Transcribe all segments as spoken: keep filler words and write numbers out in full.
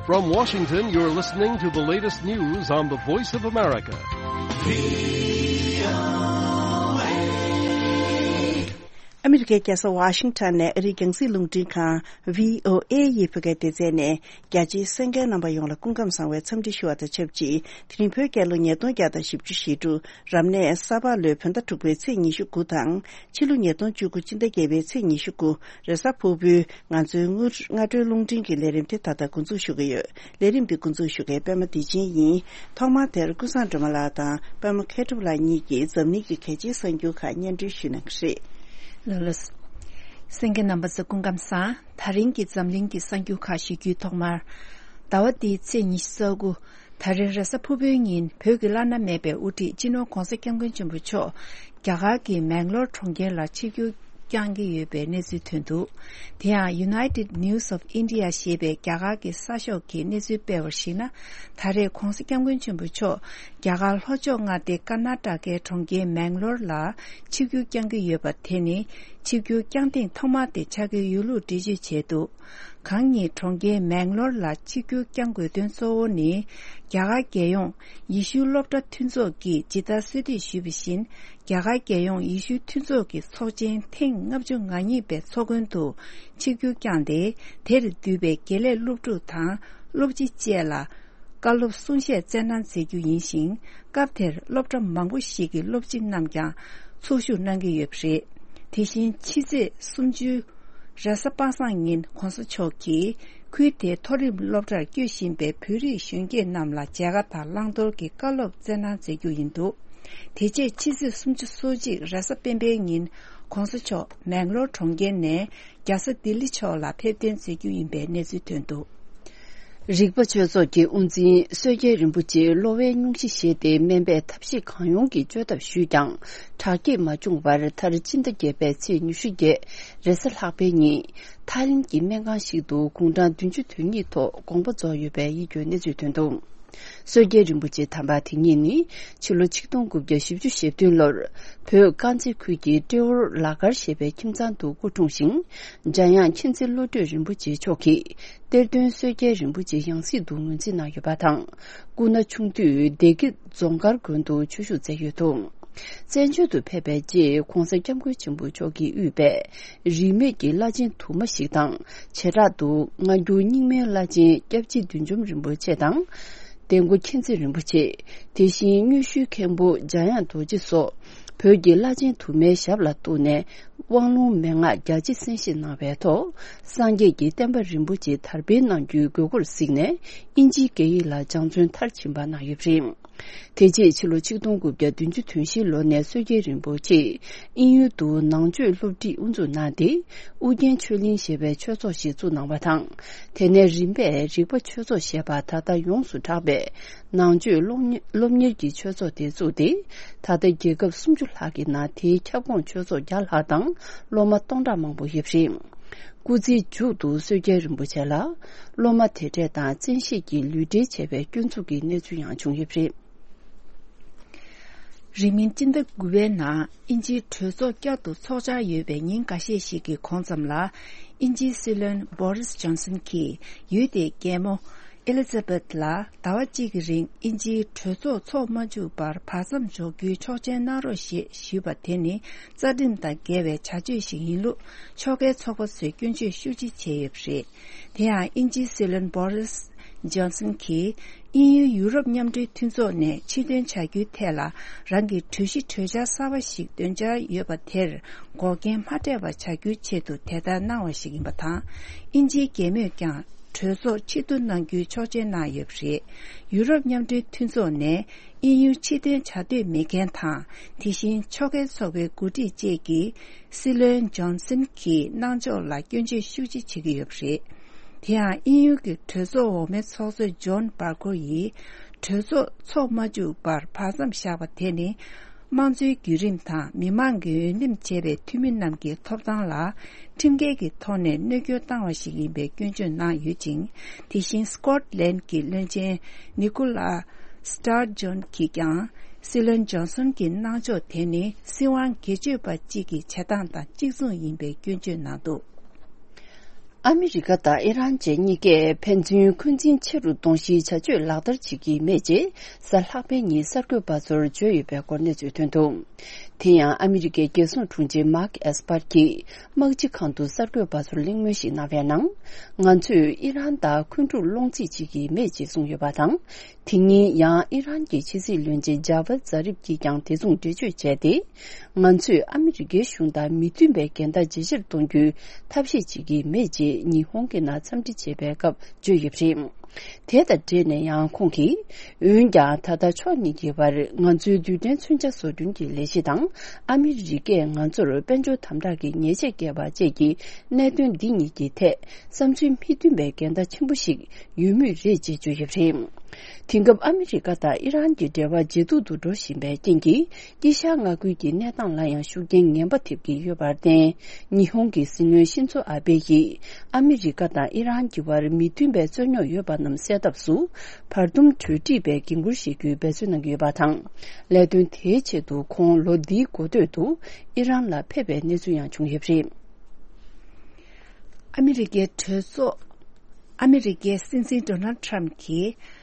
From Washington, you're listening to the latest news on the Voice of America. ཨ་མི་རི་ཀའི་རྒྱལ་ས་ཝ་ཤིང་ཊོན་ནས་ཨ་རིའི་རྒྱང་སྲིང་རླུང་འཕྲིན་ཁང་བྷི་ཨོ་ཨེ་ཡི་བོད་སྐད་སྡེ་ཚན་ནས། རྒྱ་ཆེའི་གསན་མཁན་རྣམ་པ་ཡོངས་ལ་སྐུ་ཁམས་བཟང་བའི་འཚམས་འདྲི་ཞུ་བ་དང་ཆབས་ཅིག་དེ་རིང་བོད་རྒྱལ་ལོ་ཉིས་སྟོང་བརྒྱ་དང་བཞི་བཅུ་ཞེ་དྲུག་རབ་གནས་ས་ཕག་ལོའི་བོད་ཟླ་དྲུག་པའི་ཚེས་ཉི་ཤུ་དགུ་དང་། ཕྱི་ལོ་ཉིས་སྟོང་བཅུ་དགུ་སྤྱི་ཟླ་བརྒྱད་པའི་ཚེས་ཉི་ཤུ་དགུ། རེས་གཟའ་ཕུར་བུའི་ང་ཚོའི་སྔ་སྔ་དྲོའི་རླུང་འཕྲིན་གྱི་ལས་རིམ་དེ་ད་ལྟ་འགོ་འཛུགས་ཞུ་གི་ཡོད། ལས་རིམ་འདི་འགོ་འཛུགས་ཞུ་མཁན་པད་མ་བདེ་ཆེན་ཡིན། ཐོག་མར་དེར་ཀུན་བཟང་སྒྲོལ་མ་ལགས་དང་པད་མ་མཁས་གྲུབ་ལགས་གཉིས་ཀྱིས་འཛམ་གླིང་གི་གལ་ཆེའི་གསར་འགྱུར་ཁག་སྙན་སྒྲོན་ཞུ་གནང་གི་རེད། ལགས་ལགས། གསན་མཁན་རྣམ་པ་ཚོ་སྐུ་ཁམས་བཟང་། ད་རིང་གི་འཛམ་གླིང་གི་གསར་འགྱུར་ཁག་ཞུ་རྒྱུའི་ཐོག་མར། ཟླ་བ་འདིའི་ཚེས་ཉི་ཤུ་རྩ་དགུ། ད་རེས་རེས་གཟའ་ཕུར་བུའི་ཉིན་བོད་ཀྱི་བླ་ན་མེད་པའི་དབུ་ཁྲིད་སྤྱི་ནོར་༧གོང་ས་༧སྐྱབས་མགོན་ཆེན་པོ་མཆོག་རྒྱ་གར་གྱི་མེང་ལོར་གྲོང་ཁྱེར་ལ་ཆིབས་བསྒྱུར་བསྐྱང་གི་ཡོད་པའི་གནས་ཚུལ་ཐོན་འདུག་དེ་ཡང་United News of India ཞེས་པའི་རྒྱ་གར་གྱི་གསར་ཤོག་གིས་གནས་ཚུལ་སྤེལ་བར་གཞིགས་ན། ད་རེས་༧གོང་ས་༧སྐྱབས་མགོན་ཆེན་པོ་མཆོག་རྒྱ་གར་ལྷོ་ཕྱོགས་མངའ་སྡེ་ཀར་ན་ཊ་ཀའི་གྲོང་ཁྱེར་མེང་ལོར་ལ་ཆིབས་བསྒྱུར་བསྐྱང་གི་ཡོད་པ་དེ་ནི། ཆིབས་བསྒྱུར་བསྐྱང་ཐེངས་ཐོག་མ་དེ་ཆགས་ཀྱི་ཡོད་ལུགས་འགྲེལ་བརྗོད་བྱས་འདུག་གང་ཉིད་གྲོང་ཁྱེར་མེང་ལོར་ལ་ཆིབས་བསྒྱུར་བསྐྱང་དགོས་དོན་གཙོ་བོ་ནི། རྒྱ་གར་རྒྱལ་ཡོངས་ཡེ་ཤུའི་སློབ་གྲྭ་མཐུན་ཚོགས་ཀྱིས་ཇི་ལྟར་གསོལ་འདེབས་ཞུས་པ་བཞིན། རྒྱ་གར་རྒྱལ་ཡོངས་ཡེ་ཤུའི་མཐུན་ཚོགས་ཀྱི་ཚོགས་ཆེན་ཐེངས་ལྔ་བཅུ་ང་གཉིས་པའི་ཚོགས་མགོན་དུ་ཆིབས་བསྒྱུར་བསྐྱངས་ཏེ། དེར་འདུས་པའི་དགེ་ལས་སློབ་ཕྲུག་དང་སློབ་སྤྱི་བཅས་ལ། བཀའ་སློབ་གསུང་བཤད་སྩལ་གནང་མཛད་རྒྱུ་ཡིན་ཞིང་། སྐབས་དེར་སློབ་གྲྭ་མང་པོ་ཞིག་གི་སློབ་སྤྱི་རྣམས་ཀྱང་ཚོགས་ཞུགས་གནང་གི་ཡོད་པ་རེད། དེ་བཞིན་ཕྱི་ཚེས་སུམ་ཅུ། རེས་གཟའ་པ་སངས་ཉིན་༧གོང་ས་མཆོག་གིས་ཁུལ་དེའི་མཐོ་རིམ་སློབ་གྲྭར་སྐྱོད་བཞིན་པའི་བོད་རིགས་གཞོན་སྐྱེས་རྣམས་ལ་མཇལ་ཁ་དང་བླང་དོར་གྱི་བཀའ་སློབ་སྩལ་གནང་མཛད་རྒྱུ་ཡིན་འདུག་དེ་རྗེས་ཕྱི་ཚེས་སུམ་ཅུ་སོ་གཅིག་རེས་གཟའ་སྤེན་པའི་ཉིན་༧གོང་ས་མཆོག་མེང་ལོར་གྲོང་ཁྱེར་ནས། རྒྱལ་ས་ལྡི་ལི་ཕྱོགས་ལ་ཕེབས་གཏན་མཛད་རྒྱུ་ཡིན་པའི་གནས་ཚུལ་ཐོན་འདུག་རིག་པ་ཆོས་ཚོགས་ཀྱི་དབུ་འཛིན་བསོད་རྒྱལ་རིན་པོ་ཆེས་གློ་བའི་སྙུང་གཞི་བཞེས་ཏེ་སྨན་པས་ཐབས་ཤེས་གང་ཡོང་གིས་བཅོས་ཐབས་ཞུས་ཀྱང་དྲག་སྐྱེད་མ་བྱུང་བར། མཐར་སྤྱི་ཟླ་བརྒྱད་པའི་ཚེས་ཉི་ཤུ་བརྒྱད་རེས་གཟའ་ལྷག་པའི་ཉིན་ཐའི་ལེན་གྱི་སྨན་ཁང་ཞིག་ཏུ་དགུང་གྲངས་བདུན་ཅུ་དོན་གཉིས་ཐོག་དགོངས་པ་རྫོགས་ཡོད་པའི་ཡིད་སྐྱོའི་གནས་ཚུལ་ཐོན་འདུག་བསོད་རྒྱལ་རིན་པོ་ཆེ་དམ་པ་དེ་ཉིད་ནི་ཕྱི་ལོ་ཆིག་སྟོང་དགུ་བརྒྱ་བཞི་བཅུ་ཞེ་བདུན་ལོར་བོད་དཀར་མཛེས་ཁུལ་གྱི་ཏྲེ་ཧོར་ལ་དཀར་ཞེས་པའི་ཁྱིམ་ཚང་དུ་སྐུ་འཁྲུངས་ཤིང་། འཇམ་དབྱངས་མཁྱེན་བརྩེ་བློ་གྲོས་རིན་པོ་ཆེ་མཆོག་གིས་གཏེར་སྟོན་བསོད་རྒྱལ་རིན་པོ་ཆེ་ཡང་སྲིད་དུ་ངོས་འཛིན་གནང་ཡོད་པ་དང་། སྐུ་ན་ཆུང་དུས་སྡེ་དགེ་རྫོང་དཀར་དགོན་དུ་ཆོས་ཞུགས་མཛད་ཡོད་འདུག་བཙན་བྱོལ་དུ་ཕེབས་པའི་རྗེས་༧གོང་ས་༧སྐྱབས་མགོན་ཆེན་པོ་མཆོག་གིས་དབུས་པའི་རིས་མེད་ཀྱི་བླ་ཆེན་དུ་མ་ཞིག་དང་། བྱེ་བྲག་ཏུ་སྔ་འགྱུར་རྙིང་མའི་བླ་ཆེན་སྐྱབས་རྗེ་བདུད་འཇོམས་རིན་པོ་ཆེ་དང་། འདན་སྒོ་མཁྱེན་བརྩེ་རིན་པོ་ཆེ། དེ་བཞིན་དངོས་ཞུའི་མཁན་པོ་འཇམ་དབྱངས་རྡོ་རྗེ་སོགས་བོད་ཀྱི་བླ་ཆེན་དུ་མའི་ཞབས་ལ་གཏུགས་ནས་དབང་ལུང་མན་ངག་རྒྱ་ཆེ་གསན་བཞེས་གནང་བའི་ཐོག་སངས་རྒྱས་ཀྱི་བསྟན་པ་རིན་པོ་ཆེ་དར་སྤེལ་གནང་རྒྱུའི་དགོས་མཁོར་གཟིགས་ནས་དབྱིན་ཇིའི་སྐད་ཡིག་ལ་སྦྱང་བརྩོན་མཐར་ཕྱིན་པ་གནང་ཡོད་པ་རེད། དེ་རྗེས་ཕྱི་ལོ་ཆིག་སྟོང་དགུ་བརྒྱ་བདུན་ཅུ་དོན་བཞིའི་ལོ་ནས་བསོད་རྒྱལ་རིན་པོ་ཆེས་དབྱིན་ཡུལ་དུ་ནང་ཆོས་སློབ་ཁྲིད་དབུ་འཛུགས་གནང་སྟེ། ཨུ་རྒྱན་ཆོས་གླིང་ཞེས་པའི་ཆོས་ཚོགས་ཤིག་བཙུགས་གནང་བ་དང་། དེ་ནས་རིམ་པས་རིག་པ་ཆོས་ཚོགས་ཞེས་པ་ད་ལྟ་ཡོངས་སུ་གྲགས་པའི་ནང་ཆོས་སློབ་གཉེར་སློབ་གཉེར་གྱི་ཆོས་ཚོགས་དེ་བཙུགས་ཏེ། ད་ལྟ་རྒྱལ་ཁབ་སུམ་ཅུ་ལྷག་གི་ནང་དེའི་ཁྱབ་ཁོངས་ཆོས་ཚོགས་བརྒྱ་ལྷག་དང་སློབ་མ་སྟོང་ཕྲག་མང་པོ་ཡོད་པ་རེད། སྐུ་ཚེའི་མཇུག་ཏུ་བསོད་རྒྱལ་རིན་པོ་ཆེ་ལ་སློབ་མ་དེ་གྲས་དང་བཙན་ཤེད་ཀྱིས་ལུས་འབྲེལ་བྱས་པའི་སྐྱོན་འཛུགས་ཀྱི་གནས་ཚུལ་ཡང་བྱུང་ཡོད་པ་རེད། རིང་མིན་སྤྱི་ཟླ་དགུ་པའི་ནང་དབྱིན་ཇིའི་གྲོས་ཚོགས་བསྐྱར་དུ་ཚོགས་འཆར་ཡོད་པའི་ཉིན་འགའ་ཤས་ཤིག་གི་གོང་ཙམ་ལ། དབྱིན་ཇིའི་སྲིད་བློན་བྷོ་རིས་ཇོན་སན་གྱིས་ཡུལ་དེའི་རྒྱལ་མོ་ཨེ་ལི་ཛ་བེད་ལ་ཟླ་བ་གཅིག་གི་རིང་དབྱིན་ཇིའི་གྲོས་ཚོགས་ཚོགས་མ་བཅུག་པར་བར་མཚམས་འཇོག་རྒྱུའི་ཆོག་མཆན་གནང་རོགས་ཞེས་ཞུས་པ་དེ་ནི་རྩ་ཁྲིམས་དང་འགལ་བའི་བྱ་སྤྱོད་ཞིག་ཡིན་ལུགས་ཕྱོགས་འགལ་ཚོགས་པ་ཚོས་སྐྱོན་བརྗོད་ཤུགས་ཆེ་བྱས་ཡོད་པ་རེད། དེ་ཡང་དབྱིན་ཇིའི་སྲིད་བློན་བྷོ་རིས་ཇོན་སན་གྱིས་དབྱིན་ཡུལ་ཡུ་རོབ་མཉམ་འབྲེལ་མཐུན་ཚོགས་ནས་ཕྱིར་འདོན་བྱ་རྒྱུའི་ཐད་ལ་རང་གི་གྲོས་གཞི་གྲོས་འཆར་གསར་པ་ཞིག་འདོན་འཆར་ཡོད་པ་དེར་འགོག་རྐྱེན་མ་འཕྲད་པ་བྱ་རྒྱུའི་ཆེད་དུ་དེ་ལྟར་གནང་བ་ཞིག་ཡིན་པ་དང་། དབྱིན་ཇིའི་རྒྱལ་མོས་ཀྱང་གྲོས་ཚོགས་ཕྱིར་བསྡུ་གནང་རྒྱུའི་ཆོག་མཆན་གནང་ཡོད་པ་རེད། ཡུ་རོབ་མཉམ་འབྲེལ་མཐུན་ཚོགས་ནས་དབྱིན་ཡུལ་ཕྱིར་འདོན་བྱ་འདོད་མེད་མཁན་དང་། དེ་བཞིན་ཕྱོགས་འགལ་ཚོགས་པའི་འགོ་ཁྲིད་བཅས་ཀྱིས་སྲིད་བློན་ཇོན་སན་གྱི་གནང་ཕྱོགས་ལ་སྐྱོན་བརྗོད་ཤུགས་ཆེ་བྱེད་ཀྱི་ཡོད་པ་རེད། དེ་ཡང་དབྱིན་ཡུལ་གྱི་གྲོས་ཚོགས་འོག་མའི་ཚོགས་གཙོ་ཇོན་བར་ཀོར་ཡིས་གྲོས་ཚོགས་ཚོགས་མ་བཅུག་པར་བར་མཚམས་བཞག་པ་དེ་ནི། དམངས་གཙོའི་བརྒྱུད་རིམ་དང་མི་མང་གིས་འོས་འདེམས་བྱས་པའི་འཐུས་མི་རྣམས་ཀྱི་ཐོབ་ཐང་ལ་ཁྲིམས་འགལ་གྱི་ཐོག་ནས་གནོད་སྐྱོན་བཏང་བ་ཞིག་ཡིན་པའི་སྐྱོན་བརྗོད་གནང་ཡོད་ཅིང་། དེ་བཞིན་སི་ཀོཊ་ལན་གྱི་བློན་ཆེན་ནི་ཀོ་ལ་སི་ཊར་ཇོན་གྱིས་ཀྱང་སྲིད་བློན་ཇོན་སོན་གྱི་གནང་ཕྱོགས་དེ་ནི་སྲིད་དབང་སྒེར་གཅོད་པ་གཅིག་གི་བྱེད་སྟངས་དང་གཅིག་མཚུངས་ཡིན་པའི་སྐྱོན་བརྗོད་གནང་འདུག་ཨ་མི་རི་ཀ་དང་ཨི་རན་བཅས་གཉིས་ཀས་ཕན་ཚུན་འཁོན་འཛིན་ཆེ་རུ་གཏོང་གཞིའི་བྱ་སྤྱོད་ལག་བསྟར་བྱེད་ཀྱི་མེད་ཅེས་གཟའ་ལྷག་པའི་ཉིན་གསར་འགོད་པ་ཚོར་བརྗོད་ཡོད་པའི་སྐོར་གནས་ཚུལ་ཐོན་འདུག་དེ་ཡང་ཨ་མི་རི་ཀའི་རྒྱལ་སྲུང་དྲུང་ཆེ་མཱག་ཨེས་པར་གྱིས་དམག་སྤྱི་ཁང་དུ་གསར་འགོད་པ་ཚོར་གླེང་མོལ་ཞིག་གནང་བའི་ནང་། ང་ཚོས་ཨི་རན་དང་འཁོན་འཁྲུག་སློང་རྩིས་བྱེད་ཀྱི་མེད་ཅེས་གསུངས་ཡོད་པ་དང་། དེ་ཉིན་ཡང་ཨི་རན་གྱི་ཕྱི་སྲིད་བློན་ཆེན་ཇཱ་ཝད་ཛཱ་རིབ་ཀྱིས་ཀྱང་དེ་མཚུངས་འགྲེལ་བརྗོད་བྱས་ཏེ། ང་ཚོས་ཨ་མི་རི་ཀའི་གཞུང་དང་མི་མཐུན་པའི་འགལ་ཟླ་ཇེ་ཆེར་གཏོང་རྒྱུའི་ཐབས་ཤེས་བྱེད་ཀྱི་མེད་ཅེས་ཉི་ཧོང་གི་ནང་འཚམས་འདྲི་བྱེད་པའི་སྐབས་བརྗོད་ཡོད་པ་རེད། དེ་དང་འབྲེལ་ནས་ཡང་ཁོང་གིས། འོན་ཀྱང་ད་ལྟ་ཕྱོགས་གཉིས་ཀྱི་བར་ང་ཚོའི་རྡུལ་ཕྲན་མཚོན་ཆ་བཟོ་སྐྲུན་གྱི་ལས་གཞི་དང་ཨ་མི་རི་ཀས་ང་ཚོར་དཔལ་འབྱོར་དམ་དྲག་གི་ཉེས་ཆད་བཀལ་བ་བཅས་ཀྱི་གནད་དོན་འདི་གཉིས་ཀྱི་ཐད་བསམ་ཚུལ་མི་མཐུན་པའི་འགལ་ཟླ་ཆེན་པོ་ཞིག་ཡོད་མུས་རེད་ཅེས་བརྗོད་ཡོད་པ་རེད། དེང་སྐབས་ཨ་མི་རི་ཀ་དང་ཨི་རན་གྱི་འབྲེལ་བ་ཇེ་སྡུག་ཏུ་འགྲོ་བཞིན་པའི་རྐྱེན་གྱིས། དཀྱིལ་ཤར་མངའ་ཁུལ་གྱི་གནས་སྟངས་ལ་ཡང་ཤུགས་རྐྱེན་ངན་པ་ཐེབས་ཀྱི་ཡོད་པར་བརྟེན། ཉི་ཧོང་གི་སྲིད་བློན་ཤིན་ཚོ་ཨ་བྷེ་ཡིས་ཨ་མི་རི་ཀ་དང་ཨི་རན་གྱི་བར་མི་མཐུན་པའི་རྩོད་རྙོག་ཡོད་པ་རྣམས་སེལ་ཐབས་སུ་བར་འདུམ་གྲོས་འགྲིག་པའི་འགན་འཁུར་བཞེས་རྒྱུའི་འབད་བརྩོན་གནང་གི་ཡོད་པ་དང་། ལས་དོན་དེའི་ཆེད་དུ་ཁོང་ལོ་འདིའི་འགོ་སྟོད་དུ་ཨི་རན་ལ་ཕེབས་པའི་གནས་ཚུལ་ཡང་བྱུང་ཡོད་པ་རེད། ཨ་མི་རི་ཀའི་གྲོས་ཚོགས། ཨ་མི་རི་ཀའི་སྲིད་འཛིན་ཌོ་ནལ་ཁྲམ་གྱིས།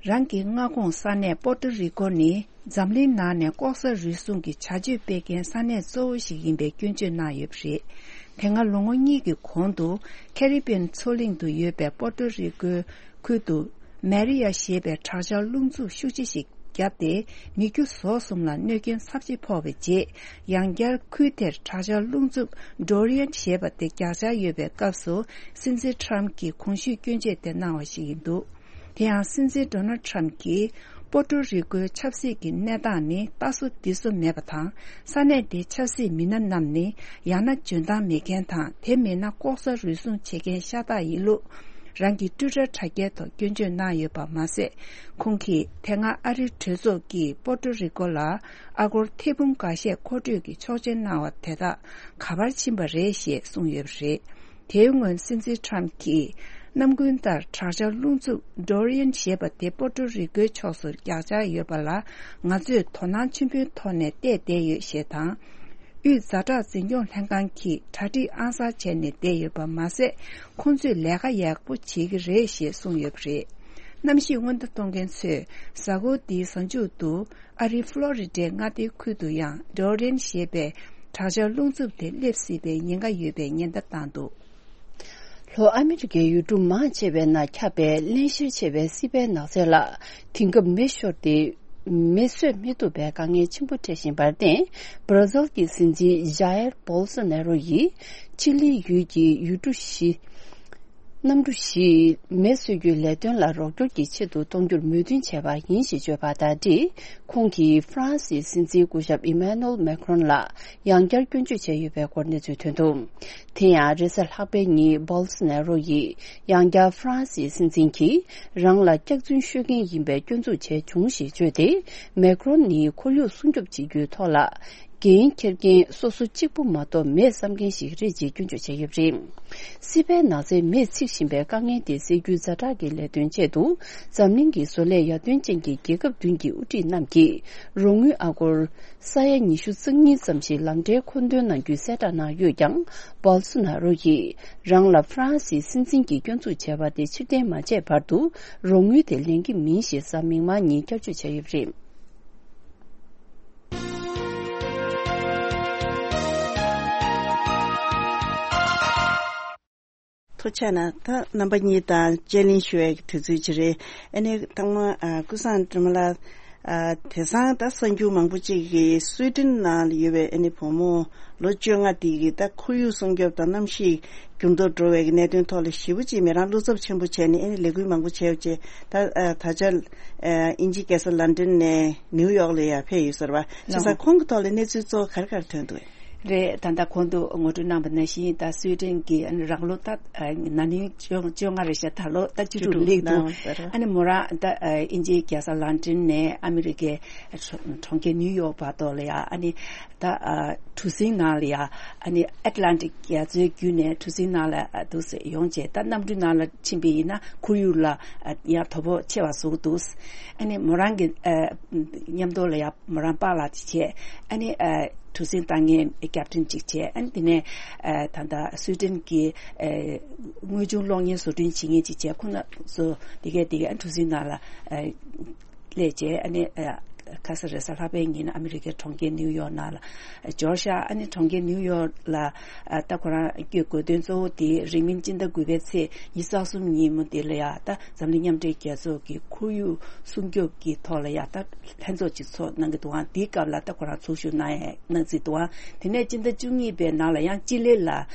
རང་གི་མངའ་ཁོངས་ས་གནས་པོར་ཏོ་རི་ཀོ་ནི་འཛམ་གླིང་ནང་ནས་ལྐོག་ཟ་རུལ་སུངས་ཀྱི་བྱ་སྤྱོད་སྤེལ་མཁན་ས་གནས་གཙོ་བོ་ཞིག་ཡིན་པའི་སྐྱོན་བརྗོད་གནང་ཡོད་པ་རེད། དེ་སྔ་ལོ་ངོ་གཉིས་ཀྱི་གོང་དུ་ཁེ་རི་བི་ཡན་མཚོ་གླིང་དུ་ཡོད་པའི་པོར་ཏོ་རི་ཀོའི་ཁུལ་དུ་མེ་རི་ཡ་ཞེས་པའི་དྲག་ཆར་རླུང་འཚུབ་ཤུགས་ཆེ་ཞིག་བརྒྱབ་སྟེ་མི་རྒྱུ་ཟོག་གསུམ་ལ་གནོད་སྐྱོན་ཚབས་ཆེ་ཕོག་པའི་རྗེས། ཡང་བསྐྱར་ཁུལ་དེར་དྲག་ཆར་རླུང་འཚུབ་ཌོ་རི་ཡན་ཞེས་པ་དེ་རྒྱག་འཆར་ཡོད་པའི་སྐབས་སུ་སྲིད་འཛིན་ཁྲམ་གྱིས་གོང་ཞུས་སྐྱོན་བརྗོད་དེ་གནང་བ་ཞིག་ཡིན་འདུག་དེ་ཡང་སྲིད་འཛིན་ཌོ་ནལ་ཁྲམ་གྱིས་པོ་ཏོ་རི་ཀོའི་ཆབ་སྲིད་ཀྱི་གནས་སྟངས་ནི་ལྟ་སོ་འདི་སོ་མེད་པ་དང་། ས་གནས་དེའི་ཆབ་སྲིད་མི་སྣ་རྣམས་ནི་ཡང་ན་འཇོན་ཐང་མེད་མཁན་དང་། དེ་མིན་ན་ལྐོག་ཟ་རུལ་སུངས་བྱེད་མཁན་ཤ་སྟག་ཡིན་ལུགས། རང་གི་ཊུའི་ཊར་དྲ་རྒྱའི་ཐོག་སྐྱོན་བརྗོད་གནང་ཡོད་པ་མ་ཟད། ཁོང་གིས་དེ་སྔ་ཨ་རིའི་གྲོས་ཚོགས་ཀྱིས་པོ་ཏོ་རི་ཀོ་ལ་ཨ་སྒོར་ཐེར་འབུམ་འགའ་ཤས་མཁོ་སྤྲོད་ཀྱི་ཆོག་མཆན་གནང་བ་དེ་དག་ག་པར་ཕྱིན་པ་རེད་ཞེས་གསུངས་ཡོད་པ་རེད། དེའི་སྔོན་སྲིད་འཛིན་ཁྲམ་གྱིས་ནམ་རྒྱུན་ལྟར་དྲག་ཆར་རླུང་འཚུབ་ཌོ་རི་ཡན་ཞེས་པ་དེ་པོ་ཏོ་རི་ཀོའི་ཕྱོགས་སུ་རྒྱག་འཆར་ཡོད་པ་ལ་ང་ཚོས་དོ་སྣང་ཆེན་པོའི་ཐོག་ནས་བལྟས་བསྡད་ཡོད་ཞེས་དང་། དབུས་ཛ་དྲག་འཛིན་སྐྱོང་ལྷན་ཁང་གིས་གྲ་སྒྲིག་ཨང་གསར་བྱས་ནས་བསྡད་ཡོད་པ་མ་ཟད། ཁོང་ཚོས་ལས་ཀ་ཡག་པོ་བྱེད་ཀྱི་རེད་ཞེས་གསུངས་ཡོད་པ་རེད། གནམ་གཤིས་སྔོན་བརྡ་གཏོང་མཁན་ཚོས་གཟའ་འཁོར་འདིའི་གཟའ་མཇུག་ཏུ་ཨ་རིའི་ཕློ་རི་ཌའི་མངའ་སྡེའི་ཁུལ་དུ་ཡང་ཌོ་རེན་ཞེས་པའི་དྲག་ཆར་རླུང་འཚུབ་དེ་སླེབས་སྲིད་པའི་ཉེན་ཁ་ཡོད་པའི་ཉེན་བརྡ་བཏང་འདུག་ལྷོ་ཨ་མི་རི་ཀའི་ཡུལ་གྲུ་མང་ཆེ་བའི་ནང་ཁྱབ་པའི་བརླན་གཤེར་ཆེ་བའི་སྲིད་པའི་ནགས་ཚལ་ལ་དེང་སྐབས་མེ་ཤོར་ཏེ། མེ་གསོད་མི་ཐུབ་པའི་དཀའ་ངལ་ཆེན་པོ་འཕྲད་བཞིན་པར་བརྟེན། བར་ཛིལ་གྱི་སྲིད་འཛིན་ཇཱ་ཡེར་བོལ་སོ་ནེ་རོ་ཡིས་ཆི་ལི་ཡུལ་གྱི་ཡུལ་གྲུ་བཞི། གནམ་གྲུ་བཞི་མེ་གསོད་རྒྱུའི་ལས་དོན་ལ་རོགས་སྐྱོར་གྱི་ཆེད་དུ་གཏོང་རྒྱུར་མོས་མཐུན་བྱས་པ་ཡིན་ཞེས་བརྗོད་པ་དང་འབྲེལ། ཁོང་གིས་ཧྥ་རན་སིའི་སྲིད་འཛིན་སྐུ་ཞབས་ཨི་མ་ནུ་ཨེལ་མེ་ཁྲོན་ལ་ཡང་བསྐྱར་སྐྱོན་བརྗོད་བྱས་ཡོད་པའི་སྐོར་གནས་ཚུལ་ཐོན་འདུག་དེ་ཡང་རེས་གཟའ་ལྷག་པའི་ཉིན་བོལ་སོ་ནེ་རོ་ཡིས་ཡང་བསྐྱར་ཧྥ་རན་སིའི་སྲིད་འཛིན་གྱིས་རང་ལ་སྐྱག་རྫུན་ཤོད་མཁན་ཡིན་པའི་སྐྱོན་འཛུགས་བྱས་བྱུང་ཞེས་བརྗོད་དེ། མེ་ཁྲོན་ནི་ཁོར་ཡུག་སྲུང་སྐྱོབ་བྱེད་རྒྱུའི་ཐོག་ལ་འགན་འཁྱེར་མཁན་སོ་སོ་གཅིག་པུ་མ་གཏོགས་མེད་བསམ་མཁན་ཞིག་རེད་ཅེས་སྐྱོན་བརྗོད་བྱས་ཡོད་པ་རེད། སྲིད་པའི་ནགས་ཚལ་མེས་ཚིག་བཞིན་པའི་དཀའ་ངལ་དེ་སེལ་རྒྱུའི་ཛ་དྲག་གི་ལས་དོན་ཆེད་དུ་འཛམ་གླིང་གི་བཟོ་ལས་ཡར་ཐོན་ཅན་གྱི་རྒྱལ་ཁབ་བདུན་གྱི་དབུ་ཁྲིད་རྣམས་ཀྱིས་རོགས་དངུལ་ཨ་སྒོར་ས་ཡ་ཉི་ཤུ་རྩ་གཉིས་ཙམ་ཞིག་ལམ་འབྲས་མཁོ་འདོན་གནང་རྒྱུའི་གསལ་བསྒྲགས་གནང་ཡོད་ཀྱང་། བོལ་སོ་ནཱ་རོ་ཡིས་རང་ལ་ཧྥ་རན་སིའི་སྲིད་འཛིན་གྱི་སྐྱོན་འཛུགས་བྱས་པ་དེ་ཕྱིར་འཐེན་མ་བྱས་བར་དུ་རོགས་དངུལ་དེ་ལེན་གྱི་མིན་ཞེས་གཟའ་མིག་དམར་ཉིན་བསྐྱར་བརྗོད་བྱས་ཡོད་པ་རེད། ཐུགས་རྗེ་གནང་། ད་རྣམ་པ་གཉིས་དང་དཔྱད་གླེང་ཞུ་བའི་དུས་ཚོད་ཅིག་རེད། ཨ་ནི་ཐོག་མ་ཨ་ཀུན་བཟང་སྒྲོལ་མ་ལགས། ཨ་དེང་སང་ད་གསར་འགྱུར་མང་པོ་ཅིག་གིས་སུའེ་ཏེན་ནང་ཡོད་པའི་ཨ་ནི་བུ་མོ་ལོ་བཅོ་ལྔ་དེ་གིས་ད་ཁོར་ཡུག་སྲུང་སྐྱོབ་དང་གནམ་གཤིས་འགྱུར་ལྡོག་འགྲོ་བའི་གནད་དོན་ཐོག་ལ་ཞེ་པོ་ཅིག་མི་རང་བློ་འཚབ་ཆེན་པོ་བྱས་ནས་ཨ་ནི་ལས་འགུལ་མང་པོ་བྱས་ཡོད་ཅེས་ད་ཨ་ད་ཆ་ཨ་དབྱིན་ཇི་རྒྱལ་ས་ལན་ཌན་ནས་ནིའུ་ཡོག་ལ་ཡར་ཕེབས་ཡོད་ཟེར་བ། བྱས་ཙང་ཁོང་གི་ཐོག་ལ་གནས་ཚུལ་གཙོ་བོ་ག་རེ་ག་རེ་ཐོན་འདུག་རེད། ད་ལྟ་གོང་དུ་ངོ་སྤྲོད་གནང་བ་ནང་བཞིན་ད་སུའེ་ཏེན་གྱི་ཨ་ནི་རང་ལོ་ད་ཨ་ན་ནིང་བཅོ་བཅོ་ལྔ་རེད་ཤག་ད་ལོ་ད་བཅུ་དྲུག་བཅུ་དྲུག་སླེབས་འདུག་ལ་ཟེར། ཨ་ནི་མོ་རང་ད་ཨ་དབྱིན་ཇིའི་རྒྱལ་ས་ལན་ཌན་ནས་ཨ་མི་རི་ཀའི་གྲོང་ཁྱེར་ནིའུ་ཡོག་བར་དུ་ལ་ཡ། ཨ་ནི་ད་ཨ་གྲུ་གཟིངས་ནང་ལ་ཡ། ཨ་ནི་ཨེཊ་ལན་ཊིག་རྒྱ་མཚོའི་བརྒྱུད་ནས་གྲུ་གཟིངས་ནང་ལ་ཨ་འདུག་སེ་ཡོང་བྱས། ད་གནམ་གྲུའི་ནང་ལ་ཕྱིན་པ་ཡིན་ན་ཁོར་ཡུག་ལ་ཨ་ཡང་དོ་ཕོག་ཆེ་བ་བཟོ་གི་འདུག་ཨ་ནི་མོ་རང་གི་ཨ་མཉམ་དུ་ལ་ཡ་མོ་རང་པཱ་ལགས་དེ་བྱས། ཨ་ནི་ཨ། གྲུ་གཟིངས་བཏང་མཁན་ཀེབ་ཏན་ཅིག་བྱས། ཨ་ནི་དེ་ནས་ཨ་ད་ལྟ་སུའི་ཏན་གྱི་ཨ་དངོས་བྱུང་གློག་བརྙན་བཟོ་སྐྲུན་བྱེད་མཁན་ཅིག་བྱས། ཁོ་ན་ཚོ་དེ་གས་དེ་གས་ཨ་གྲུ་གཟིངས་ནང་ལ་ཨ་སླེབས་བྱས། ཨ་ནི་ཨ་ཁ་ས་རེས་གཟའ་ལྷག་པའི་ཉིན་ཨ་མི་རི་ཀའི་གྲོང་ཁྱེར་ནིའུ་ཡོག་ནང་ལ་འབྱོར་ཤག་ཨ་ནི་གྲོང་ཁྱེར་ནིའུ་ཡོག་ལ་ཨ་ད་ཁོ་རང་སྐྱོད་དགོས་དོན་གཙོ་བོ་དེ་རིང་མིན་སྤྱི་ཟླ་དགུ་པའི་ཚེས་ཉི་ཤུ་རྩ་གསུམ་ཉིན་མོ་དེ་ལ་ཡ་ད་འཛམ་གླིང་མཉམ་འབྲེལ་རྒྱལ་ཚོགས་ཀྱི་ཁོར་ཡུག་སྲུང་སྐྱོབ་ཀྱི་ཐོག་ལ་ཡ་ད་ལྷན་ཚོགས་ཅིག་ཚོགས་གནང་གི་འདུག་ཨང་། དེའི་སྐབས་ལ་ད་ཁོ་རང་ཚོགས་ཞུགས་གནང་ཡ་གནང་རྩིས་འདུག་ཨང་། དེ་ནས་སྤྱི་ཟླ་བཅུ་གཉིས་པའི་ནང་ལ་ཡང་ཅི་ལི་ལ་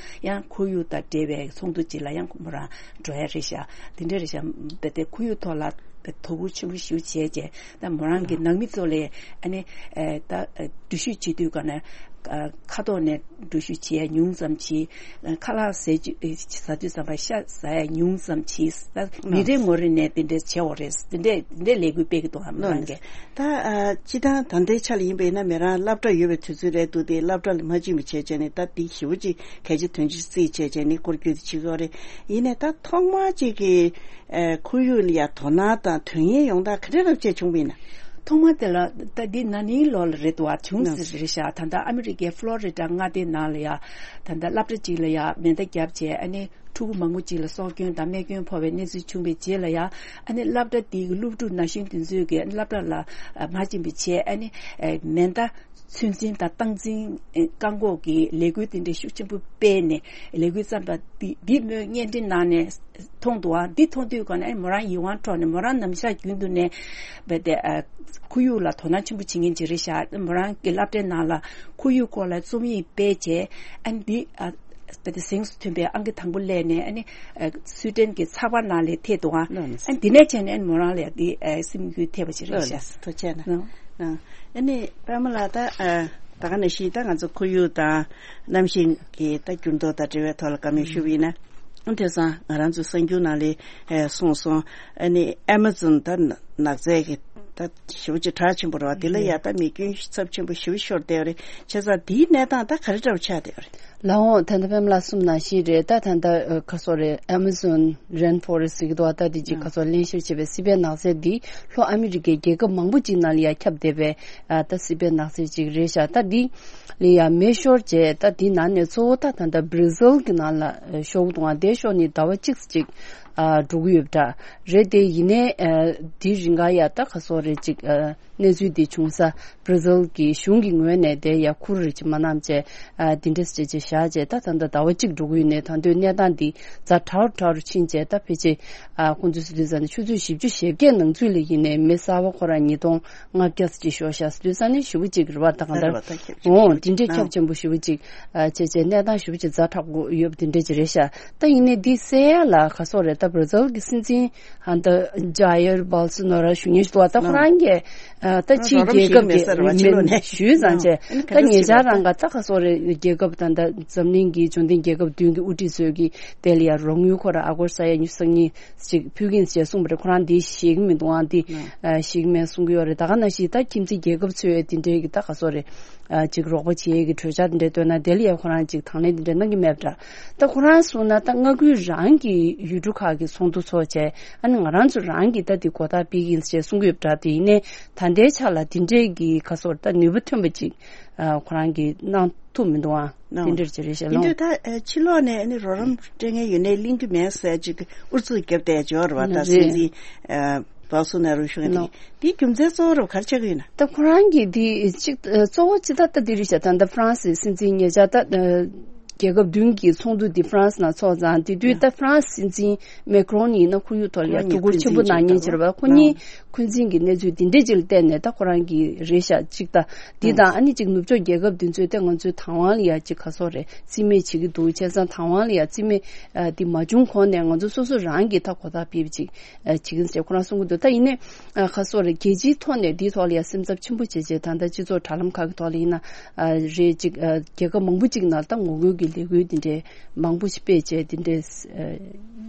ཡང་ཁོར་ཡུག་དང་འབྲེལ་བའི་ཚོགས་འདུ་ཅིག་ལ་ཡང་མོ་རང་འགྲོ་ཡ་རེད་ཤག་དེ་འདྲ་རེད་ཤག་དེ་དེ་ཁོར་ཡུག་ཐོག་ལ་དོ་ཁུར་ཆེན་པོ་ཞིག་བྱས་རྗེས། ད་མོ་རང་གི་ནང་མི་ཚོ་ལས་ཨ་ནི་ཨ་ད་འགྲུལ་བཞུད་བྱེད་དུས་ག་ནས་ཨ་ཁ་ཐོག་ནས་འགྲུལ་བཞུད་བྱེད་ཡ་ཉུང་ཙམ་བྱེད། ཨ་ཁ་ལག་ཟས་བཅུད་ཨ་ཟ་དུས་ཙམ་པ་ཤ་ཟ་ཡ་ཉུང་ཙམ་བྱེད། ད་མི་རེ་ངོ་རེ་ནས་དེ་འདྲས་བྱེད་འོ་རེད། དེ་འདྲས་དེ་འདྲས་ལས་འགུལ་སྤེལ་གི་འདུག་ཨ་མོ་རང་གིས། ད་ཨ་སྤྱི་བཏང་ད་ལྟའི་ཆ་ལ་ཡིན་པ་ཡིན་ན་མོ་རང་སློབ་གྲྭ་ཡོད་པའི་དུས་ཚོད་རེད་འདུག་དེ་སློབ་གྲྭ་ལ་མ་ཕྱིན་པ་བྱས་བྱས་ནས་ད་དེ་ཞེ་པོ་ཅིག་གལ་ཆེ་དོན་ཆེ་བརྩིས་བྱས་བྱས་ནས་སྐོར་སྐྱོད་དེ་བྱེད་ཀྱི་ཡོད་རེད། ཡིན་ནའི་ད་ཐོག་མར་ཅིག་གི་ཨ་ཁོར་ཡུག་ལ་ཡ་དོ་སྣང་དང་དོན་གཉེར་ཡོང་སྟངས་ག་འདྲ་རབ་བྱས་བྱུང་བ་ཡིན་ན། ཐོག་མ་དེ་ལ་ད་འདི་ན་ནིང་ལོ་ལ་རེད་འདུག་བ། བྱུང་ཟེར་རེད་ཤག་ད་ལྟ་ཨ་མི་རི་ཀའི་ཕློ་རི་ཌ་མངའ་སྡེའི་ནང་ལ་ཡ་ད་ལྟ་སློབ་གྲྭ་གཅིག་ལ་ཡ་མེ་མདའ་བརྒྱབ་བྱས། ཨ་ནི་ཕྲུ་གུ་མང་པོ་ཅིག་ལ་སྲོག་སྐྱོན་དང་རྨས་སྐྱོན་ཕོག་པའི་གནས་ཚུལ་བྱུང་བའི་རྗེས་ལ་ཡ། ཨ་ནི་སློབ་གྲྭ་དེའི་སློབ་ཕྲུག་ན་གཞོན་དེ་ཚོས་ཀྱི་སློབ་གྲྭ་ལ་མ་ཕྱིན་པའི་ཆེད། ཨ་ནི་མེ་མདའ་ཚོད་འཛིན་དང་སྟངས་འཛིན་བཀག་འགོག་གི་ལས་འགུལ་དེ་འདྲ་ཤུགས་ཆེན་པོ་སྤེལ་ནས་ལས་འགུལ་བརྩམས་པ་འདི་འདི་མོས་བརྙན་འཕྲིན་ནང་ནས་མཐོང་འདུག་ཨ། འདི་མཐོང་དུས་ག་ནས་མོ་རང་ཡིད་དབང་འཕྲོག་ནས་མོ་རང་ནམ་ཞག་རྒྱུན་དུ་ནས་བས་ཏེ་ཁོར་ཡུག་ལ་དོ་སྣང་ཆེན་པོ་བྱེད་མཁན་ཅིག་རེད་ཤག་མོ་རང་གི་སློབ་གྲྭའི་ནང་ལ་ཁོར་ཡུག་སྐོར་ལ་རྩོམ་ཡིག་སྤེལ་བྱས། ཨ་འདི་ཨ་བས་ཏེ་གཟེངས་སུ་ཐོན་པའི་ཨང་ཀི་དང་པོ་སླེབས་ནས་ཨ་ནི་སུའི་ཏན་གྱི་ཚགས་པར་ནང་ལ་ཐེབས་འདུག་ཨ། ཨ་འདི་ནས་བྱས་ནས་མོ་རང་ལ་འདི་སེམས་འགུལ་ཐེབས་པ་ཅིག་རེད་ཤག་ཐུགས་རྗེ་གནང་། ཨ་ནི་པད་མ་ལགས་ད་ད་ག་ནང་བཞིན་ད་ང་ཚོ་ཁོར་ཡུག་དང་གནམ་གཤིས་ཀྱི་ད་འགྱུར་ལྡོག་དང་འབྲེལ་བའི་ཐོག་ལ་བཀའ་མོལ་ཞུ་བ་ཡིན་ན། དེང་སང་ང་རང་ཚོའི་གསར་འགྱུར་ནང་ལ་གསུངས་སོང་། ཨ་ནི་ཨེ་མ་ཛོན་ད་ནགས་ཚལ་གྱི་ད་ཞེ་པོ་ཅིག་གྲགས་ཆེན་པོ་རེད་བ། དེ་ལ་ཡ་ད་མེ་སྐྱོན་ཚབས་ཆེན་པོ་ཞེ་པོ་ཤོར་བསྡད་ཡོད་རེད། བྱས་ཙང་དེའི་གནས་སྟངས་ད་ག་རེ་འདྲ་བོ་ཆགས་བསྡད་ཡོད་རེད། ལགས་འོང་། ད་ལྟ་པད་མ་ལགས་གསུངས་ནང་བཞིན་རེད། ད་ད་ལྟ་ཁ་སོ་རེད། Amazon rainforest ཟེར་གྱི་འདུག་བ། ད་དེ་ཅིག་ཁ་སོ་བརླན་གཤེར་བྱས་པའི་སི་པན་ནགས་ཚལ་འདི་ལྷོ་ཨ་མི་རི་ཀའི་རྒྱལ་ཁབ་མང་པོ་ཅིག་ནང་ལ་ཡ་ཁྱབ་བསྡད་པའི་ཨ་ད་སི་པན་ནགས་ཚལ་ཅིག་རེད་ཤག་ད་འདི་ལ་ཡ་མེ་ཤོར་བྱས། ད་འདི་ནང་ནས་གཙོ་བོ་ད་ད་ལྟ་Brazil གི་ནང་ལ་ཤོར་གི་འདུག་བ། དེ་ཤོར་ནས་ཟླ་བ་གཅིག་ཅིག་ཨ་འགྲོ་གི་ཡོད་པ་འདྲ་རེད། དེ་ཡིན་ནའི་ཨ་འདི་རིང་ག་ཡ་ད་ཁ་སོ་རེད་ཅིག་ཨ་གནས་ཚུལ་འདི་བྱུང་ས། Brazil གི་གཞུང་གི་ངོས་ནས་དེ་ཡ་ཁུར་རེ་ཅིག་མ་གནང་བྱས། ཨ་འདི་འདྲས་བྱས་བྱས་བཞག་བྱས། ད་ད་ལྟ་ཟླ་བ་གཅིག་འགྲོ་གི་ཡོད་ནའི་ད་དུང་གནས་སྟངས་འདི་ཛ་དྲག་རུ་དྲག་རུ་ཕྱིན་བྱས། ད་ཕལ་ཆེར་ཨ་ཁོང་ཚོས་ཟེར་དུས་ཙ་ནས་ཆུ་ཚོད་བཞི་བཅུ་ཞེ་བརྒྱད་ནང་ཚུད་ལ་ཡིན་ནའི་མེ་གསར་པ་ཁོ་རང་ཉིས་སྟོང་ལྔ་བརྒྱ་ཙམ་ཅིག་ཤོར་ཤག་ཟེར་དུས་ཙ་ནས་ཞེ་པོ་ཅིག་རེད་བ། ད་ག་ད་རེད་བ། ད་ཁྱབ་ཆེན་པོ་འོ་ཅིག་འདི་འདྲས་ཁྱབ་ཨ་ཆེན་པོ་ཞེ་པོ་ཅིག་ཨ་བྱས་བྱས་གནས་སྟངས་ཞེ་པོ་ཅིག་ཛ་དྲག་པོ་ཡོད་པ་འདི་འདྲས་ཅིག་རེད་ཤག་ད་ཡིན་ནའི་འདི་སེལ་ཡ་ལ་ག་སོག་རེད། ད་Brazil གི་སྲིད་འཛིན་ཨ་ད་Jair Bolsonaro ཞུ་མཁན་ཞིག་འདུག་བ། ད་ཁོ་རང་གིས་ཨ་ད་ཕྱིའི་རྒྱལ་ཁབ་ཀྱི་མི་ཞུས་ཙང་བྱས། ད་ཉེ་ཆར་རང་ག་ད་ག་སོག་རེད། རྒྱལ་ཁབ་ད་ད་འཛམ་གླིང་གི་འབྱོར་ལྡན་རྒྱལ་ཁབ་བདུན་གྱི་དབུ་ཁྲིད་ཚོས་ཀྱི་དེ་ལ་ཡ་རོགས་དངུལ་ཁོ་ར་ཨ་སྒོར་ས་ཡ་ཉི་ཤུ་རྩ་གཉིས་ཅིག་ཕུལ་གྱིན་ཟེར་གསུངས་པ་རེད། ཁོ་རང་འདི་ཤེས་ཀྱི་མི་འདུག་ཨང་། འདི་ཨ་ཤེས་ཀྱི་མེད་གསུང་གི་ཡོད་རེད། ད་ག་ནང་བཞིན་ད་ཁྱིམ་མཚེས་རྒྱལ་ཁབ་ཚོས་དེ་འདྲའི་གི་ད་ག་སོག་རེད། ཨ་ཅིག་རོགས་པ་བྱེད་ཡས་ཀྱི་གྲོས་འཆར་དེ་འདྲ་བཏོན་ན་དེ་ལ་ཡ་ཁོ་རང་ཅིག་དང་ལེན་དེ་འདྲ་གནང་གི་མེད་པ་འདྲ། ད་ཁོ་རང་གསུངས་ན་ད་མངའ་ཁུལ་རང་གི་ཡུལ་གྲུ་ཁག་གི་ཚོགས་འདུ་ཚོགས་བྱས། ཨ་ནི་ང་རང་ཚོ་རང་གི་ད་དེ་གོ་བརྡ་སྤེལ་གྱི་ཡིན་ཟེར་གསུང་གི་ཡོད་པ་འདྲ། དེ་ཡིན་ནའི་ད་ལྟའི་ཆ་ལ་དེ་འདྲའི་གི་ག་སོག་ད་ནུས་པ་ཐོན་པ་ཅིག་ཨ་ཁོ་རང་གིས་གནང་ཐུབ་མི་འདུག་ཨང་། དེ་འདྲར་ཅིག་རེད་ཤག་ལོ། དེ་འདྲ་ད་ཕྱི་ལོགས་ནས་ཨ་ནི་རོགས་རམ་སྤྲད་མཁན་ཡོད་ནའི་གླེང་རྒྱུ་མེད་ཟེར་ཅིག་ཨུ་ཚུགས་བརྒྱབ་བསྡད་ཡོད་རེད་བ། ད་སྲིད་འཛིན་ཨ་Bolsonaro ཞུ་མཁན་དེ་གིས། དེའི་རྒྱུ་མཚན་གཙོ་བོ་རུ་ག་རེ་ཆགས་ཀྱི་ཡོད་ན། ད་ཁོ་རང་གིས་དེ་གཅིག་གཙོ་བོ་གཅིག་ད་ལྟ་འདི་རེད་ཤག་ད་ལྟ་ཧྥ་རན་སིའི་སྲིད་འཛིན་ཉེ་ཆར་ད་རྒྱལ་ཁབ་བདུན་གྱི་ཚོགས་འདུ་འདི་ཧྥ་རན་སི་ནང་ཚོགས་ཙང་། དེ་དུས་ད་ཧྥ་རན་སི་སྲིད་འཛིན་མེ་ཀྲོན་ཡིན་ན་ཁོར་ཡུག་ཐོག་ལ་ཡ་ཐུགས་ཁུར་ཆེན་པོ་གནང་མཁན་ཅིག་རེད་བ། ཁོ་གཉིས་འཁོན་འཛིན་གྱི་གནས་ཚུལ་འདི་འདྲས་ཅིག་ལ་བལྟས་ནས་ད་ཁོ་རང་གིས་རེད་ཤག་གཅིག་ད་འདི་དང་ཨ་ནི་གཅིག་ནུབ་ཕྱོགས་རྒྱལ་ཁབ་འདི་ཚོས་ད་ང་ཚོའི་བདག་དབང་ལ་ཡ་གཅིག་ག་སོག་རེད། རྩིས་མེད་བྱེད་ཀྱི་འདུག་བྱས་ཙང་བདག་དབང་ལ་ཡ་རྩིས་མེད་ཨ་འདི་མ་བྱུང་གོང་ནས་ང་ཚོ་སོ་སོ་རང་གིས་ད་གོ་བརྡ་སྤེལ་བ་ཅིག་ཨ་བྱེད་ཀྱི་ཡིན་ཟེར་ཁོ་རང་གསུང་གི་འདུག་ད་ཡིན་ནའི་ཨ་ག་སོག་རེད། རྒྱལ་སྤྱིའི་ཐོག་ནས་འདིའི་ཐོག་ལ་ཡ་སེམས་འཚབ་ཆེན་པོ་བྱས་བྱས། ད་ལྟ་སྤྱི་ཚོགས་དྲ་ལམ་ཁག་གི་ཐོག་ལ་ཡིན་ན་ཨ་རེད་ཅིག་ཨ་རྒྱལ་ཁབ་མང་པོ་ཅིག་ནང་ད་ངོ་རྒོལ་གྱི་ལས་འགུལ་འདི་འདྲའི་མང་པོ་ཞིག་སྤེལ་བྱས་འདི་འདྲའི་ཨ་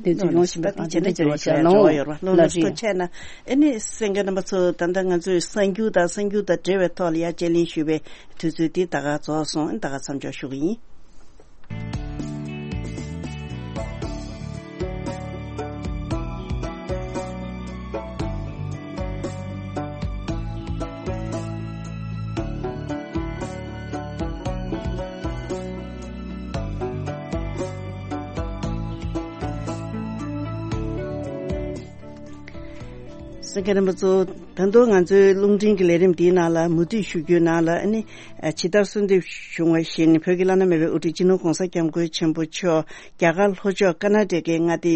འདི་ཚོ་ཡོང་བཞིན་པའི་བར་འདི་འདྲ་ཅིག་རེད་ཤག་ལོ། ལ་རེད། ཐུགས་རྗེ་གནང་། ཨ་ནི་གསན་མཁན་རྣམ་པ་ཚོ་ད་ལྟ་ང་ཚོས་གསར་འགྱུར་དང་གསར་འགྱུར་དང་འབྲེལ་བའི་ཐོག་ལ་ཡ་དཔྱད་གླེང་ཞུས་པའི་དུས་ཚོད་འདི་ད་ག་རྫོགས་སོང་། ཨ་ནི་ད་ག་མཚམས་འཇོག་ཞུ་གི་ཡིན། གསན་མཁན་རྣམ་པ་ཚོ། ད་དུང་ང་ཚོའི་རླུང་འཕྲིན་གྱི་ལས་རིམ་འདིའི་ནང་ལ་མུ་མཐུད་ཞུ་རྒྱུའི་ནང་ལ་ཨ་ནི་ཇི་ལྟར་གསོལ་འདེབས་བྱུང་བ་བཞིན་བོད་ཀྱི་བླ་ན་མེད་པའི་དབུ་ཁྲིད་སྤྱི་ནོར་༸གོང་ས་༸སྐྱབས་མགོན་ཆེན་པོ་མཆོག་རྒྱ་གར་ལྷོ་ཕྱོགས་ཀར་ན་ཊ་ཀའི་མངའ་སྡེ་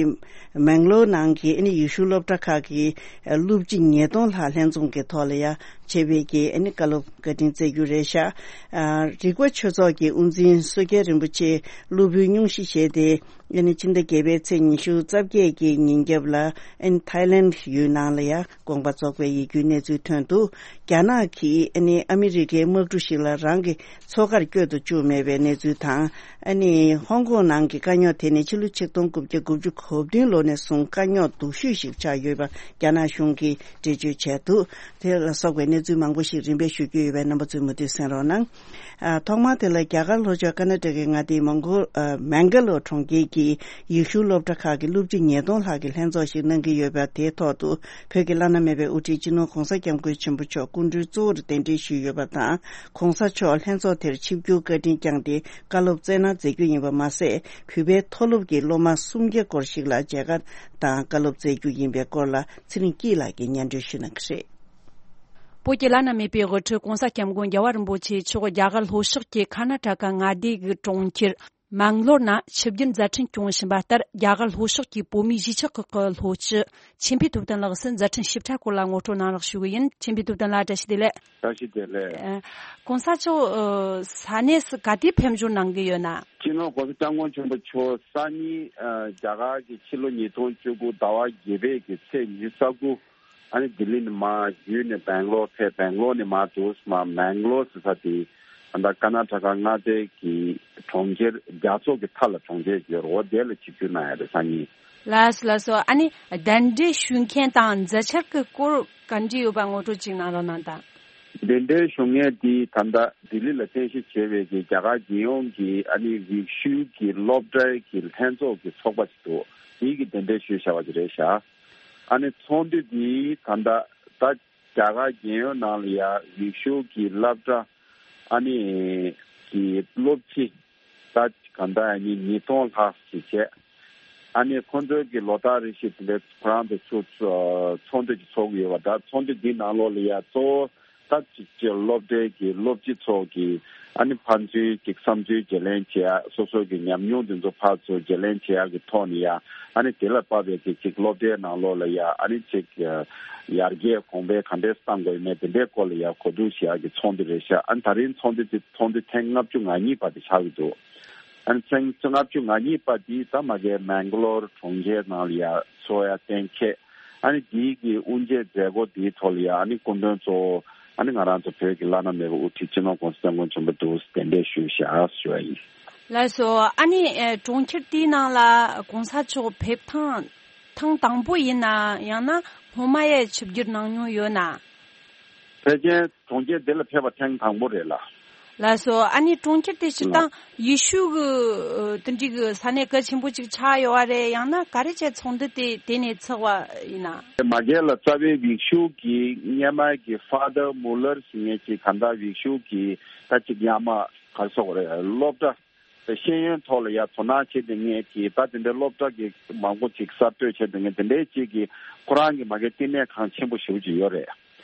མེང་ལོར་ནང་གི་ཨ་ནི་ཡེ་ཤུ་སློབ་གྲྭ་ཁག་གི་སློབ་སྤྱི་ཉིས་སྟོང་ལྷག་ལྷན་འཛོམས་ཀྱི་ཐོག་ལ་ཡ་བྱས་པའི་གི་ཨ་ནི་བཀའ་སློབ་བཀའ་དྲིན་སྩལ་རྒྱུ་རེད་ཤག་ཨ། རིག་པ་ཆོས་ཚོགས་ཀྱི་དབུ་འཛིན་བསོད་རྒྱལ་རིན་པོ་ཆེ་སློབ་བུའི་སྙུང་གཞི་བཞེས་ཏེ། ཨ་ནི་ཕྱི་ཟླ་བརྒྱད་པའི་ཚེས་ཉི་ཤུ་རྩ་བརྒྱད་ཀྱི་ཉིན་རྒྱབ་ལ་ཨ་ནི་ཐའི་ལེནྜ་ཡུལ་ནང་ལ་ཡ་དགོངས་པ་རྫོགས་པའི་ཡིད་སྐྱོའི་གནས་ཚུལ་ཐོན་འདུག་རྒྱ་ནག་གིས་ཨ་ནི་ཨ་མི་རི་ཀའི་དམག་གྲུ་ཞིག་ལ་རང་གི་མཚོ་ཁར་བསྐྱོད་དུ་བཅུག་མེད་པའི་གནས་ཚུལ་དང་། ཨ་ནི་ཧོང་ཀོང་ནང་གི་དཀའ་རྙོག་དེ་ནི་ཕྱི་ལོ་ཆིག་སྟོང་དགུ་བརྒྱ་དགུ་བཅུ་གོ་བདུན་ལོ་ནས་བཟུང་དཀའ་རྙོག་སྡུག་ཤོས་ཤིག་ཆགས་ཡོད་པ་རྒྱ་ནག་གཞུང་གིས་འགྲེལ་བརྗོད་བྱས་འདུག་དེ་ལ་སོགས་པའི་གནས་ཚུལ་མང་པོ་ཞིག་རིམ་པས་ཞུ་རྒྱུ་ཡོད་པས་རྣམ་པ་ཚོས་མུ་མཐུད་གསན་རོགས་གནང་། ཨ། ཐོག་མར་དེ་ལ་རྒྱ་གར་ལྷོ་ཕྱོགས་ཀར་ན་ཊ་ཀའི་མངའ་སྡེ་མོང་གོ་ཨ། མེང་ག་ལོར་གྲོང་ཁྱེར་གྱི་ཡེ་ཤུ་སློབ་གྲྭ་ཁག་གི་སློབ་སྤྱི་ཉིས་སྟོང་ལྷག་གིས་ལྷན་ཚོགས་ཤིག་གནང་གི་ཡོད་པ་དེའི་ཐོག་ཏུ་བོད་ཀྱི་བླ་ན་མེད་པའི་དབུ་ཁྲིད་སྤྱི་ནོར་༸གོང་ས་༸སྐྱབས་མགོན་ཆེན་པོ་མཆོག་སྐུ་མགྲོན་གཙོ་བོར་གདན་འདྲེན་ཞུས་ཡོད་པ་དང་། ༸གོང་ས་མཆོག་ལྷན་ཚོགས་དེར་ཆིབས་བསྒྱུར་བཀའ་དྲིན་བསྐྱངས་ཏེ་བཀའ་སློབ་སྩལ་གནང་མཛད་རྒྱུ་ཡིན་པ་མ་ཟད། བོད་པའི་མཐོ་སློབ་ཀྱི་སློབ་མ་སུམ་བརྒྱ་སྐོར་ཞིག་ལ་མཇལ་ཁ་དང་བཀའ་སློབ་སྩལ་རྒྱུ་ཡིན་པའི་སྐོར་ལ་ཚེ་རིང་སྐྱིད་ལགས་ཀྱིས་སྙན་སྒྲོན་ཞུ་གནང་གི་རེད། བོད་ཀྱི་བླ་ན་མེད་པའི་དབུ་ཁྲིད་༸གོང་ས་༸སྐྱབས་མགོན་རྒྱལ་བ་རིན་པོ་ཆེ་མཆོག་རྒྱ་གར་ལྷོ་ཕྱོགས་ཀྱི་ཀར་ན་ཊ་ཀ་མངའ་སྡེ་གི་གྲོང་ཁྱེར་མེང་ལོར་ནང་ཆིབས་བསྒྱུར་མཛད་འཕྲིན་སྐྱོང་བཞིན་པ་ལྟར། རྒྱ་གར་ལྷོ་ཕྱོགས་ཀྱི་བོད་མིའི་གཞིས་ཆགས་ཁག་གི་ལྷོ་སྤྱི་ཆོས་འཕེལ་ཐུབ་བསྟན་ལགས་སུ་མཛད་འཕྲིན་ཞིབ་ཕྲ་སྐོར་ལ་ངོ་སྤྲོད་གནང་རོགས་ཞུ་གི་ཡིན། ཆོས་འཕེལ་ཐུབ་བསྟན་ལགས། བཀྲ་ཤིས་བདེ་ལེགས། བཀྲ་ཤིས་བདེ་ལེགས། ཨ། ༸གོང་ས་མཆོག་ཨ། ས་གནས་སུ་ག་དུས་ཕེབས་འབྱོར་གནང་གི་ཡོད་ན། སྤྱི་ནོར་༸གོང་ས་༸སྐྱབས་མགོན་ཆེན་པོ་མཆོག་སང་ཉིན་ཨ། རྒྱ་གར་གྱི་ཕྱི་ལོ་ཉིས་སྟོང་བཅུ་དགུ་ཟླ་བ་བརྒྱད་པའི་གི་ཚེས་ཉི་ཤུ་རྩ་དགུ། ཨ་ནི་ལྡི་ལི་ནས་མར་བརྒྱུད་ནས་སྦེང་ལོར་ཕེབས། སྦེང་ལོར་ནས་མར་འདུག་སེ་མར་མེང་ལོར་ཟེར་ས་དེ་ད་ལྟ་ཀར་ན་ཊ་ཀ་མངའ་སྡེ་གི་གྲོང་ཁྱེར་རྒྱ་མཚོ་གི་མཐའ་ལ་གྲོང་ཁྱེར་ཡོད་རེད། འོ་དེ་ལ་ཆིབས་བསྒྱུར་གནང་ཡ་རེད་སང་ཉིན། ལགས་སོ་ལགས་སོ། ཨ་ནི་གདན་འདྲེན་ཞུ་མཁན་དང་མཛད་འཆར་གྱི་སྐོར་ག་འདྲ་ཡོད་པ་ངོ་སྤྲོད་ཅིག་གནང་རོགས་གནང་དང་། གདན་འདྲེན་ཞུ་མཁན་དེ་ད་ལྟ་ལྡི་ལི་ལ་རྟེན་གཞི་བྱས་པའི་གི་རྒྱ་གར་རྒྱལ་ཡོངས་ཀྱི་ཨ་ནི་རིག་ཤུལ་གྱི་སློབ་གྲྭའི་གི་ལྷན་ཚོགས་ཀྱི་ཚོགས་པ་ཅིག་འདུག་དེའི་གི་གདན་འདྲེན་ཞུས་བཞག་པ་ཅིག་རེད་ཤག་ཨ་ནི་ཚོགས་འདུ་འདི་ད་ལྟ་ད་རྒྱ་གར་རྒྱལ་ཡོངས་ནང་ལ་ཡ་རིག་ཤུལ་གྱི་སློབ་གྲྭ་ཨ་ནི་གི་སློབ་སྤྱི་ད་གང་ལྟར་ཨ་ནི་ཉིས་སྟོང་ལྷག་ཅིག་བྱས། ཨ་ནི་ཁོང་ཚོའི་གི་ལོ་ལྟར་རེ་བཞིན་དེ་འདྲའི་ཁོ་རང་ཚོ་ཚུར་ཚོགས་འདུ་ཅིག་ཚོགས་ཀྱི་ཡོད་པ། ད་ཚོགས་འདུ་འདིའི་ནང་ལོགས་ལ་ཡ་གཙོ་བོ་ད་ཅིག་ཅིག་སློབ་གྲྭའི་གི་སློབ་སྤྱི་ཚོ་གི་ཨ་ནི་ཕན་ཚུན་ཅིག་བསམ་ཚུལ་བརྗེ་ལེན་བྱེད་ཡ། སོ་སོ་གི་ཉམས་མྱོང་དེ་ཚོ་ཕར་ཚུར་བརྗེ་ལེན་བྱེད་ཡ་གི་ཐོག་ནས་ཡ། ཨ་ནི་དེ་ལ་དཔག་པའི་གི་ཅིག་སློབ་གྲྭའི་ནང་ལོགས་ལ་ཡ་ཨ་ནི་ཅིག་ཡར་རྒྱས་གོང་འཕེལ་ག་འདྲས་གཏང་དགོས་ཡོད་མེད་དེ་འདྲའི་སྐོར་ལ་ཡ་གོ་བསྡུར་བྱེད་ཡ་གི་ཚོགས་འདུ་རེད་ཤག་ཨ་ནི་ད་རིང་ཚོགས་འདུ་དེ་ཚོགས་འདུ་ཐེངས་ལྔ་བཅུ་ང་གཉིས་པ་དེ་ཆགས་ཀྱི་འདུག་ཨ་ནི་ཚེས་ལྔ་བཅུ་ང་གཉིས་པ་འདི་ད་མ་གིའི་མེང་ག་ལོར་གྲོང་ཁྱེར་ནང་ལ་ཡ་ཚོགས་ཡ་གཏན་འཁེལ། ཨ་ནི་འདིའི་གི་དབུ་འབྱེད་མཛད་སྒོ་འདིའི་ཐོག་ལ་ཡ་ཨ་ནི་སྐུ་མགྲོན་གཙོ་བོ་ཨ་ནི་ང་རང་ཚོ་བོད་ཀྱི་བླ་ན་མེད་པའི་དབུ་ཁྲིད་སྤྱི་ནོར་༸གོང་ས་༸སྐྱབས་མགོན་ཆེན་པོ་འདུག་གདན་འདྲེན་ཞུས་བཞག་ཞུ་བ་ཡིན། ལགས་སོ། ཨ་ནི་ཨེ། གྲོང་ཁྱེར་དེའི་ནང་ལ་༸གོང་ས་མཆོག་ཕེབས་ཐེངས་ཐེངས་དང་པོ་ཡིན་ན། ཡང་ན་སྔོན་མ་ཡང་ཆིབས་བསྒྱུར་གནང་མྱོང་ཡོད་ན། ཕལ་ཆེར་གྲོང་ཁྱེར་འདི་ལ་ཕེབས་པ་ཐེངས་དང་པོ་རེད་ལ། ལགས་སོ། ཨ་ནི་གྲོང་ཁྱེར་དེ་སྤྱིར་བཏང་ཡེ་ཤུ་གི་ཨ་དེ་འདྲའི་གི་ས་གནས་གལ་ཆེན་པོ་ཅིག་ཆགས་ཡོད་པ་རེད། ཡང་ན་ག་རེ་བྱས་ཚོགས་འདུ་དེ་དེ་ནས་ཚོགས་པ་ཡིན་ན། མ་གི་ལ་རྩ་བའི་ཡེ་ཤུ་གི་སྔོན་མ་གི་ཕ་དར་མུ་ལར་ཟེར་མཁན་ཅིག་གང་ལྟར་ཡེ་ཤུ་གི་ད་ཅིག་ཡ་མ་ག་རེ་ཟེར་དགོས་རེད། སློབ་གྲྭ། ཤེས་ཡོན་ཐོག་ལ་ཡ་དོ་སྣང་བྱེད་བསྡད་མཁན་གྱི་ད་དེ་འདྲའི་སློབ་གྲྭ་གི་མང་པོ་ཅིག་གསར་གཏོད་བྱེད་བསྡད་མཁན་དེ་འདྲའི་ཅིག་གི་ཁོ་རང་གི་མ་གི་བསྟི་གནས་ཁང་ཆེན་པོ་ཞེ་པོ་ཅིག་ཡོད་རེད།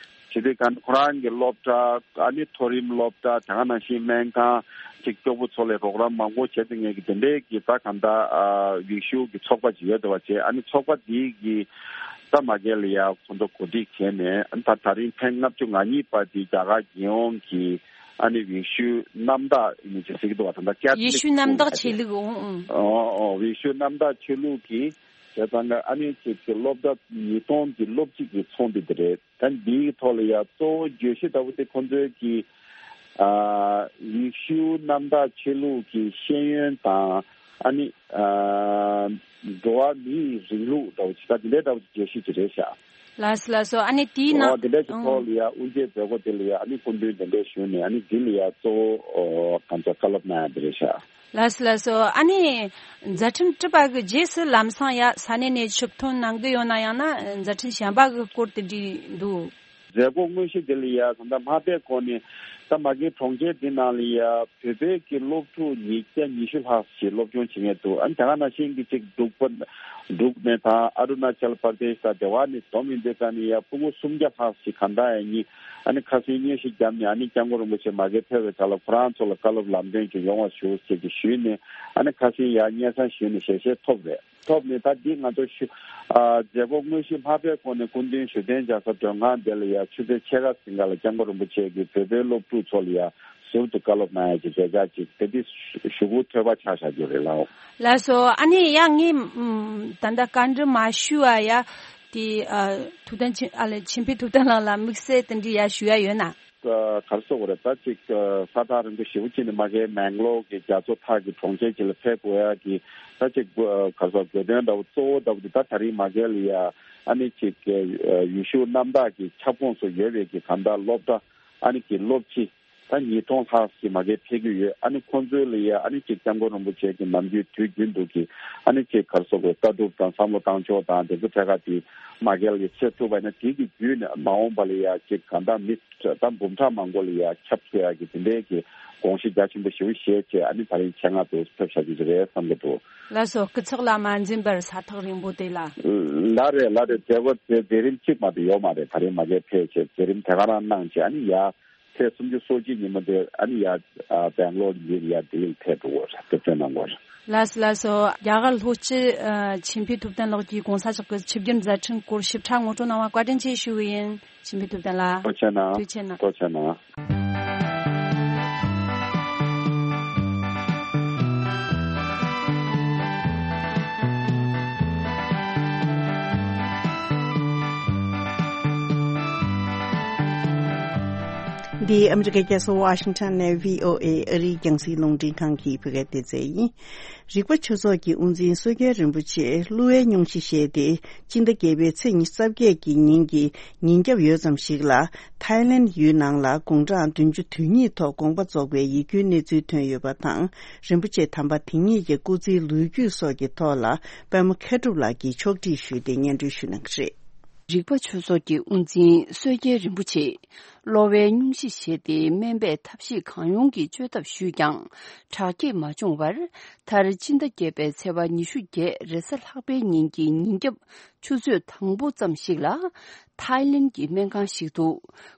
བྱས་དུས་ག་ཁོ་རང་གི་སློབ་གྲྭ། ཨ་ནི་མཐོ་རིམ་སློབ་གྲྭ། དེ་ག་ནང་བཞིན་སྨན་ཁང་ཅིག་སྐྱོ་པོ་ཚོ་ལ་རོགས་རམ་མང་པོ་བྱེད་བསྡད་མཁན་གྱི་དེ་འདྲའི་གི་ད་ག་ད་ཡེ་ཤུ་གི་ཚོགས་པ་ཅིག་ཡོད་བསྡད་པ་བྱས། ཨ་ནི་ཚོགས་པ་འདིའི་གི་ད་མ་གི་ལ་ཡ་ཁོང་ཚོ་གོ་སྒྲིག་བྱས་ནས་ད་ད་རིང་ཐེངས་ལྔ་བཅུ་ང་གཉིས་པ་འདི་རྒྱ་གར་རྒྱལ་ཡོངས་ཀྱི་ཨ་ནི་ཡེ་ཤུའི་གནམ་བདག་ཡིན་ཅིག་ཟེར་གྱི་འདུག་བ། ད་ལྟ་ཡེ་ཤུའི་གནམ་བདག་ཆོས་ལུགས། ཨོ་ཨོ། ཨོ། ཡེ་ཤུའི་གནམ་བདག་ཆོས་ལུགས་ཀྱི་བྱས་ཙང་ཀ་ཨ་ནི་ཅིག་གི་སློབ་གྲྭ་ཉིས་སྟོང་གི་སློབ་སྤྱི་གི་ཚོགས་འདུ་དེ་རེད། ད་འདིའི་ཐོག་ལ་ཡ་གཙོ་བོ་བརྗོད་གཞི་ལྟ་བུ་དེ་ཁོང་ཚོའི་གི་ཨ་ཡེ་ཤུའི་གནམ་བདག་ཆོས་ལུགས་ཀྱི་ཤེས་ཡོན་དང་ཨ་ནི་ཨ་འགྲོ་བ་མིའི་རིང་ལུགས་ལྟ་བུ་ཅིག་ད་འདི་འདྲའི་ལྟ་བུ་ཅིག་བརྗོད་གཞི་ཅིག་རེད་ཤག་ལགས་སོ་ལགས་སོ། ཨ་ནི་དེའི་ནང་། འོ་དེ་འདྲ་ཞིག་ཨང་། ཐོག་ལ་ཡ་དབུ་འབྱེད་མཛད་སྒོ་དེ་ལ་ཡ་ཨ་ནི་སྐུ་མགྲོན་གདན་འདྲེན་ཞུས་ནས་ཨ་ནི་འདི་ལ་ཡ་གཙོ་བོ་ཨོ་གང་ཚ་བཀའ་སློབ་གནང་ཡ་དེ་རེད་ཤག་ལགས་སོ་ལགས་སོ། ཨ་ནི་མཛད་འཕྲིན་གྲུབ་པ་གི་རྗེས་སུ་ལམ་སང་ཡ་ས་གནས་ནས་ཆིབས་ཐོན་གནང་གི་ཡོད་ན། ཡང་ན་མཛད་འཕྲིན་གཞན་པ་གི་སྐོར་དེ་འདྲ་འདུག་མཛད་སྒོ་དངོས་གཞི་དེ་ལ་ཡ་ད་ལྟ་མ་ཕེབས་གོང་ནས་ ད་མ་གི་གྲོང་ཁྱེར་འདི་ནང་ལ་ཡ་བོད་པའི་གི་སློབ་ཕྲུག་ཉིས་བརྒྱ་ཉི་ཤུ་ལྷག་ཞིག་སློབ་སྦྱོང་བྱེད་མཁན་འདུག་ཨ་ནི་དེ་ག་ནང་བཞིན་གྱི་ཅིག་འབྲུག་པ་འབྲུག་ནས་དང་ཨ་རུ་ན་ཅལ་པར་དེ་ཤ་དེ་བ་ནི་སྡོམ་ཡིན་དེ་ཀ་ནི་ཡ་སྤུ་གུ་སུམ་བརྒྱ་ལྷག་ཞིག་ག་འདྲ་ཡ་གཉིས་ཨ་ནི་ཁ་སང་སྙན་ཞུ་བརྒྱབ་ནས་ཨ་ནི་སྐྱབས་མགོན་རིན་པོ་ཆེ་མ་གི་ཕེབས་པའི་སྐབས་ལ་ཁོ་རང་ཚོ་ལ་བཀའ་སློབ་ལམ་སྟོན་ཅིག་ཡོང་བ་ཞུ་ཞེས་ཀྱི་ཞུས་ནས་ཨ་ནི་ཁ་སང་ཡ་སྙན་སེང་ཞུས་ནས་ཞལ་བཞེས་ཐོབ་རེད། ཐོབ་ནས་ད་འདི་ང་ཚོ་ཞུ། ཨ་མཛད་སྒོ་དངོས་གཞི་མ་ཕེབས་གོང་ནས་སྐུ་མདུན་ཞུ་བརྟན་རྒྱལ་ས་མགྲོན་ཁང་དེ་ལ་ཡ་ཆུ་ཚོད་ཕྱེད་ཀ་ཟིན་ག་ལ་སྐྱབས་མགོན་རིན་པོ་ཆེ་གིས་བོད་པའི་སློབ་ཕྲུག་ཚོ་ལ་ཡ་ཟུར་དུ་བཀའ་སློབ་གནང་ཡ་གི་མཛད་འཆར་ཅིག་དེ་འདི་ཞུ་སྒོ་ཐོལ་པ་ཆགས་བཞག་རྒྱུ་རེད་ལགས། ལགས་སོ། ཨ་ནི་ཡ་ངས་ད་ལྟ་བཀའ་འདྲི་མ་ཞུ་བ་ཡ་དེ་ཐུབ་བསྟན་ཆེ་ཨ་ལས་ཆེན་པོའི་ཐུབ་བསྟན་ལགས་ལ་དམིགས་བསལ་དེ་འདྲི་ཡ་ཞུ་ཡ་ཡོད་ན། ག་རེ་ཟེར་དགོས་རེད། ད་ཅིག་ས་ཐག་རིང་པོ་ཞེ་པོ་ཅིག་ནས་མ་གིའི་མེང་ལོར་གྱི་རྒྱ་མཚོ་ཐག་གི་གྲོང་ཁྱེར་ཅིག་ལ་ཕེབས་དགོས་ཡ་གི་ད་ཅིག་ག་རེ་ཟེར་དགོས་དོན་འདྲ་བོ་གཙོ་བོ་འདྲ་བོ་དེ་ད་ད་རིང་མ་གི་ལ་ཡ་ཨ་ནི་ཅིག་ཡུལ་ཤུལ་གནམ་བདག་གི་ཁྱབ་ཁོངས་སུ་ཡོད་པའི་གི་གང་ལྟར་སློབ་གྲྭ་ཨ་ནི་གི་སློབ་སྤྱི་ད་ཉིས་སྟོང་ལྷག་ཅིག་མ་གི་ཕེབས་ཀྱི་ཡོད། ཨ་ནི་ཁོང་ཚོའི་ལ་ཡ་ཨ་ནི་ཅིག་སྐྱབས་མགོན་རིན་པོ་ཆེ་གི་ནམ་རྒྱུན་དུས་རྒྱུན་དུ་གི་ཨ་ནི་ཅིག་ག་རེ་ཟེར་དགོས་ལྟ་གྲུབ་དང་བསམ་བློ་བཏང་ཕྱོགས་དང་དེ་ཚོ་ཐད་ཀ་དེ་མ་གི་ལ་ཡ་བྱེད་ཐུབ་པ་ཡིན་ན་དེ་གི་བརྒྱུད་ནས་མ་འོངས་པ་ལ་ཡ་ཅིག་གང་ལྟར་མི། ད་འབུམ་ཕྲག་མང་པོ་ལ་ཡ་ཁྱབ་ཐུབ་ཡ་གི་དེ་འདྲའི་གི་དགོངས་གཞི་རྒྱ་ཆེན་པོ་ཞེ་པོ་བཞེས་བྱས་ཨ་ནི་ད་རིང་ཆེད་མངགས་དུ་ཕེབས་བཞག་གི་རེད་བསམ་གི་འདུག་ལགས་སོ། སྐུ་ཚེགས་ལ་མ་འཛེམས་པར་ས་ཐག་རིང་པོ་དེ་ལ། ལགས་རེད་ལགས་རེད། མཛད་སྒོ་དེ་མཛད་རིམ་གཅིག་མ་གཏོགས་ཡོད་མ་རེད། ད་རིང་མ་གིར་ཕེབས་བྱས་མཛད་རིམ་དེ་ག་རང་གནང་བྱས་ཨ་ནི་ཡ་ཚེས་སུམ་ཅུ་སོ་གཅིག་ཉིན་མོ་དེ་ཨ་ནི་ཡ་སྦེང་ལོར་ཡིན་ཡ་ལྡི་ལིར་ཕེབས་འགྲོ་གི་རེད། སྐུ་མགྲོན་གནང་དགོས་རེད། ལགས་སོ་ལགས་སོ། རྒྱ་གར་ལྷོ་སྤྱི་ཆོས་འཕེལ་ཐུབ་བསྟན་ལགས་ཀྱིས་གོང་ས་མཆོག་གི་ཆིབས་བསྒྱུར་མཛད་འཕྲིན་སྐོར་ཞིབ་ཕྲ་ངོ་སྤྲོད་གནང་བར་བཀའ་དྲིན་ཆེ་ཞུ་གི་ཡིན། ཆོས་འཕེལ་ཐུབ་བསྟན་ལགས། ཐུགས་རྗེ་གནང་། ཐུགས་རྗེ་གནང་། ཐུགས་རྗེ་གནང་། འདི་ཨ་མི་རི་ཀའི་རྒྱལ་ས་ཝ་ཤིང་ཊོན་ནས་བྷི་ཨོ་ཨེ་ཨ་རིའི་རྒྱང་སྲིང་རླུང་འཕྲིན་ཁང་གི་བོད་སྐད་སྡེ་ཚན་ཡིན། རིག་པ་ཆོས་ཚོགས་ཀྱི་དབུ་འཛིན་བསོད་རྒྱལ་རིན་པོ་ཆེ་བསླུ་བའི་སྙུང་གཞི་བཞེས་ཏེ། སྤྱི་ཟླ་བརྒྱད་པའི་ཚེས་ཉི་ཤུ་རྩ་བརྒྱད་ཀྱི་ཉིན་གྱི་ཉིན་རྒྱབ་ཡོལ་ཙམ་ཞིག་ལ། ཐའི་ལེན་ཡུལ་ནང་ལ་དགུང་གྲངས་བདུན་ཅུ་དོན་གཉིས་ཐོག་དགོངས་པ་རྫོགས་པའི་ཡིད་སྐྱོའི་གནས་ཚུལ་ཐོན་ཡོད་པ་དང་། རིན་པོ་ཆེ་དམ་པ་དེ་ཉིད་ཀྱི་སྐུ་ཚེའི་ལོ་རྒྱུས་སོགས་ཀྱི་ཐོག་ལ། པད་མ་མཁས་གྲུབ་ལགས་ཀྱིས་ཕྱོགས་སྒྲིག་ཞུས་ཏེ་སྙན་སྒྲོན་ཞུ་གནང་གི་རེད། རིག་པ་ཆོས་ཚོགས་ཀྱི་དབུ་འཛིན་བསོད་རྒྱལ་རིན་པོ་ཆེས། གློ་བའི་སྙུང་གཞི་བཞེས་ཏེ། སྨན་པས་ཐབས་ཤེས་གང་ཡོང་གིས་བཅོས་ཐབས་ཞུས་ཀྱང་། དྲག་སྐྱེད་མ་བྱུང་བར། མཐར་སྤྱི་ཟླ་བརྒྱད་པའི་ཚེས་པ་ཉི་ཤུ་བརྒྱད་རེས་གཟའ་ལྷག་པའི་ཉིན་གྱི་ཉིན་རྒྱབ་ཆུ་ཚོད་དང་པོ་ཙམ་ཞིག་ལ། ཐའི་ལེན་གྱི་སྨན་ཁང་ཞིག་ཏུ།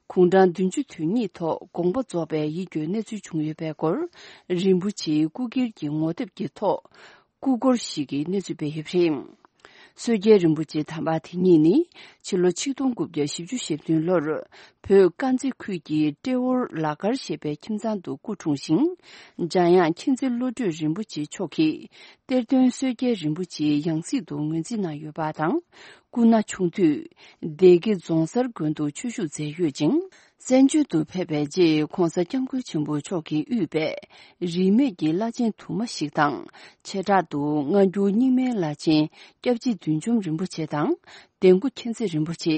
དགུང་གྲངས་བདུན་ཅུ་དོན་གཉིས་ཐོག་དགོངས་པ་རྫོགས་པའི་ཡིད་སྐྱོའི་གནས་ཚུལ་བྱུང་ཡོད་པའི་སྐོར། རིན་པོ་ཆེའི་སྐུ་སྒེར་གྱི་ངོ་དེབ་ཀྱི་ཐོག་སྐུ་འཁོར་ཞིག་གི་གནས་ཚུལ་སྤེལ་ཡོད་པ་རེད། བསོད་རྒྱལ་རིན་པོ་ཆེ་དམ་པ་དེ་ཉིད་ནི། ཕྱི་ལོ་ཆིག་སྟོང་དགུ་བརྒྱ་བཞི་བཅུ་ཞེ་བདུན་ལོར། བོད་དཀར་མཛེས་ཁུལ་གྱི་ཏྲེ་ཧོར་ལ་དཀར་ཞེས་པའི་ཁྱིམ་ཚང་དུ་སྐུ་འཁྲུངས་ཤིང་། འཇམ་དབྱངས་མཁྱེན་བརྩེ་བློ་གྲོས་རིན་པོ་ཆེ་མཆོག་གིས། གཏེར་སྟོན་བསོད་རྒྱལ་རིན་པོ་ཆེའི་ཡང་སྲིད་དུ་ངོས་འཛིན་གནང་ཡོད་པ་དང་། སྐུ་ན་ཆུང་དུས། སྡེ་དགེ་རྫོང་གསར་དགོན་དུ་ཆོས་ཞུགས་མཛད་ཡོད་ཅིང་། བཙན་བྱོལ་དུ་ཕེབས་པའི་རྗེས་༧གོང་ས་༧སྐྱབས་མགོན་ཆེན་པོ་མཆོག་གིས་དབུས་པའི་རིས་མེད་ཀྱི་བླ་ཆེན་དུ་མ་ཞིག་དང་། བྱེ་བྲག་ཏུ་སྔ་འགྱུར་རྙིང་མའི་བླ་ཆེན་སྐྱབས་རྗེ་བདུད་འཇོམས་རིན་པོ་ཆེ་དང་། ལྡན་སྐུ་མཁྱེན་བརྩེ་རིན་པོ་ཆེ།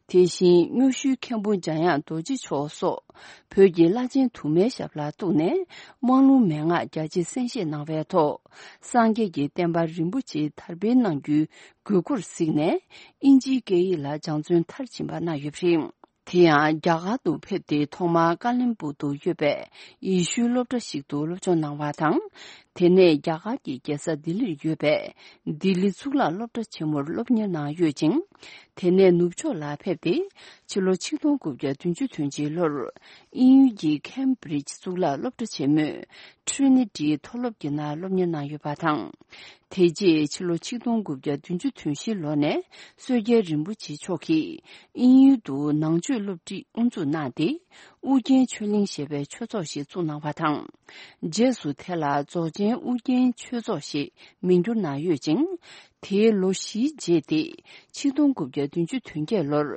དེ་བཞིན་སྨྱོ་ཤུལ་མཁན་པོ་འཇམ་དབྱངས་རྡོ་རྗེ་མཆོག་སོགས་བོད་ཀྱི་བླ་ཆེན་དུ་མའི་ཞབས་ལ་གཏུགས་ནས་དམངས་ལུང་མན་ངག་རྒྱ་ཆེ་གསན་བཞེས་གནང་བའི་ཐོག་སངས་རྒྱས་ཀྱི་བསྟན་པ་རིན་པོ་ཆེ་དར་སྤེལ་གནང་རྒྱུའི་དགོས་མཁོར་གཟིགས་ནས་ཨིན་ཇིའི་སྐད་ཡིག་ལ་སྦྱང་བརྩོན་མཐར་ཕྱིན་པ་གནང་ཡོད་པ་རེད། དེ་ཡང་རྒྱ་གར་དུ་ཕེབས་ཏེ་ཐོག་མར་ཀ་ལན་སྦུག་ཏུ་ཡོད་པའི་ཡེ་ཤུའི་སློབ་གྲྭ་ཞིག་ཏུ་སློབ་སྦྱོང་གནང་བ་དང་། དེ་ནས་རྒྱ་གར་གྱི་རྒྱལ་ས་ལྡི་ལིར་ཡོད་པའི་ལྡི་ལི་གཙུག་ལག་སློབ་གྲྭ་ཆེན་མོར་སློབ་གཉེར་གནང་ཡོད་ཅིང་། དེ་ནས་ནུབ་ཕྱོགས་ལ་ཕེབས་ཏེ་ཕྱི་ལོ་ཆིག་སྟོང་དགུ་བརྒྱ་བདུན་ཅུ་དོན་གཅིག་ལོར་དབྱིན་ཡུལ་གྱི་ཁེམ་བྷྲིཇ་གཙུག་ལག་སློབ་གྲྭ་ཆེན་མོའི་ཊི་རི་ནི་ཊི་མཐོ་སློབ་ཀྱི་ནང་སློབ་གཉེར་གནང་ཡོད་པ་དང་། དེ་རྗེས་ཕྱི་ལོ་ཆིག་སྟོང་དགུ་བརྒྱ་བདུན་ཅུ་དོན་བཞི་ལོ་ནས་བསོད་རྒྱལ་རིན་པོ་ཆེ་མཆོག་གིས་དབྱིན་ཡུལ་དུ་ནང་ཆོས་སློབ་ཁྲིད་དབུ་འཛུགས་གནང་སྟེ། ཨུ་རྒྱན་ཆོས་གླིང་ཞེས་པའི་ཆོས་ཚོགས་ཤིག་བཙུགས་གནང་བ་དང་། རྗེས་སུ་དེ་ལ་རྫོགས་ཆེན་ཨུ་རྒྱན་ཆོས་ཚོགས་ཞེས་མིང་བསྒྱུར་གནང་ཡོད་ཅིང་། དེའི་ལོ་བཞིའི་རྗེས་ཏེ། ཆིག་སྟོང་དགུ་བརྒྱ་བདུན་ཅུ་དོན་བརྒྱད་ལོར།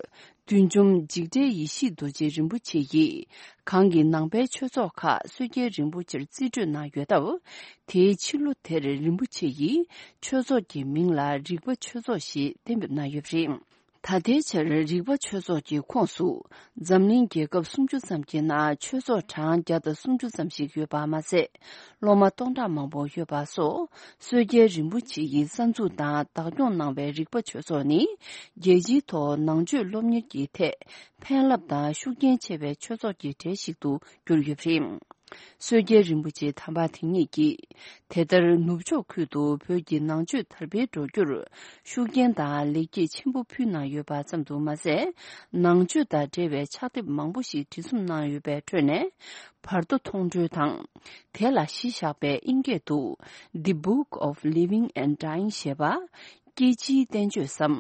བདུད་འཇོམས་འཇིགས་བྲལ་ཡེ་ཤེས་རྡོ་རྗེ་རིན་པོ་ཆེ་ཡིས་གང་གི་ནང་པའི་ཆོས་ཚོགས་ཁག་བསོད་རྒྱལ་རིན་པོ་ཆེར་རྩིས་སྤྲོད་གནང་ཡོད་སྟབས། དེའི་ཕྱི་ལོ་དེར་རིན་པོ་ཆེ་ཡིས་ཆོས་ཚོགས་ཀྱི་མིང་ལ་རིག་པ་ཆོས་ཚོགས་ཞེས་གཏན་འབེབས་གནང་ཡོད་པ་རེད། ད་ལྟའི་ཆར་རིག་པ་ཆོས་ཚོགས་ཀྱི་ཁོངས་སུ། འཛམ་གླིང་རྒྱལ་ཁབ་སུམ་ཅུ་ཙམ་གྱི་ནང་ཆོས་ཚོགས་གྲངས་བརྒྱ་དང་སུམ་ཅུ་ཙམ་ཞིག་ཡོད་པ་མ་ཟད། སློབ་མ་སྟོང་ཕྲག་མང་པོ་ཡོད་པ་སོགས། སྲོལ་རྒྱལ་རིན་པོ་ཆེ་ཡིས་གསར་འཛུགས་དང་བདག་སྐྱོང་གནང་བའི་རིག་པ་ཆོས་ཚོགས་ནི། རྒྱལ་སྤྱིའི་ཐོག་ནང་ཆོས་སློབ་གཉེར་གྱི་ཐད་ཕན་རླབས་དང་ཤུགས་རྐྱེན་ཆེ་བའི་ཆོས་ཚོགས་ཀྱི་གྲས་ཤིག་ཏུ་གྱུར་ཡོད་པ་རེད། སྲོལ་རྒྱལ་རིན་པོ་ཆེ་དམ་པ་དེ་ཉིད་ཀྱིས། དེ་ལྟར་ནུབ་ཕྱོགས་ཁུལ་དུ་བོད་ཀྱི་ནང་ཆོས་དར་སྤེལ་འགྲོ་རྒྱུར་ཤུགས་རྐྱེན་དང་ལེགས་སྐྱེས་ཆེན་པོ་ཕུལ་གནང་ཡོད་པ་ཙམ་དུ་མ་ཟད། ནང་ཆོས་དང་འབྲེལ་བའི་ཕྱག་དེབ་མང་པོ་ཞིག་བྲིས་རྩོམ་གནང་ཡོད་པའི་ཁྲོད་ནས། བར་དོ་མཐོང་གྲོལ་དང་། དེ་ལ་གཞི་བཞག་པའི་ཨིན་སྐད་དུ། The Book of Living and Dying ཞེས་པ། སྐྱེ་འཆིའི་བསྟན་བཅོས་སམ།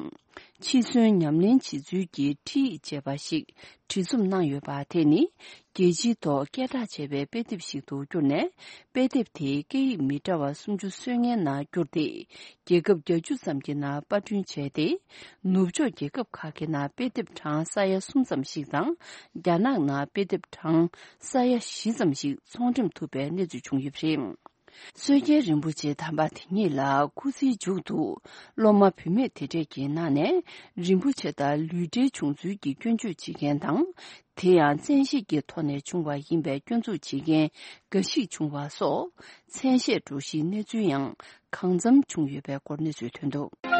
འཆི་གསོན་ཉམས་ལེན་བྱེད་ཚུལ་གྱི་ཁྲིད་ཅེས་པ་ཞིག་བྲིས་རྩོམ་གནང་ཡོད་པ་དེ་ནི། རྒྱལ་སྤྱིའི་ཐོག་སྐད་གྲགས་ཆེ་བའི་དཔེ་དེབ་ཞིག་ཏུ་གྱུར་ནས། དཔེ་དེབ་དེ་སྐད་ཡིག་མི་འདྲ་བ་སུམ་ཅུ་སོ་ལྔའི་ནང་བསྒྱུར་ཏེ། རྒྱལ་ཁབ་བརྒྱད་ཅུ་ཙམ་གྱི་ནང་པར་སྐྲུན་བྱས་ཏེ། ནུབ་ཕྱོགས་རྒྱལ་ཁབ་ཁག་གི་ནང་དཔེ་དེབ་གྲངས་ས་ཡ་གསུམ་ཙམ་ཞིག་དང་། རྒྱ་ནག་ནང་དཔེ་དེབ་གྲངས་ས་ཡ་བཞི་ཙམ་ཞིག་ཚོང་འགྲེམས་ཐུབ་པའི་གནས་ཚུལ་བྱུང་ཡོད་པ་རེད། སྲོལ་རྒྱལ་རིན་པོ་ཆེ་དམ་པ་དེ་ཉིད་ལ་སྐུ་ཚེའི་མཇུག་ཏུ། སློབ་མ་བུད་མེད་དེ་འདྲས་ཀྱི་ནང་ནས་རིན་པོ་ཆེ་དང་ལུས་འབྲེལ་བྱུང་ཚུལ་གྱི་སྐྱོན་བརྗོད་བྱེད་མཁན་དང་། དེ་ཡང་བཙན་ཤེད་ཀྱི་ཐོག་ནས་བྱུང་བ་ཡིན་པའི་སྐྱོན་འཛུགས་བྱེད་མཁན་འགའ་ཞིག་བྱུང་བ་སོགས། མཚན་ཤས་འགྲོ་གཞིའི་གནས་ཚུལ་ཡང་གང་འཚམ་བྱུང་ཡོད་པའི་སྐོར་གནས་ཚུལ་ཐོན་འདུག།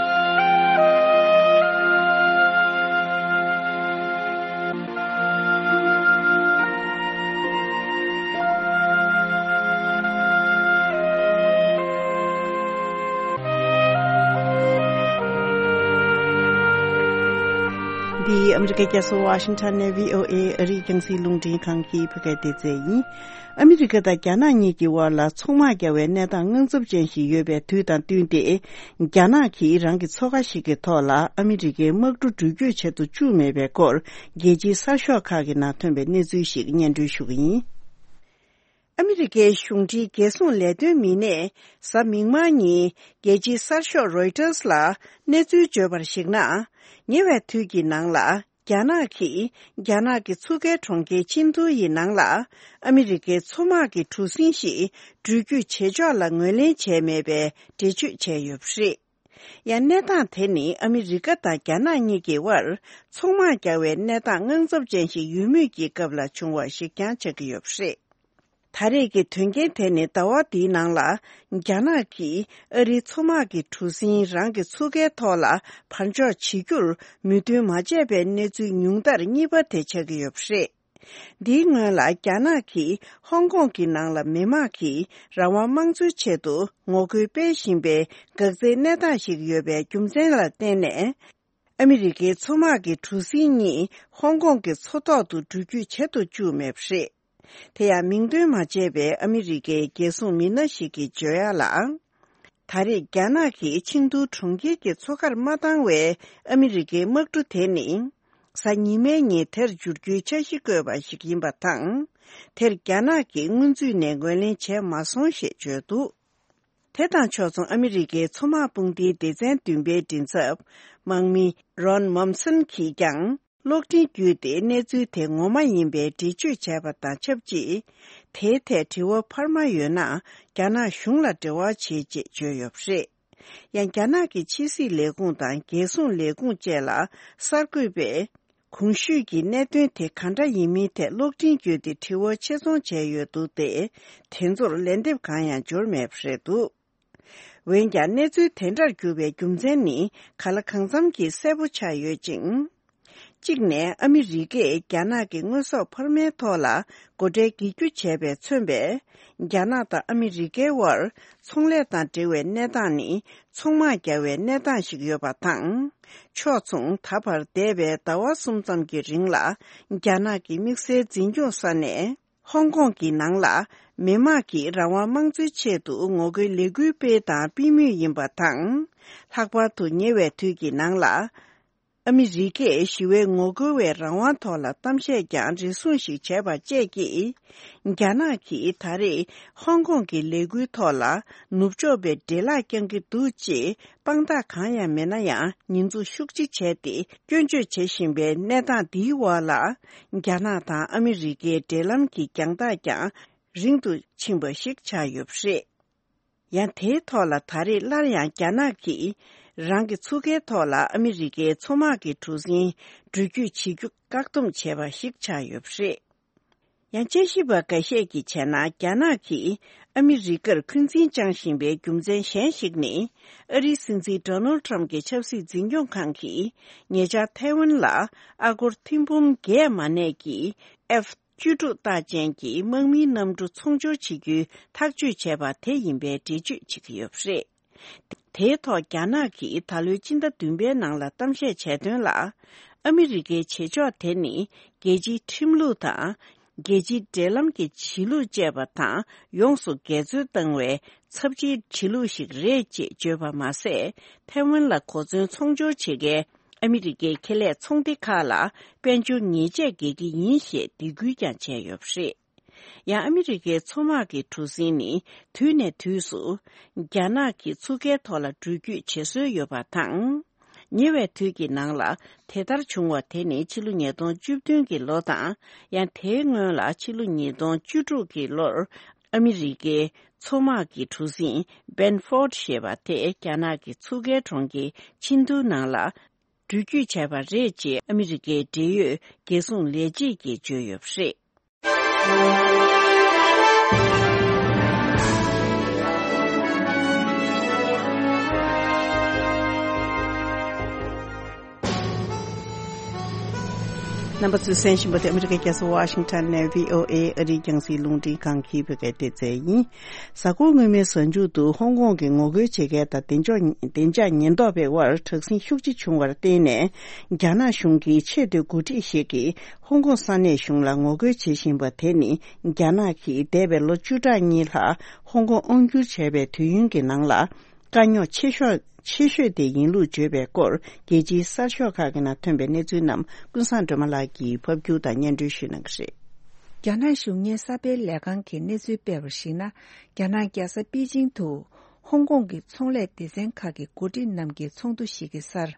འདི་ཨ་མི་རི་ཀའི་རྒྱལ་ས་ཝ་ཤིང་ཊོན་ནས་བྷི་ཨོ་ཨེ་ཨ་རིའི་རྒྱང་སྲིང་རླུང་འཕྲིན་ཁང་གི་བོད་སྐད་སྡེ་ཚན་ཡིན། ཨ་མི་རི་ཀ་དང་རྒྱ་ནག་གཉིས་ཀྱི་དབར་ལ་ཚོང་དམག་རྒྱག་པའི་གནས་སྟངས་དངངས་འཚབ་ཅན་ཞིག་ཡོད་པའི་དུས་དང་བསྟུན་ཏེ། རྒྱ་ནག་གིས་རང་གི་མཚོ་ཁ་ཞིག་གི་ཐོག་ལ་ཨ་མི་རི་ཀའི་དམག་གྲུ་འགྲུལ་སྐྱོད་བྱེད་དུ་བཅུག་མེད་པའི་སྐོར། རྒྱལ་སྤྱིའི་གསར་ཤོག་ཁག་གི་ནང་ཐོན་པའི་གནས་ཚུལ་ཞིག་སྙན་སྒྲོན་ཞུ་གི་ཡིན། ཨ་མི་རི་ཀའི་གཞུང་འབྲེལ་རྒྱལ་སྲུང་ལས་དོན་མི་སྣས་གཟའ་མིག་དམར་ཉིན་རྒྱལ་སྤྱིའི་གསར་ཤོག་རོའི་ཊར་ལ་གནས་ཚུལ་བརྗོད་པར་གཞིགས་ན། ཉེ་བའི་དུས་ཀྱི་ནང་ལ་རྒྱ་ནག་གིས་རྒྱ་ནག་གི་མཚོ་ཁའི་གྲོང་ཁྱེར་ཆིན་ཏུའུ་ཡི་ནང་ལ་ཨ་མི་རི་ཀའི་མཚོ་དམག་གི་གྲུ་གཟིངས་ཤིག་འགྲུལ་སྐྱོད་བྱེད་ཕྱོགས་ལ་ངོས་ལེན་བྱས་མེད་པའི་འགྲེལ་བརྗོད་བྱས་ཡོད་པ་རེད། ཡང་གནས་སྟངས་དེ་ནི་ཨ་མི་རི་ཀ་དང་རྒྱ་ནག་གཉིས་ཀྱི་དབར་ཚོང་དམག་རྒྱག་པའི་གནས་སྟངས་དངངས་འཚབ་ཅན་ཞིག་ཡོད་མུས་ཀྱི་སྐབས་ལ་བྱུང་བ་ཞིག་ཀྱང་ཆགས་ཀྱི་ཡོད་པ་རེད། ད་རེས་ཀྱི་དོན་རྐྱེན་དེ་ནི་ཟླ་བ་འདིའི་ནང་ལ་རྒྱ་ནག་གིས་ཨ་རིའི་མཚོ་དམག་གི་གྲུ་གཟིངས་རང་གི་མཚོ་ཁའི་ཐོག་ལ་བར་འཇོག་བྱེད་རྒྱུར་མོས་མཐུན་མ་བྱས་པའི་གནས་ཚུལ་ཉུང་མཐར་གཉིས་པ་དེ་ཆགས་ཀྱི་ཡོད་པ་རེད། འདིའི་སྔོན་ལ་རྒྱ་ནག་གིས་ཧོང་ཀོང་གི་ནང་ལ་མི་དམངས་ཀྱིས་རང་དབང་དམངས་གཙོའི་ཆེད་དུ་ངོ་རྒོལ་སྤེལ་བཞིན་པའི་འགག་རྩའི་གནས་སྟངས་ཤིག་ཡོད་པའི་རྒྱུ་མཚན་ལ་བརྟེན་ནས། ཨ་མི་རི་ཀའི་མཚོ་དམག་གི་གྲུ་གཟིངས་གཉིས་ཧོང་ཀོང་གི་མཚོ་ཐོག་ཏུ་འགྲུལ་སྐྱོད་བྱེད་དུ་བཅུག་མེད་པ་རེད། དེ་ཡང་མིང་འདོན་མ་བྱས་པའི་ཨ་མི་རི་ཀའི་རྒྱལ་སྲུང་མི་སྣ་ཞིག་གིས་བརྗོད་ཡག་ལ། ད་རེས་རྒྱ་ནག་གིས་ཆིང་ཏུའུ་གྲོང་ཁྱེར་གྱི་མཚོ་ཁར་མ་བཏང་བའི་ཨ་མི་རི་ཀའི་དམག་གྲུ་དེ་ནི། གཟའ་ཉི་མའི་ཉིན་དེར་འབྱོར་རྒྱུའི་འཆར་གཞི་བཀོད་པ་ཞིག་ཡིན་པ་དང་། དེར་རྒྱ་ནག་གིས་སྔོན་ཚུད་ནས་ངོས་ལེན་བྱས་མ་སོང་ཞེས་བརྗོད་འདུག། དེ་དང་ཕྱོགས་མཚུངས་ཨ་མི་རི་ཀའི་མཚོ་དམག་དཔུང་སྡེའི་སྡེ་ཚན་བདུན་པའི་མགྲིན་ཚབ་དམག་མི་རོན་མོམ་སན་གྱིས་ཀྱང་གློག་འཕྲིན་བརྒྱུད་དེ་གནས་ཚུལ་དེ་ངོ་མ་ཡིན་པའི་འགྲེལ་བརྗོད་བྱས་པ་དང་ཆབས་ཅིག། དེའི་ཐད་དྲི་བ་འཕར་མ་ཡོད་ན་རྒྱ་ནག་གཞུང་ལ་འབྲེལ་བ་བྱེད་ཅེས་བརྗོད་ཡོད་པ་རེད། ཡང་རྒྱ་ནག་གི་ཕྱི་སྲིད་ལས་ཁུངས་དང་རྒྱལ་སྲུང་ལས་ཁུངས་བཅས་ལ་གསར་འགོད་པས། གོང་ཞུས་ཀྱི་གནད་དོན་དེ་ག་འདྲ་ཡིན་མིན་ཐད་གློག་འཕྲིན་བརྒྱུད་དེ་དྲི་བ་ཆེད་རྫོང་བྱས་ཡོད་འདུག་སྟེ། དེ་ཚོར་ལན་འདེབས་གང་ཡང་འབྱོར་མེད་པ་རེད་འདུག། འོན་ཀྱང་གནས་ཚུལ་དེ་འདྲར་གྱུར་པའི་རྒྱུ་མཚན་ནི་ག་ལ་གང་འཚམ་གྱིས་གསལ་པོ་ཆགས་ཡོད་ཅིང་། གཅིག་ནས་ཨ་མི་རི་ཀས་རྒྱ་ནག་གི་དངོས་ཟོག་འཕར་མའི་ཐོག་ལ་སྒོ་ཁྲལ་འགེལ་རྒྱུ་བྱས་པས་མཚོན་པས། རྒྱ་ནག་དང་ཨ་མི་རི་ཀའི་དབར་ཚོང་ལས་དང་འབྲེལ་བའི་གནས་སྟངས་ནི་ཚོང་དམག་རྒྱག་པའི་གནས་སྟངས་ཤིག་ཡོད་པ་དང་། ཕྱོགས་མཚུངས་ད་བར་འདས་པའི་ཟླ་བ་གསུམ་ཙམ་གྱི་རིང་ལ་རྒྱ་ནག་གི་དམིགས་བསལ་འཛིན་སྐྱོང་ས་ནས་ཧོང་ཀོང་གི་ནང་ལ་མི་དམངས་ཀྱིས་རང་དབང་དམངས་གཙོའི་ཆེད་དུ་ངོ་རྒོལ་ལས་འགུལ་སྤེལ་དང་སྤེལ་མུས་ཡིན་པ་དང་། ལྷག་པར་དུ་ཉེ་བའི་དུས་ཀྱི་ནང་ལ། ཨ་མི་རི་ཀས་ཞི་བའི་ངོ་རྒོལ་བའི་རང་དབང་ཐོག་ལ་གཏམ་བཤད་ཀྱང་རེ་ཟུང་ཞིག་བྱས་པ་བཅས་ཀྱིས། རྒྱ་ནག་གིས་ད་རེས་ཧོང་ཀོང་གི་ལས་འགུལ་ཐོག་ལ་ནུབ་ཕྱོགས་པའི་འདྲེ་ལག་བརྐྱང་གི་འདུག་ཅེས་དཔང་རྟགས་གང་ཡང་མེད་ན་ཡང་ཉེས་འཛུགས་ཤུགས་ཆེ་བྱས་ཏེ་སྐྱོན་བརྗོད་བྱེད་བཞིན་པའི་གནས་སྟངས་འདིའི་འོག་ལ། རྒྱ་ནག་དང་ཨ་མི་རི་ཀའི་འབྲེལ་ལམ་གྱི་རྒྱང་ཐག་ཀྱང་རིང་དུ་ཕྱིན་པ་ཞིག་ཆགས་ཡོད་པ་རེད། ཡང་དེའི་ཐོག་ལ་ད་རེས་སླར་ཡང་རྒྱ་ནག་གིས་ རང་གི་ཚུགས་ཀའི་ཐོག་ལ་ཨ་མི་རི་ཀའི་མཚོ་དམག་གི་གྲུ་གཟིངས་འགྲུལ་སྐྱོད་བྱེད་རྒྱུ་བཀག་སྡོམ་བྱས་པ་ཞིག་ཆགས་ཡོད་པ་རེད། ཡང་དཔྱད་ཞིབ་པ་འགའ་ཤས་ཀྱིས་བྱས་ན། རྒྱ་ནག་གིས་ཨ་མི་རི་ཀར་འཁོན་འཛིན་བཅངས་བཞིན་པའི་རྒྱུ་མཚན་གཞན་ཞིག་ནི། ཨ་རིའི་སྲིད་འཛིན་ཌོ་ནལ་ཊམ་གྱི་ཆབ་སྲིད་འཛིན་སྐྱོང་ཁང་གིས་ཉེ་ཆར་ཐའེ་ཝན་ལ་ཨ་སྒོར་ཐེར་འབུམ་བརྒྱད་མ་གནས་ཀྱི་F་བཅུ་དྲུག་རྟགས་ཅན་གྱི་དམག་མིའི་གནམ་གྲུ་ཚོང་སྦྱོར་བྱེད་རྒྱུའི་ཐག་གཅོད་བྱས་པ་དེ་ཡིན་པའི་འགྲེལ་བརྗོད་བྱེད་ཀྱི་ཡོད་པ་རེད། དེའི་ཐོག་རྒྱ་ནག་གིས་ད་ལོའི་སྤྱི་ཟླ་བདུན་པའི་ནང་ལ་གཏམ་བཤད་བྱས་དོན་ལ། ཨ་མི་རི་ཀའི་བྱེད་ཕྱོགས་དེ་ནི་རྒྱལ་སྤྱིའི་ཁྲིམས་ལུགས་དང་། རྒྱལ་སྤྱིའི་འབྲེལ་ལམ་གྱི་བྱེད་ལུགས་བཅས་པ་དང་ཡོངས་སུ་འགལ་འཛོལ་བཏང་བའི་ཚབས་ཆེའི་བྱེད་ལུགས་ཤིག་རེད་ཅེས་བརྗོད་པ་མ་ཟད། ཐའེ་ཝན་ལ་གོ་མཚོན་ཚོང་སྦྱོར་བྱེད་མཁན་ཨ་མི་རི་ཀའི་ཁེ་ལས་ཚོང་སྡེ་ཁག་ལ་དཔལ་འབྱོར་ཉེས་ཆད་འགེལ་གྱི་ཡིན་ཞེས་འདེད་སྐུལ་ཀྱང་བྱས་ཡོད་པ་རེད། ཡང་ཨ་མི་རི་ཀའི་མཚོ་དམག་གི་གྲུ་གཟིངས་ནི་དུས་ནས་དུས་སུ་རྒྱ་ནག་གི་མཚོ་ཁའི་ཐོག་ལ་འགྲུལ་སྐྱོད་བྱེད་སྲོལ་ཡོད་པ་དང་། ཉེ་བའི་དུས་ཀྱི་ནང་ལ་དེ་ལྟར་བྱུང་བ་དེ་ནི་ཕྱི་ལོ་ཉིས་སྟོང་བཅུ་བདུན་གྱི་ལོ་དང་། ཡང་དེའི་སྔོན་ལ་ཕྱི་ལོ་ཉིས་སྟོང་བཅུ་དྲུག་གི་ལོར་ཨ་མི་རི་ཀའི་མཚོ་དམག་གི་གྲུ་གཟིངས་སྦན་ཧྥོར་ཌི་ཞེས་པ་དེ་རྒྱ་ནག་གི་མཚོ་ཁའི་གྲོང་ཁྱེར་ཆིན་ཏུའུ་ནང་ལ་འགྲུལ་སྐྱོད་བྱས་པ་རེད་ཅེས་ཨ་མི་རི་ཀའི་འབྲེལ་ཡོད་རྒྱལ་སྲུང་ལས་བྱེད་ཀྱིས་བརྗོད་ཡོད་པ་རེད། རྣམ་པ་ཚོས་གསན་བཞིན་པ་དེ་ཨ་མི་རི་ཀའི་རྒྱལ་ས་ཝ་ཤིང་ཊོན་ནས་བྷི་ཨོ་ཨེ་ཨ་རིའི་རྒྱང་སྲིང་རླུང་འཕྲིན་ཁང་གི་བོད་སྐད་སྡེ་ཚན་ཡིན། གཟའ་འཁོར་སྔོན་མའི་གཟའ་མཇུག་ཏུ་ཧོང་ཀོང་གི་ངོ་རྒོལ་བྱེད་མཁན་དང་བདེ་འཇགས་བདེ་འཇགས་ཉེན་རྟོག་པའི་དབར་དྲག་ཟིང་ཤུགས་ཆེ་བྱུང་བར་བརྟེན་ནས། རྒྱ་ནག་གཞུང་གི་ཆེས་མཐོའི་འགོ་ཁྲིད་ཞིག་གིས་ཧོང་ཀོང་ས་གནས་གཞུང་ལ་ངོ་རྒོལ་བྱེད་བཞིན་པ་དེ་ནི། རྒྱ་ནག་གིས་འདས་པའི་ལོ་བཅུ་ཕྲག་གཉིས་ལྷག་ཧོང་ཀོང་དབང་བསྒྱུར་བྱས་པའི་དུས་ཡུན་གྱི་ནང་ལ། དཀའ་རྙོག་ཆེ་ཤོས་ཆེ་ཤོས་དེ་ཡིན་ལུགས་བརྗོད་པའི་སྐོར། རྒྱལ་སྤྱིའི་གསར་ཤོག་ཁག་གི་ནང་ཐོན་པའི་གནས་ཚུལ་རྣམས་ཀུན་བཟང་སྒྲོལ་མ་ལགས་ཀྱིས་ཕབ་སྒྱུར་དང་སྙན་སྒྲོན་ཞུ་གནང་གི་རེད། རྒྱ་ནག་གཞུང་གཉེར་གསར་སྤེལ་ལས་ཁང་གིས་གནས་ཚུལ་སྤེལ་བར་གཞིགས་ན། རྒྱ་ནག་རྒྱལ་ས་པེ་ཅིང་དུ་ཧོང་ཀོང་གི་ཚོང་ལས་སྡེ་ཚན་ཁག་གི་འགོ་ཁྲིད་རྣམས་ཀྱི་ཚོགས་འདུ་ཞིག་གི་སར།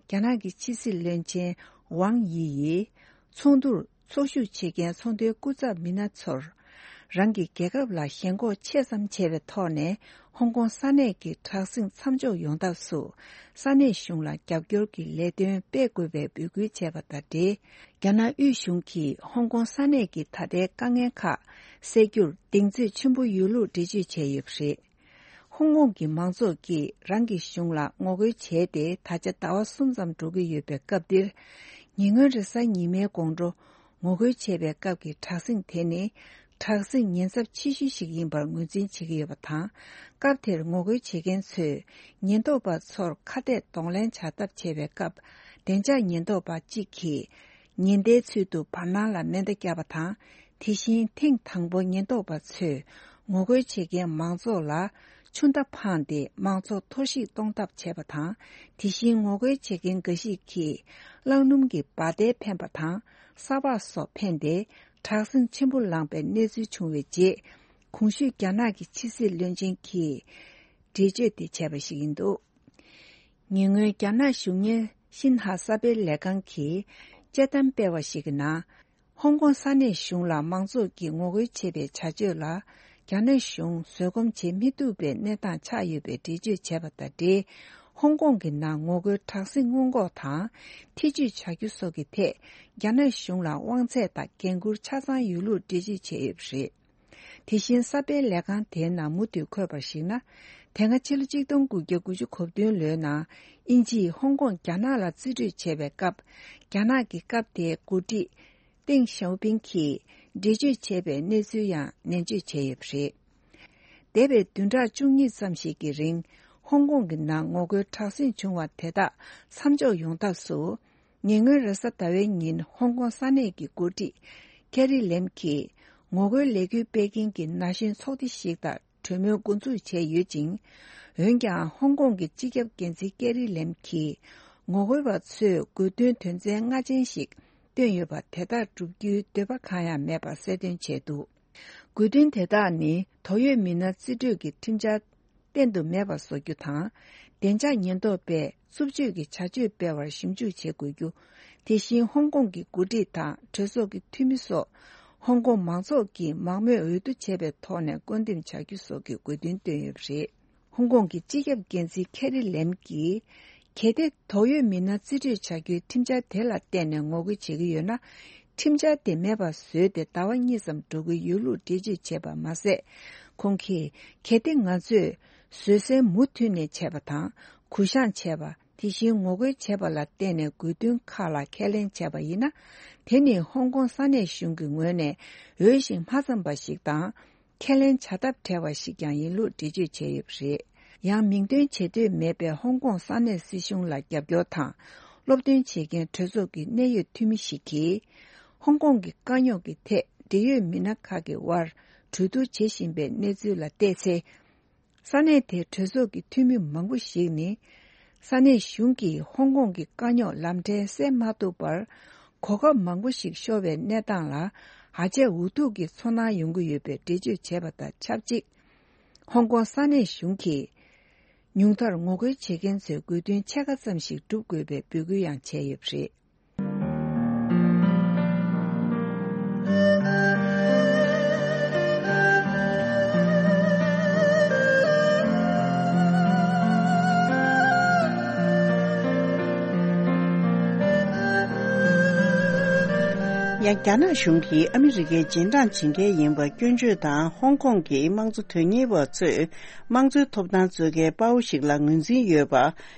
རྒྱ་ནག་གི་ཕྱི་སྲིད་བློན་ཆེན་ཝང་དབྱི་ཡིས། ཚོགས་འདུར་ཚོགས་ཞུགས་བྱེད་མཁན་ཚོགས་འདུའི་སྐུ་ཚབ་མི་སྣ་ཚོར། རང་གི་རྒྱལ་ཁབ་ལ་ཞེན་ཁོག་ཆེ་ཙམ་བྱས་པའི་ཐོག་ནས། ཧོང་ཀོང་ས་གནས་ཀྱི་དྲག་ཟིང་མཚམས་འཇོག་ཡོང་ཐབས་སུ། ས་གནས་གཞུང་ལ་རྒྱབ་སྐྱོར་གྱི་ལས་དོན་སྤེལ་དགོས་པའི་འབོད་སྐུལ་བྱས་པ་དང་འབྲེལ། རྒྱ་ནག་དབུས་གཞུང་གིས་ཧོང་ཀོང་ས་གནས་ཀྱི་ད་ལྟའི་དཀའ་ངལ་ཁག་སེལ་རྒྱུར་གདེང་ཚོད་ཆེན་པོ་ཡོད་ལུགས་འགྲེལ་བརྗོད་བྱས་ཡོད་པ་རེད། ཧོང་ཀོང་གི་མང་ཚོགས་ཀྱིས་རང་གི་གཞུང་ལ་ངོ་རྒོལ་བྱས་ཏེ། ད་ཆ་ཟླ་བ་གསུམ་ཙམ་འགྲོ་གི་ཡོད་པའི་སྐབས་འདིར། ཉེ་སྔོན་རེས་གཟའ་ཉི་མའི་དགོང་དྲོ། ངོ་རྒོལ་བྱས་པའི་སྐབས་ཀྱི་དྲག་ཟིང་དེ་ནི། དྲག་ཟིང་ཉེན་ཚབས་ཆེ་ཤོས་ཤིག་ཡིན་པར་ངོས་འཛིན་བྱེད་ཀྱི་ཡོད་པ་དང་། སྐབས་དེར་ངོ་རྒོལ་བྱེད་མཁན་ཚོས། ཉེན་རྟོག་པ་ཚོར་ཁ་གཏད་གདོང་ལེན་བྱ་ཐབས་བྱས་པའི་སྐབས། བདེ་འཇགས་ཉེན་རྟོག་པ་གཅིག་གིས། ཉེན་བརྡའི་ཚུལ་དུ་བར་སྣང་ལ་མེ་མདའ་བརྒྱབ་པ་དང་། དེ་བཞིན་ཐེངས་དང་པོ་ཉེན་རྟོག་པ་ཚོས་ངོ་རྒོལ་བྱེད་མཁན་མང་ཚོགས་ལ་ཆུ་མདའ་འཕངས་ཏེ། མང་ཚོགས་འཐོར་བཤིག་གཏོང་ཐབས་བྱས་པ་དང་། དེ་བཞིན་ངོ་རྒོལ་བྱེད་མཁན་འགའ་ཞིག་གིས་རླངས་སྣུམ་གྱི་འབར་མདེལ་འཕེན་པ་དང་། ས་ཕག་སོགས་འཕེན་ཏེ། དྲག་ཟིང་ཆེན་པོ་ལངས་པའི་གནས་ཚུལ་བྱུང་བའི་རྗེས། གོང་ཞུས་རྒྱ་ནག་གི་ཕྱི་སྲིད་བློན་ཆེན་གྱིས་འགྲེལ་བརྗོད་དེ་བྱས་པ་ཞིག་ཡིན་འདུག་ཉེ་སྔོན་རྒྱ་ནག་གཞུང་གཉེར་ཤིན་ཧྭ་གསར་སྤེལ་ལས་ཁང་གིས་དཔྱད་གཏམ་སྤེལ་བ་ཞིག་གི་ནང་། ཧོང་ཀོང་ས་གནས་གཞུང་ལ་མང་ཚོགས་ཀྱིས་ངོ་རྒོལ་བྱེད་པའི་བྱ་སྤྱོད་ལ། རྒྱ་ནག་གཞུང་བཟོད་སྒོམ་བྱེད་མི་ཐུབ་པའི་གནས་སྟངས་ཆགས་ཡོད་པའི་འགྲེལ་བརྗོད་བྱས་པ་དང་འབྲེལ། ཧོང་ཀོང་གི་ནང་ངོ་རྒོལ་དྲག་ཟིང་སྔོན་འགོག་དང་། ཐེ་ཇུས་བྱ་རྒྱུ་སོགས་ཀྱི་ཐད། རྒྱ་ནག་གཞུང་ལ་དབང་ཚད་དང་འགན་འཁུར་ཆ་ཚང་ཡོད་ལུགས་འགྲེལ་བརྗོད་བྱས་ཡོད་པ་རེད། དེ་བཞིན་གསར་སྤེལ་ལས་ཁང་དེའི་ནང་མུ་མཐུད་འཁོད་པར་གཞིགས་ན། དེ་སྔ་ཕྱི་ལོ་གཅིག་སྟོང་དགུ་བརྒྱ་དགུ་བཅུ་གོ་བདུན་ལོའི་ནང་། དབྱིན་ཇིས་ཧོང་ཀོང་རྒྱ་ནག་ལ་རྩིས་སྤྲོད་བྱས་པའི་སྐབས། རྒྱ་ནག་གི་སྐབས་དེའི་འགོ་ཁྲིད་ཏེང་ཞའོ་ཕིང་གིས་འགྲེལ་བརྗོད་བྱས་པའི་གནས་ཚུལ་ཡང་ནན་བརྗོད་བྱས་ཡོད་པ་རེད། འདས་པའི་བདུན་ཕྲག་བཅུ་གཉིས་ཙམ་ཞིག་གི་རིང་། ཧོང་ཀོང་གི་ནང་ངོ་རྒོལ་དྲག་ཟིང་བྱུང་བ་དེ་དག་མཚམས་འཇོག་ཡོང་ཐབས་སུ། ཉེ་སྔོན་རེས་གཟའ་ཟླ་བའི་ཉིན་ཧོང་ཀོང་ས་གནས་ཀྱི་འགོ་ཁྲིད་ཀེ་རི་ལེམ་གྱིས། ངོ་རྒོལ་ལས་འགུལ་སྤེལ་མཁན་གྱི་ན་གཞོན་ཚོགས་སྡེ་ཞིག་དང་གྲོས་མོལ་འགོ་འཛུགས་བྱས་ཡོད་ཅིང་། འོན་ཀྱང་ཧོང་ཀོང་གི་སྤྱི་ཁྱབ་འགན་འཛིན་ཀེ་རི་ལེམ་གྱིས། ངོ་རྒོལ་བ་ཚོས་དགོས་འདུན་དོན་ཚན་ལྔ་ཅན་ཞིག་བཏོན་ཡོད་པ་དེ་དག་བསྒྲུབ་རྒྱུའི་འདོད་པ་གང་ཡང་མེད་པ་གསལ་སྟོན་བྱས་འདུག་དགོས་འདུན་དེ་དག་ནི་དོགས་ཡོད་མི་སྣ་རྩིས་སྤྲོད་ཀྱི་ཁྲིམས་འཆར་གཏན་དུ་མེད་པ་བཟོ་རྒྱུ་དང་། བདེ་འཇགས་ཉེན་རྟོག་པས་རྩུབ་སྤྱོད་ཀྱི་བྱ་སྤྱོད་སྤེལ་བར་ཞིབ་འཇུག་བྱེད་དགོས་རྒྱུ། དེ་བཞིན་ཧོང་ཀོང་གི་འགོ་ཁྲིད་དང་གྲོས་ཚོགས་ཀྱི་འཐུས་མི་སོགས། ཧོང་ཀོང་མང་ཚོགས་ཀྱིས་མང་མོས་འོས་བསྡུ་བྱས་པའི་ཐོག་ནས་བསྐོ་འདེམས་བྱ་རྒྱུ་སོགས་ཀྱི་དགོས་འདུན་བཏོན་ཡོད་པ་རེད། ཧོང་ཀོང་གི་སྤྱི་ཁྱབ་འགན་འཛིན་ཁེ་རི་ལེམ་གྱིས། གལ་ཏེ་དོགས་ཡོད་མི་སྣ་རྩིས་སྤྲོད་བྱ་རྒྱུའི་ཁྲིམས་འཆར་དེ་ལ་བརྟེན་ནས་ངོ་རྒོལ་བྱེད་ཀྱི་ཡོད་ན། ཁྲིམས་འཆར་དེ་མེད་པར་བཟོས་ཏེ་ཟླ་བ་གཉིས་ཙམ་འགྲོ་གི་ཡོད་ལུགས་འགྲེལ་བརྗོད་བྱས་པ་མ་ཟད། ཁོང་གིས་གལ་ཏེ་ང་ཚོས་བཟོད་བསྲན་མུ་མཐུད་ནས་བྱས་པ་དང་གུ་བཤངས་བྱས་པ། དེ་བཞིན་ངོ་རྒོལ་བྱས་པ་ལ་བརྟེན་ནས་དགོས་འདུན་ཁག་ལ་ཁས་ལེན་བྱས་པ་ཡིན་ན། དེ་ནི་ཧོང་ཀོང་ས་གནས་གཞུང་གི་ངོས་ནས་འོས་ཤིང་མ་འཚམས་པ་ཞིག་དང་། ཁས་ལེན་བྱ་ཐབས་བྲལ་བ་ཞིག་ཀྱང་ཡིན་ལུགས་འགྲེལ་བརྗོད་བྱས་ཡོད་པ་རེད། ཡང་མིང་འདོན་བྱེད་འདོད་མེད་པའི་ཧོང་ཀོང་ས་གནས་སྲིད་གཞུང་ལ་རྒྱབ་སྐྱོར་དང་། སློབ་སྟོན་བྱེད་མཁན་གྲོས་ཚོགས་ཀྱི་གནད་ཡོད་འཐུས་མི་ཞིག་གིས། ཧོང་ཀོང་གི་དཀའ་རྙོག་གི་ཐད་འབྲེལ་ཡོད་མི་སྣ་ཁག་གི་དབར་གྲོས་བསྡུར་བྱེད་བཞིན་པའི་གནས་ཚུལ་ལ་བལྟས་ཚེ། ས་གནས་དེའི་གྲོས་ཚོགས་ཀྱི་འཐུས་མི་མང་པོ་ཞིག་ནི། ས་གནས་གཞུང་གིས་ཧོང་ཀོང་གི་དཀའ་རྙོག་ལམ་འཕྲལ་སེལ་མ་ཐུབ་པར། གོ་སྐབས་མང་པོ་ཞིག་ཤོར་བའི་གནས་སྟངས་ལ་ཧ་ཅང་འུ་ཐུག་གི་ཚོར་སྣང་ཡོང་གི་ཡོད་པའི་འགྲེལ་བརྗོད་བྱས་པ་དང་ཆབས་ཅིག་ཧོང་ཀོང་ས་གནས་གཞུང་གིས། ཉུང་མཐར་ངོ་རྒོལ་བྱེད་མཁན་ཚོའི་དགོས་འདུན་ཕྱེད་ཀ་ཙམ་ཞིག་སྒྲུབ་དགོས་པའི་འབོད་སྐུལ་ཡང་བྱས་ཡོད་པ་རེད། ཡང་རྒྱ་ནག་གཞུང་གིས་ཨ་མི་རི་ཀའི་རྗེས་འབྲང་བྱེད་མཁན་ཡིན་པ་སྐྱོན་བརྗོད་དང་། ཧོང་ཀོང་གི་དམངས་གཙོ་དོན་གཉེར་བ་ཚོས་དམངས་གཙོའི་ཐོབ་ཐང་རྩོད་མཁན་དཔའ་བོ་ཞིག་ལ་ངོས་འཛིན་ཡོད་པ།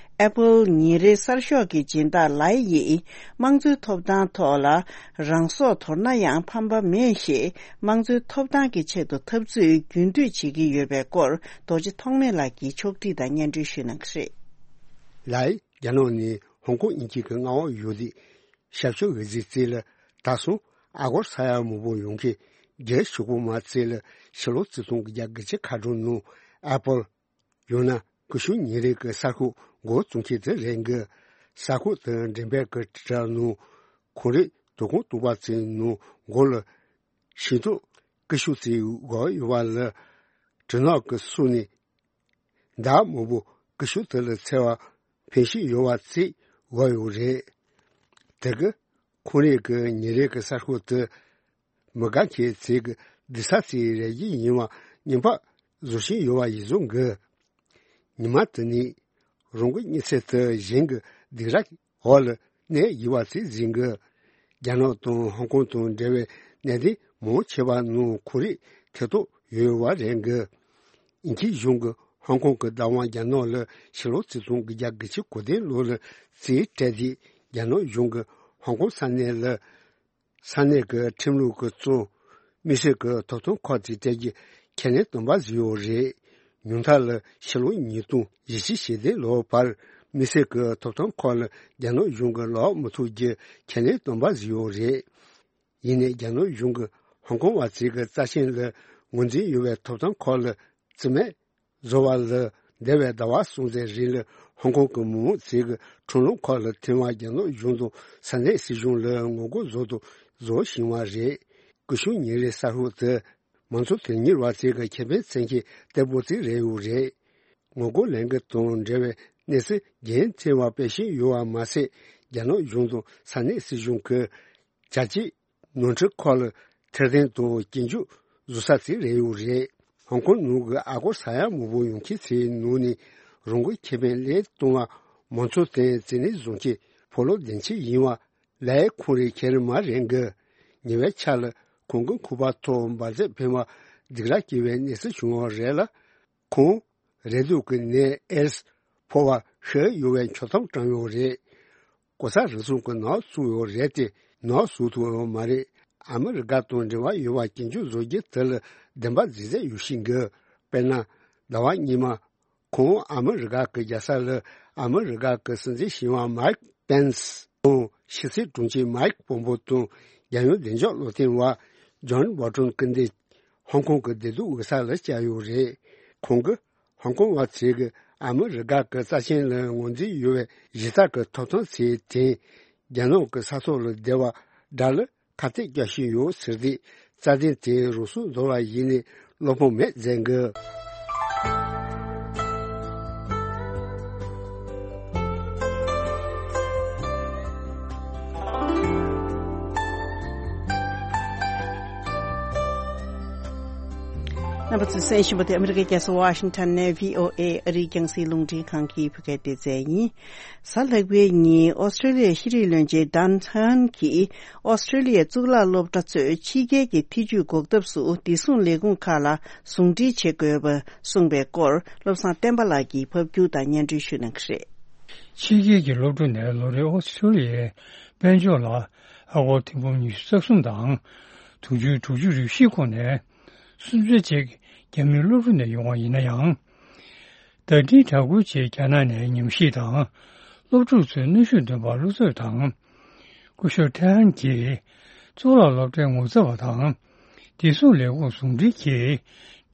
Apple ཉིན་རེའི་གསར་ཤོག་གི་སྦྱིན་བདག་ལའེ་ཡིས་དམངས་གཙོའི་ཐོབ་ཐང་ཐོག་ལ་རང་སྲོག་དོར་ན་ཡང་ཕམ་པ་མེད་ཞེས། དམངས་གཙོའི་ཐོབ་ཐང་གི་ཆེད་དུ་འཐབ་རྩོད་རྒྱུན་མཐུད་བྱེད་ཀྱི་ཡོད་པའི་སྐོར་རྡོ་རྗེ་ཐོགས་མེད་ལགས་ཀྱིས་ཕྱོགས་སྒྲིག་དང་སྙན་སྒྲོན་ཞུས་གནང་གི་རེད། ལའེ་རྒྱ་ནག་ནས་ཧོང་ཀོང་དབྱིན་ཇི་གི་མངའ་འོག་ཡོད་དུས། ཞབས་ཞུ་འོས་འཛིན་རྩིས་ལ་ད་སོང་ཨ་སྒོར་ས་ཡ་མང་པོ་ཡོང་མཁན་རྒྱལ་ཞུ་སྒོ་མ་རྩིས་ལ་ཕྱི་ལོ་ཆིག་སྟོང་དགུ་བརྒྱ་དགུ་བཅུ་ཁ་གྲངས་ནང་Apple ཡང་ན་ཀུ་ཤུ་ཉིན་རེ་གི་གསར་ཤོག་འགོ་བཙུགས་མཁན་དེ་རེད་འགི། གསར་ཤོག་དེ་འགྲེམས་སྤེལ་གི་དྲ་ནང་ཁོང་རེ་དོ་དགོང་བདུན་པ་ཙམ་ནང་འགོ་ལ་ཤིང་ཏོག་ཀུ་ཤུ་ཙམ་བཞག་ཡོད་པ་ལ། གྲིབ་ནག་གི་སོ་ནས་མདའ་མང་པོ་ཀུ་ཤུ་དེ་ལ་འཚེར་བ་འཕེན་བཞིན་ཡོད་པ་ཙམ་བཞག་ཡོད་རེད། དེ་གི་ཁོང་རེ་གི་ཉིན་རེ་གི་གསར་ཤོག་དེ། མི་དགའ་མཁན་ཚོས་ཀྱི་སྡིག་ཚབ་ཚིག་རེ་བཞིན་ཡིན་པ་ཉན་པ་བཟོ་བཞིན་ཡོད་པ་ཡིན་བཟོ་འགི། ཉི་མ་དེ་ནས་རང་གི་གཉིད་སད་དུ་གཞན་གྱི་སྡིག་ར་འོག་ལ་གནས་ཡོད་པ་ཚིག་འཛིན་གི། རྒྱ་ནག་དང་ཧོང་ཀོང་དང་འབྲེལ་བའི་གནད་དོན་མང་ཆེ་བ་ནང་ཁོ་རེ་ཐེ་གཏོགས་ཡོད་པ་རེད་འགི། ཨིན་ཇིའི་གཞུང་གིས་ཧོང་ཀོང་གི་བདག་དབང་རྒྱ་ནག་ལ་ཕྱི་ལོ་ཆིག་སྟོང་དགུ་བརྒྱ་དགུ་བཅུ་གོ་བདུན་ལོ་ལ་རྩིས་སྤྲད་དེ་རྒྱ་ནག་གཞུང་གིས་ཧོང་ཀོང་ས་གནས་ལ། ས་གནས་ཀྱི་ཁྲིམས་ལུགས་ཀྱི་གཙོ། དམིགས་བསལ་གྱི་ཐོབ་ཐང་ཁག་ཅིག་སྤྲད་རྒྱུ་ཁས་ལེན་དམ་པ་བཟོས་ཡོད་རེད། ཉུང་མཐའ་ལ་ཕྱི་ལོ་ཉིས་སྟོང་བཞི་བཅུ་ཞེ་བདུན་ལོའི་བར་དམིགས་བསལ་གྱི་ཐོབ་ཐང་ཁག་ལ་རྒྱ་ནག་གཞུང་གིས་ལོག་མི་ཐུབ་རྒྱུ་ཁས་ལེན་དམ་པ་བཟོས་ཡོད་རེད། ཡིན་ནའི་རྒྱ་ནག་གཞུང་གིས་ཧོང་ཀོང་བ་ཚོའི་གི་རྩ་ཆེན་ལ་ངོས་འཛིན་ཡོད་པའི་ཐོབ་ཐང་ཁག་ལ་རྩིས་མེད་བཟོ་བ་ལ། འདས་པའི་ཟླ་བ་གསུམ་ཙམ་རིང་ལ་ཧོང་ཀོང་གི་མི་མང་ཚོའི་གི་ཁྲིམས་ལུགས་ཁག་ལ་ཐེ་བ་རྒྱ་ནག་གཞུང་དང་ས་གནས་སྲིད་གཞུང་ལ་ངོ་རྒོལ་བཟོ་དང་བཟོ་བཞིན་པ་རེད། ཀུ་ཤུ་ཉིན་རེའི་གསར་ཤོག་དེ་མང་གཙོ་དོན་གཉེར་བ་ཚོའི་གི་ཁེ་ཕན་བཙན་གྱི་ལྟད་མོ་ཅིག་རེད་ཡོད་རེད། ངོ་རྒོལ་ལས་འགུལ་དང་འབྲེལ་བའི་གནས་ཚུལ་རྒྱུན་མཐུད་པ་སྤེལ་བཞིན་ཡོད་པ་མ་ཟད། རྒྱ་ནག་གཞུང་དང་ས་གནས་སྲིད་གཞུང་གི་བྱ་སྤྱོད་ནོར་འཁྲུལ་ཁག་ལ་ཐེར་འདོན་དང་སྐྱོན་བརྗོད་བཟོ་ས་ཅིག་རེད་ཡོད་རེད། ཧོང་ཀོང་ནང་གི་ཨ་སྒོར་ས་ཡ་མང་པོ་ཡོང་མཁན་ཚོའི་ནང་ནས་རང་གི་ཁེ་ཕན་ལས་གཏོང་བ་མང་ཚོགས་དོན་རྩིས་ལེན་བཟོ་མཁན་ཕོ་ལོ་བདེན་ཆེ་ཡིན་པ་ལའེ་ཁོང་རེ་ཁྱེར་མ་རེད་འགི། ཉེ་བའི་ཆར་ལ་ཁོང་གི་ཁུག་པ་ཐོག་འབར་རྫས་འཕེན་པ་སྡིགས་ར་སྐྱེ་བའི་གནས་ཚུལ་བྱུང་བ་རེད་ལ། ཁོང་རེག་དུག་གི་ནད་ཨེ་ཌི་སི་ཕོག་པ་ཤི་ཡོད་པའི་འཁྱོག་ཐམ་དྲངས་ཡོད་རེད། གོ་ས་རེ་ཟུང་གི་ནག་བཙུགས་ཡོད་རེད་དེ་ནག་བཟོ་ཐུབ་ཡོད་མ་རེད། ཨ་མི་རི་ཀ་དང་འབྲེལ་བ་ཡོད་པ་སྐྱོན་བརྗོད་བཟོ་རྒྱུ་དེ་ལ་བདེན་པ་རྫིག་རྫིག་ཡོད་བཞིན་གི། དཔེར་ན། ཟླ་བ་སྔོན་མ། ཁོང་ཨ་མི་རི་ཀ་གི་རྒྱལ་ས་ལ་ཨ་མི་རི་ཀ་གི་སྲིད་འཛིན་གཞོན་པ་མའིག་པེན་སི་དང་ཕྱི་སྲིད་དྲུང་ཆེ་མའིག་པོམ་པོ་དང་རྒྱལ་ཡོངས་བདེ་འཇགས་བློ་མཐུན་པ་ཇོན་བོལ་ཊོན་སྐུ་མདུན་ཧོང་ཀོང་གི་བདེ་སྡུག་འོས་ས་ལ་བཅར་ཡོད་རེད། ཁོང་གིས་ཧོང་ཀོང་བ་ཚོས་ཀྱི་ཨ་མི་རི་ཀ་གི་རྩ་ཆེན་ལ་ངོས་འཛིན་ཡོད་པའི་གཞི་རྩ་གི་ཐོབ་ཐང་ཚོའི་སྟེང་རྒྱ་ནག་གི་ས་ཐོག་ལ་བསྡད་པ་དགྲ་ལ་ཁ་གཏད་བཅག་བཞིན་ཡོད་ཟེར་ཏེ་རྩ་དོན་དེ་རུ་སུ་འཛོལ་བ་ཡིན་ནས་བློ་ཕམ་མེད་མཛད་འགི། རྣམ་པ་ཚོས་གསན་བཞིན་པ་དེ་ཨ་མི་རི་ཀའི་རྒྱལ་ས་ཝ་ཤིང་ཊོན་ནས་བྷི་ཨོ་ཨེ་ཨ་རིའི་རྒྱང་སྲིང་རླུང་འཕྲིན་ཁང་གི་བོད་སྐད་སྡེ་ཚན་ཡིན། གཟའ་ལྷག་པའི་ཉིན་ཨོ་སི་ཀྲོ་ལི་ཡའི་ཤེས་རིག་བློན་ཆེན་ཌན་ཧན་གྱིས་ཨོ་སི་ཀྲོ་ལི་ཡའི་གཙུག་ལག་སློབ་གྲྭ་ཚོས་ཕྱི་རྒྱལ་གྱི་ཐེ་ཇུས་འགོག་ཐབས་སུ་བདེ་སྲུང་ལས་ཁུངས་ཁག་ལ་ཟུང་འབྲེལ་བྱེད་དགོས་པ་གསུངས་པའི་སྐོར། བློ་བཟང་བསྟན་པ་ལགས་ཀྱིས་ཕབ་སྒྱུར་དང་སྙན་སྒྲོན་ཞུ་གནང་གི་རེད། ཕྱི་རྒྱལ་གྱི་སློབ་ཕྲུག་ནས་ལོ་རེའི་ཨོ་སི་ཀྲོ་ལི་ཡའི་དཔལ་འབྱོར་ལ་ཨ་སྒོར་ཐེར་འབུམ་ཉི་ཤུ་རྩ་གསུམ་དང་དྲུག་ཅུ་དྲུག་ཅུ་རེ་བཞི་ཁོངས་ནས་སུམ་ཆ་ཅིག་རྒྱ་མིའི་སློབ་ཕྲུག་ནས་ཡོང་བ་ཡིན་ན་ཡང་། བརྡ་འཕྲིན་དྲ་འགུལ་ཆེད་རྒྱ་ནག་ནས་ཉམས་ཞིབ་དང་། སློབ་ཕྲུག་ཚོའི་གནོན་ཤུགས་འདོན་པར་བློ་འཚབ་དང་། སྐུ་ཞབས་ཐེ་ཧན་གྱིས་གཙུག་ལག་སློབ་གྲྭའི་ངོ་ཚ་བ་དང་། བདེ་སྲུང་ལས་ཁུངས་ཟུང་འབྲེལ་གྱིས་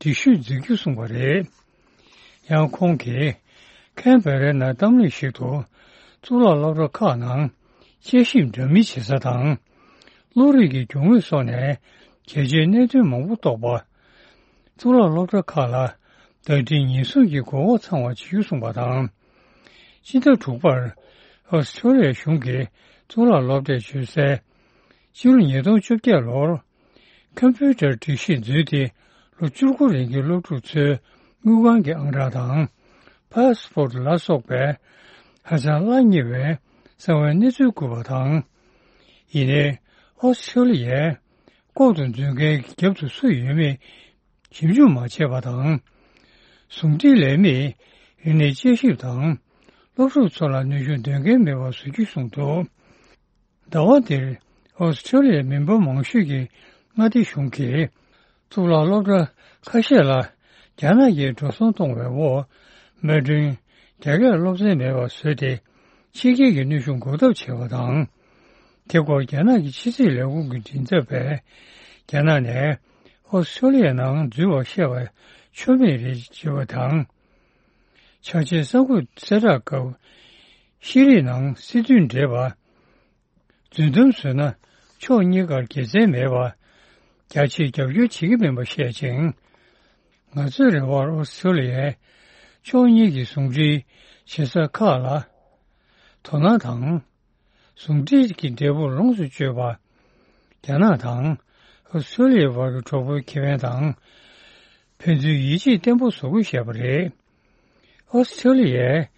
འགྲེལ་བཤད་མཛད་རྒྱུ་གསུངས་པ་རེད། ཡང་ཁོང་གིས་ཁེན་བེ་རའི་ནང་གཏམ་གླེང་ཞིག་ཏུ། གཙུག་ལག་སློབ་གྲྭ་ཁག་ནང་དཔྱད་ཞིབ་འདྲ་མིན་བྱེད་ས་དང་། བློ་རིག་གི་རྒྱུ་དངོས་སོགས་ནས་གལ་ཆེའི་གནད་དོན་མང་པོ་རྟོགས་པ། གཙུག་ལག་སློབ་གྲྭ་ཁག་ལ་བརྡ་འཕྲིན་ཉེན་སྲུང་གི་གོ་སྐབས་ཚང་བ་བྱེད་རྒྱུ་གསུངས་པ་དང་། སྤྱི་ཟླ་དྲུག་པར་ཨོ་སི་ཀྲོ་ལི་ཡ་གཞུང་གིས་གཙུག་ལག་སློབ་གྲྭས་བཟོས་སའི་ཕྱི་ལོ་ཉིས་སྟོང་བཅོ་བརྒྱད་ལོར་ཀམ་པུ་ཊར་སྒྲིག་གཞི་འཛུལ་ཏེ་ལོ་བཅུ་དགུ་རིང་གི་སློབ་ཕྲུག་ཚོའི་དངུལ་ཁང་གི་ཨང་གྲངས་དང་། ཕཱས་པོར་ལ་སོགས་པའི་ཧ་ཅང་གླ་ཉེ་བའི་གསང་བའི་གནས་ཚུལ་བཀོད་པ་དང་། ཡིན་ནའི་ཨོ་སི་ཀྲོ་ལི་ཡའི་ལྐོག་ཏུ་འཛུལ་མཁན་གྱི་རྒྱབ་ཏུ་སུ་ཡོད་མེད་ཞིབ་འཇུག་མ་བྱས་པ་དང་། ཟུང་འབྲེལ་ལས་མིས་རིག་གནས་དཔྱད་ཞིབ་དང་སློབ་ཕྲུག་ཚོ་ལ་གནོན་ཤུགས་འདོན་མཁན་མེད་པ་བཟོ་རྒྱུ་གསུངས་འདུག། ཟླ་བ་འདིར་ཨོ་སི་ཀྲོ་ལི་ཡའི་མི་འབོར་མང་ཤོས་ཀྱི་མངའ་སྡེ་གཞུང་གིས་གཙུག་ལག་སློབ་གྲྭ་ཁ་ཤས་ལ་རྒྱ་ནག་གིས་འགྲོ་སོང་གཏོང་བའི་འོག་མི་གྲངས་རྒྱ་སྐད་སློབ་ཚན་མེད་པར་བཟོས་ཏེ་ཕྱི་རྒྱལ་གྱི་གནོན་ཤུགས་འགོག་ཐབས་བྱས་པ་དང་། དེ་སྐོར་རྒྱ་ནག་གི་ཕྱི་སྲིད་ལས་ཁུངས་ཀྱི་མགྲིན་ཚབ་པས་རྒྱ་ནག་ནས་ཨོ་སི་ཀྲོ་ལི་ཡའི་ནང་འཛུལ་བར་བཤད་པ་ཆོ་མེད་རེད་ཅེས་པ་དང་། ཆ་ཤས་གསར་འགོད་གསལ་བསྒྲགས་སྐབས་ཤེས་རིག་ནང་སྲིད་དོན་འབྲེལ་བ། རྫུན་གཏམ་བཟོས་ན་ཕྱོགས་གཉིས་ཀར་དགེ་མཚན་མེད་པ། རྒྱ་ཆེའི་རྒྱབ་སྐྱོར་བྱེད་ཀྱི་མིན་པ་བཤད་ཅིང་། ང་ཚོའི་རེ་བར་ཨོ་སི་ཀྲོ་ལི་ཡས་ཕྱོགས་གཉིས་ཀྱི་ཟུང་འབྲེལ་བྱེད་ས་ཁག་ལ་དོ་སྣང་དང་། ཟུང་འབྲེལ་གྱི་འབྲས་བུ་ལོངས་སུ་སྤྱོད་པ། རྒྱ་ནག་དང་ཨོ་སི་ཀྲོ་ལི་ཡའི་བར་གྱི་གྲོགས་པོའི་ཁེ་ཕན་དང་། ཕན་ཚུན་ཡིད་ཆེས་བརྟན་པོ་བཟོ་དགོས་ཞེས་པ་རེད། ཨོ་སི་ཀྲོ་ལི་ཡས་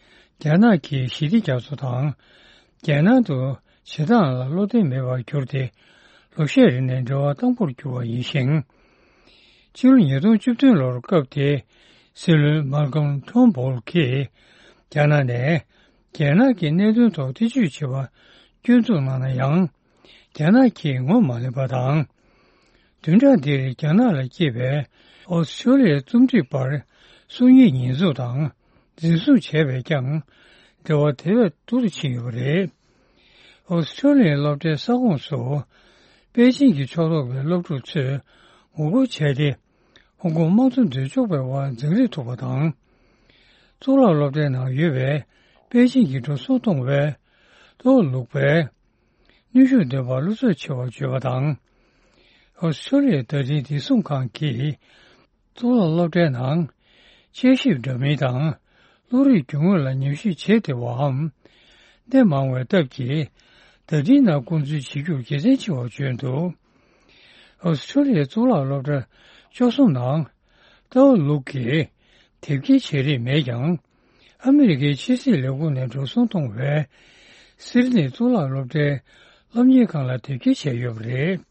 རྒྱ་ནག་གིས་ཞི་བདེ་རྒྱ་མཚོ་དང་རྒྱལ་ནང་དུ་བྱེ་ཐང་ལ་བློ་བདེ་མེད་པར་གྱུར་ཏེ་ལོ་ཤས་རིང་ནས་འབྲེལ་བ་དྭངས་པོར་གྱུར་བ་ཡིན་ཞིང་། ཕྱི་ལོ་ཉིས་སྟོང་བཅུ་བདུན་ལོར་སྐབས་དེའི་སྲིད་བློན་མཱལ་ཀམ་ཊར་ན་བྷོལ་གྱིས་རྒྱ་ནག་ནས་རྒྱལ་ནང་གི་གནད་དོན་ཐོག་ཐེ་བྱུས་བྱེད་པ་སྐྱོན་འཛུགས་གནང་ན་ཡང་། རྒྱ་ནག་གིས་ངོ་མ་ལེན་པ་དང་། བདུན་ཕྲག་འདིར་རྒྱ་ནག་ལ་སྐྱེས་པའི་ཨོ་སི་ཀྲོ་ལི་ཡའི་རྩོམ་སྒྲིག་པར་སུ་གཉིས་ཉེས་འཛུགས་དང་འཛིན་བཟུང་བྱས་པས་ཀྱང་འབྲེལ་བ་དེ་བས་སྡུག་ཏུ་ཕྱིན་ཡོད་པ་རེད། ཨོ་སི་ཀྲོ་ལི་ཡའི་སློབ་གྲྭའི་ས་ཁོངས་སུ་པེ་ཅིང་གི་ཕྱོགས་གཏོགས་པའི་སློབ་ཕྲུག་ཚོས་ངོ་རྒོལ་བྱས་ཏེ། ཧོང་ཀོང་དམངས་གཙོ་འདོད་ཕྱོགས་པའི་དབར་འཛིང་རེས་ཐུབ་པ་དང་། གཙུག་ལག་སློབ་གྲྭའི་ནང་ཡོད་པའི་པེ་ཅིང་གི་འགྲོ་སོང་གཏོང་བའི་ཏོའོ་ལུག་པས་གནོན་ཤུགས་འདོན་པར་བློ་འཚབ་ཆེ་བར་བརྗོད་པ་དང་། ཨོ་སི་ཀྲོ་ལི་ཡའི་བརྡ་འཕྲིན་བདེ་སྲུང་ཁང་གིས་གཙུག་ལག་སློབ་གྲྭའི་ནང་དཔྱད་ཞིབ་འདྲ་མིན་དང་བློ་རིག་རྒྱུ་དངོས་ལ་ཉམས་ཞིབ་བྱེད་བདེ་བའམ། གནད་མང་བའི་སྟབས་ཀྱིས་བརྡ་འཕྲིན་ནང་བསྐོང་ཚུལ་བྱེད་རྒྱུར་དགེ་མཚན་ཆེ་བར་བརྗོད་འདུག། ཨོ་སི་ཀྲོ་ལི་ཡའི་གཙུག་ལག་སློབ་གྲྭ་བཅུ་གསུམ་ནང་ཏའོ་ལུག་གིས་དེབ་སྐྱེལ་བྱེད་རིན་མེད་ཀྱང་། ཨ་མི་རི་ཀའི་ཕྱི་སྲིད་ལས་ཁུངས་ནས་འགྲོ་སོང་གཏོང་བའི་སིད་ནི་གཙུག་ལག་སློབ་གྲྭའི་སློབ་གཉེར་ཁང་ལ་དེབ་སྐྱེལ་བྱས་ཡོད་པ་རེད།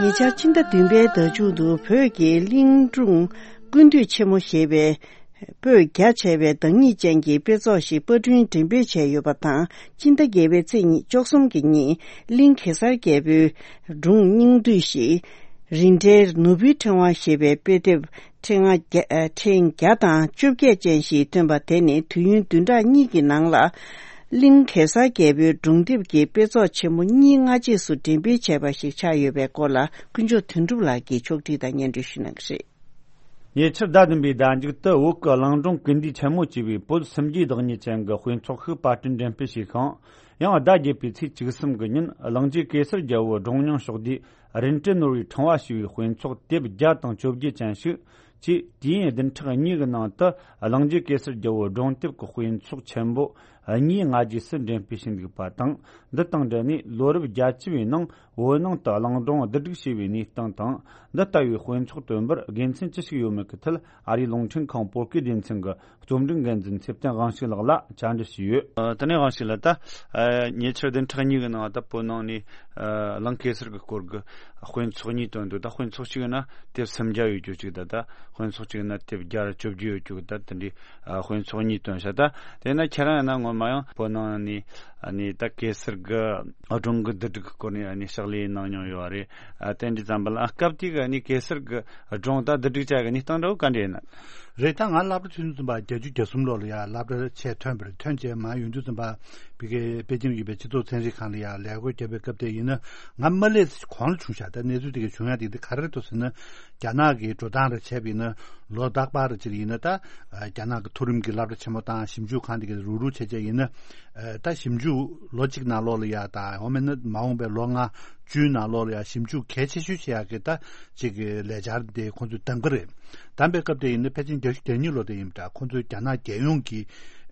ཉེ་ཆར་ཕྱི་ཟླ་བདུན་པའི་ཟླ་མཇུག་ཏུ་བོད་ཀྱི་གླིང་སྒྲུང་ཀུན་འདུས་ཆེན་མོ་ཞེས་པའི་པོད་རྒྱ་ཆེ་བའི་བདག་ཉིད་ཅན་གྱི་དཔེ་ཚོགས་ཤིག་པར་སྐྲུན་འགྲེམས་སྤེལ་བྱས་ཡོད་པ་དང་། སྤྱི་ཟླ་བརྒྱད་པའི་ཚེས་ཉི་ཤུ་རྩ་གསུམ་གྱི་ཉིན་གླིང་གེ་སར་རྒྱལ་པོའི་སྒྲུང་སྙིང་བསྡུས་ཤིག་རིན་བྲལ་ནོར་བུའི་ཕྲེང་བ་ཞེས་པའི་དཔེ་དེབ་ཕྲེང་བ་བརྒྱ་ཨ། ཕྲེང་བརྒྱ་དང་བཅོ་བརྒྱད་ཅན་ཞིག་ཐོན་པ་དེ་ནི་དུས་ཡུན་བདུན་ཕྲག་གཉིས་ཀྱི་ནང་ལ། གླིང་གེ་སར་རྒྱལ་པོའི་སྒྲུང་དེབ་ཀྱི་དཔེ་ཚོགས་ཆེན་མོ་གཉིས་སྔ་རྗེས་སུ་འགྲེམས་སྤེལ་བྱས་པ་ཞིག་ཆགས་ཡོད་པའི་སྐོར་ལ་ཀུན་མཆོག་དོན་གྲུབ་ལགས་ཀྱིས་ཕྱོགས་སྒྲིག་དང་སྙན་སྒྲོན་ཞུ་གནང་གི་རེད། ཉེ་ཆར་ཟླ་བདུན་པའི་ཟླ་མཇུག་ཏུ་བོད་ཀྱི་གླིང་སྒྲུང་ཀུན་འདུས་ཆེན་མོ་ཅེས་པའི་བོད་སུམ་བརྒྱའི་བདག་ཉིད་ཅན་གྱི་དཔེ་ཚོགས་ཤིག་པར་སྐྲུན་འགྲེམས་སྤེལ་བྱས་ཤིང་། ཡང་ཟླ་བརྒྱད་པའི་ཚེས་བཅུ་གསུམ་གྱི་ཉིན་གླིང་རྗེ་གེ་སར་རྒྱལ་པོའི་སྒྲུང་སྙིང་ཕྱོགས་བསྡུས་རིན་བྲལ་ནོར་བུའི་ཕྲེང་བ་ཞེས་པའི་དཔེ་ཚོགས་དེབ་བརྒྱ་དང་བཅོ་བརྒྱད་ཅན་ཞིག་ ཅེས་དུས་ཡུན་བདུན་ཕྲག་གཉིས་ཀྱི་ནང་དུ་གླིང་རྗེ་གེ་སར་རྒྱལ་པོའི་སྒྲུང་དེབ་ཀྱི་དཔེ་ཚོགས་ཆེན་པོ་གཉིས་སྔ་རྗེས་སུ་འགྲེམས་སྤེལ་བྱས་འདུག་པ་དང་། འདི་དང་འབྲེལ་ནས་ལོ་རབས་བརྒྱད་ཅུ་བའི་ནང་བོད་ནང་དུ་གླིང་སྒྲུང་བསྡུ་སྒྲིག་བྱས་པའི་གནས་སྟངས་དང་། འདི་ལྟ་བུའི་དཔེ་ཚོགས་བཏོན་པར་དགེ་མཚན་ཅི་ཞིག་ཡོད་མེད་ཀྱི་ཐད། ཨ་རིའི་རླུང་འཕྲིན་ཁང་བོད་སྐད་སྡེ་ཚན་གྱི་རྩོམ་སྒྲིག་འགན་འཛིན་ཚེ་བརྟན་དབང་ཕྱུག་ལགས་ལ་བཅར་འདྲི་ཞུས་ཡོད། ཨ། དེ་ནས་དབང་ཕྱུག་ལགས། ད་ཨ་ཉེ་ཆར་བདུན་ཕྲག་གཉིས་ཀྱི་ནང་ད་བོད་ནང་ནས་ཨ་གླིང་གེ་སར་གྱི་སྐོར་གྱི་དཔེ་ཚོགས་གཉིས་བཏོན་འདུག་ད་དཔེ་ཚོགས་གཅིག་ན་དེབ་སུམ་བརྒྱ་ཡོད་རྒྱུ་གཅིག་དང་། ད་དཔེ་ཚོགས་གཅིག་ན་དེབ་བརྒྱ་དང་བཅོ་བརྒྱད་ཡོད་རྒྱུ་གི། ད་དེ་འདྲའི་ཨ་དཔེ་ཚོགས་གཉིས་བཏོན་ཤག་ད་དེ་ན་ཁྱེད་རང་ཡིན་ན་སྔོན་མ་ཡང་བོད་ནང་ནས་ཨ་ནི་ད་གེ་སར་གྱི་སྒྲུང་གི་བསྡུ་སྒྲིག་གི་སྐོར་ནས་ཨ་ནི་ཕྱག་ལས་གནང་མྱོང་ཡོད་རེད། ཨ་དེ་འདྲ་ཙམ་པ་ལ། ཨ་སྐབས་དེ་གི་ཨ་ནི་གེ་སར་གྱི་སྒྲུང་ད་བསྡུ་སྒྲིག་བྱ་གི་གནས་སྟངས་འདྲ་བོ་ག་འདྲ་ཡིན་ན། རེད། ད་ང་སློབ་གྲྭ་ཆུང་ཆུང་ཙམ་པ་བརྒྱད་ཅུ་གྱ་གསུམ་ལོ་ལ་ཡ་སློབ་གྲྭ་ཆེ་ཐོན་པ་རེད། ཐོན་རྗེས་མ་ཡོང་དུས་ཙམ་པ་བི་གའི་པེ་ཅིང་ཡོད་པའི་སྤྱི་ཚོགས་ཚན་རིག་ཁང་ལ་ཡ་ལས་ཀ་བརྒྱབ་པའི་སྐབས་དེ་ཡིན་ན། ང་མ་སླེབས་གོང་ལ་བྱུང་ཤག་ད་གནས་ཚུལ་དེ་ག་བྱུང་ཡ་དེ་འདི་ག་རེ་རེད་འདུག་ཟེར་ན། རྒྱ་ནག་གི་འགྲོ་སྟངས་རེ་བྱས་པ་ཡིན་ན། ལོ་རྟག་པར་རེ་ཅིག་ཡིན་ན་ད་རྒྱ་ནག་གི་མཐོ་རིམ་གྱི་སློབ་གྲྭ་ཆེན་མོ་དང་ཞིབ་འཇུག་ཁང་དེ་ག་རུག་རུག་བྱས་བྱས་ཡིན་ན། ད་ཞིབ་འཇུག་ལོ་གཅིག་ནང་ལོགས་ལ་ཡ་ད་འོ་མེད་ན་མ་འོངས་པའི་ལོ་ལྔ་བཅུའི་ནང་ལོགས་ལ་ཡ་ཞིབ་འཇུག་གལ་ཆེ་ཤོས་བྱེད་ཡག་གི་ད་ཅིག་གི་ལས་འཆར་དེ་ཁོང་ཚོས་བདམས་ཀྱི་རེད། བདམས་པའི་སྐབས་དེ་ཡིན་ན་ཕལ་ཆེར་བརྒྱད་ཅུ་གྱ་གཉིས་ལོ་དེ་ཡིན་པ་འདྲ། ཁོང་ཚོས་རྒྱ་ནག་རྒྱལ་ཡོངས་ཀྱི་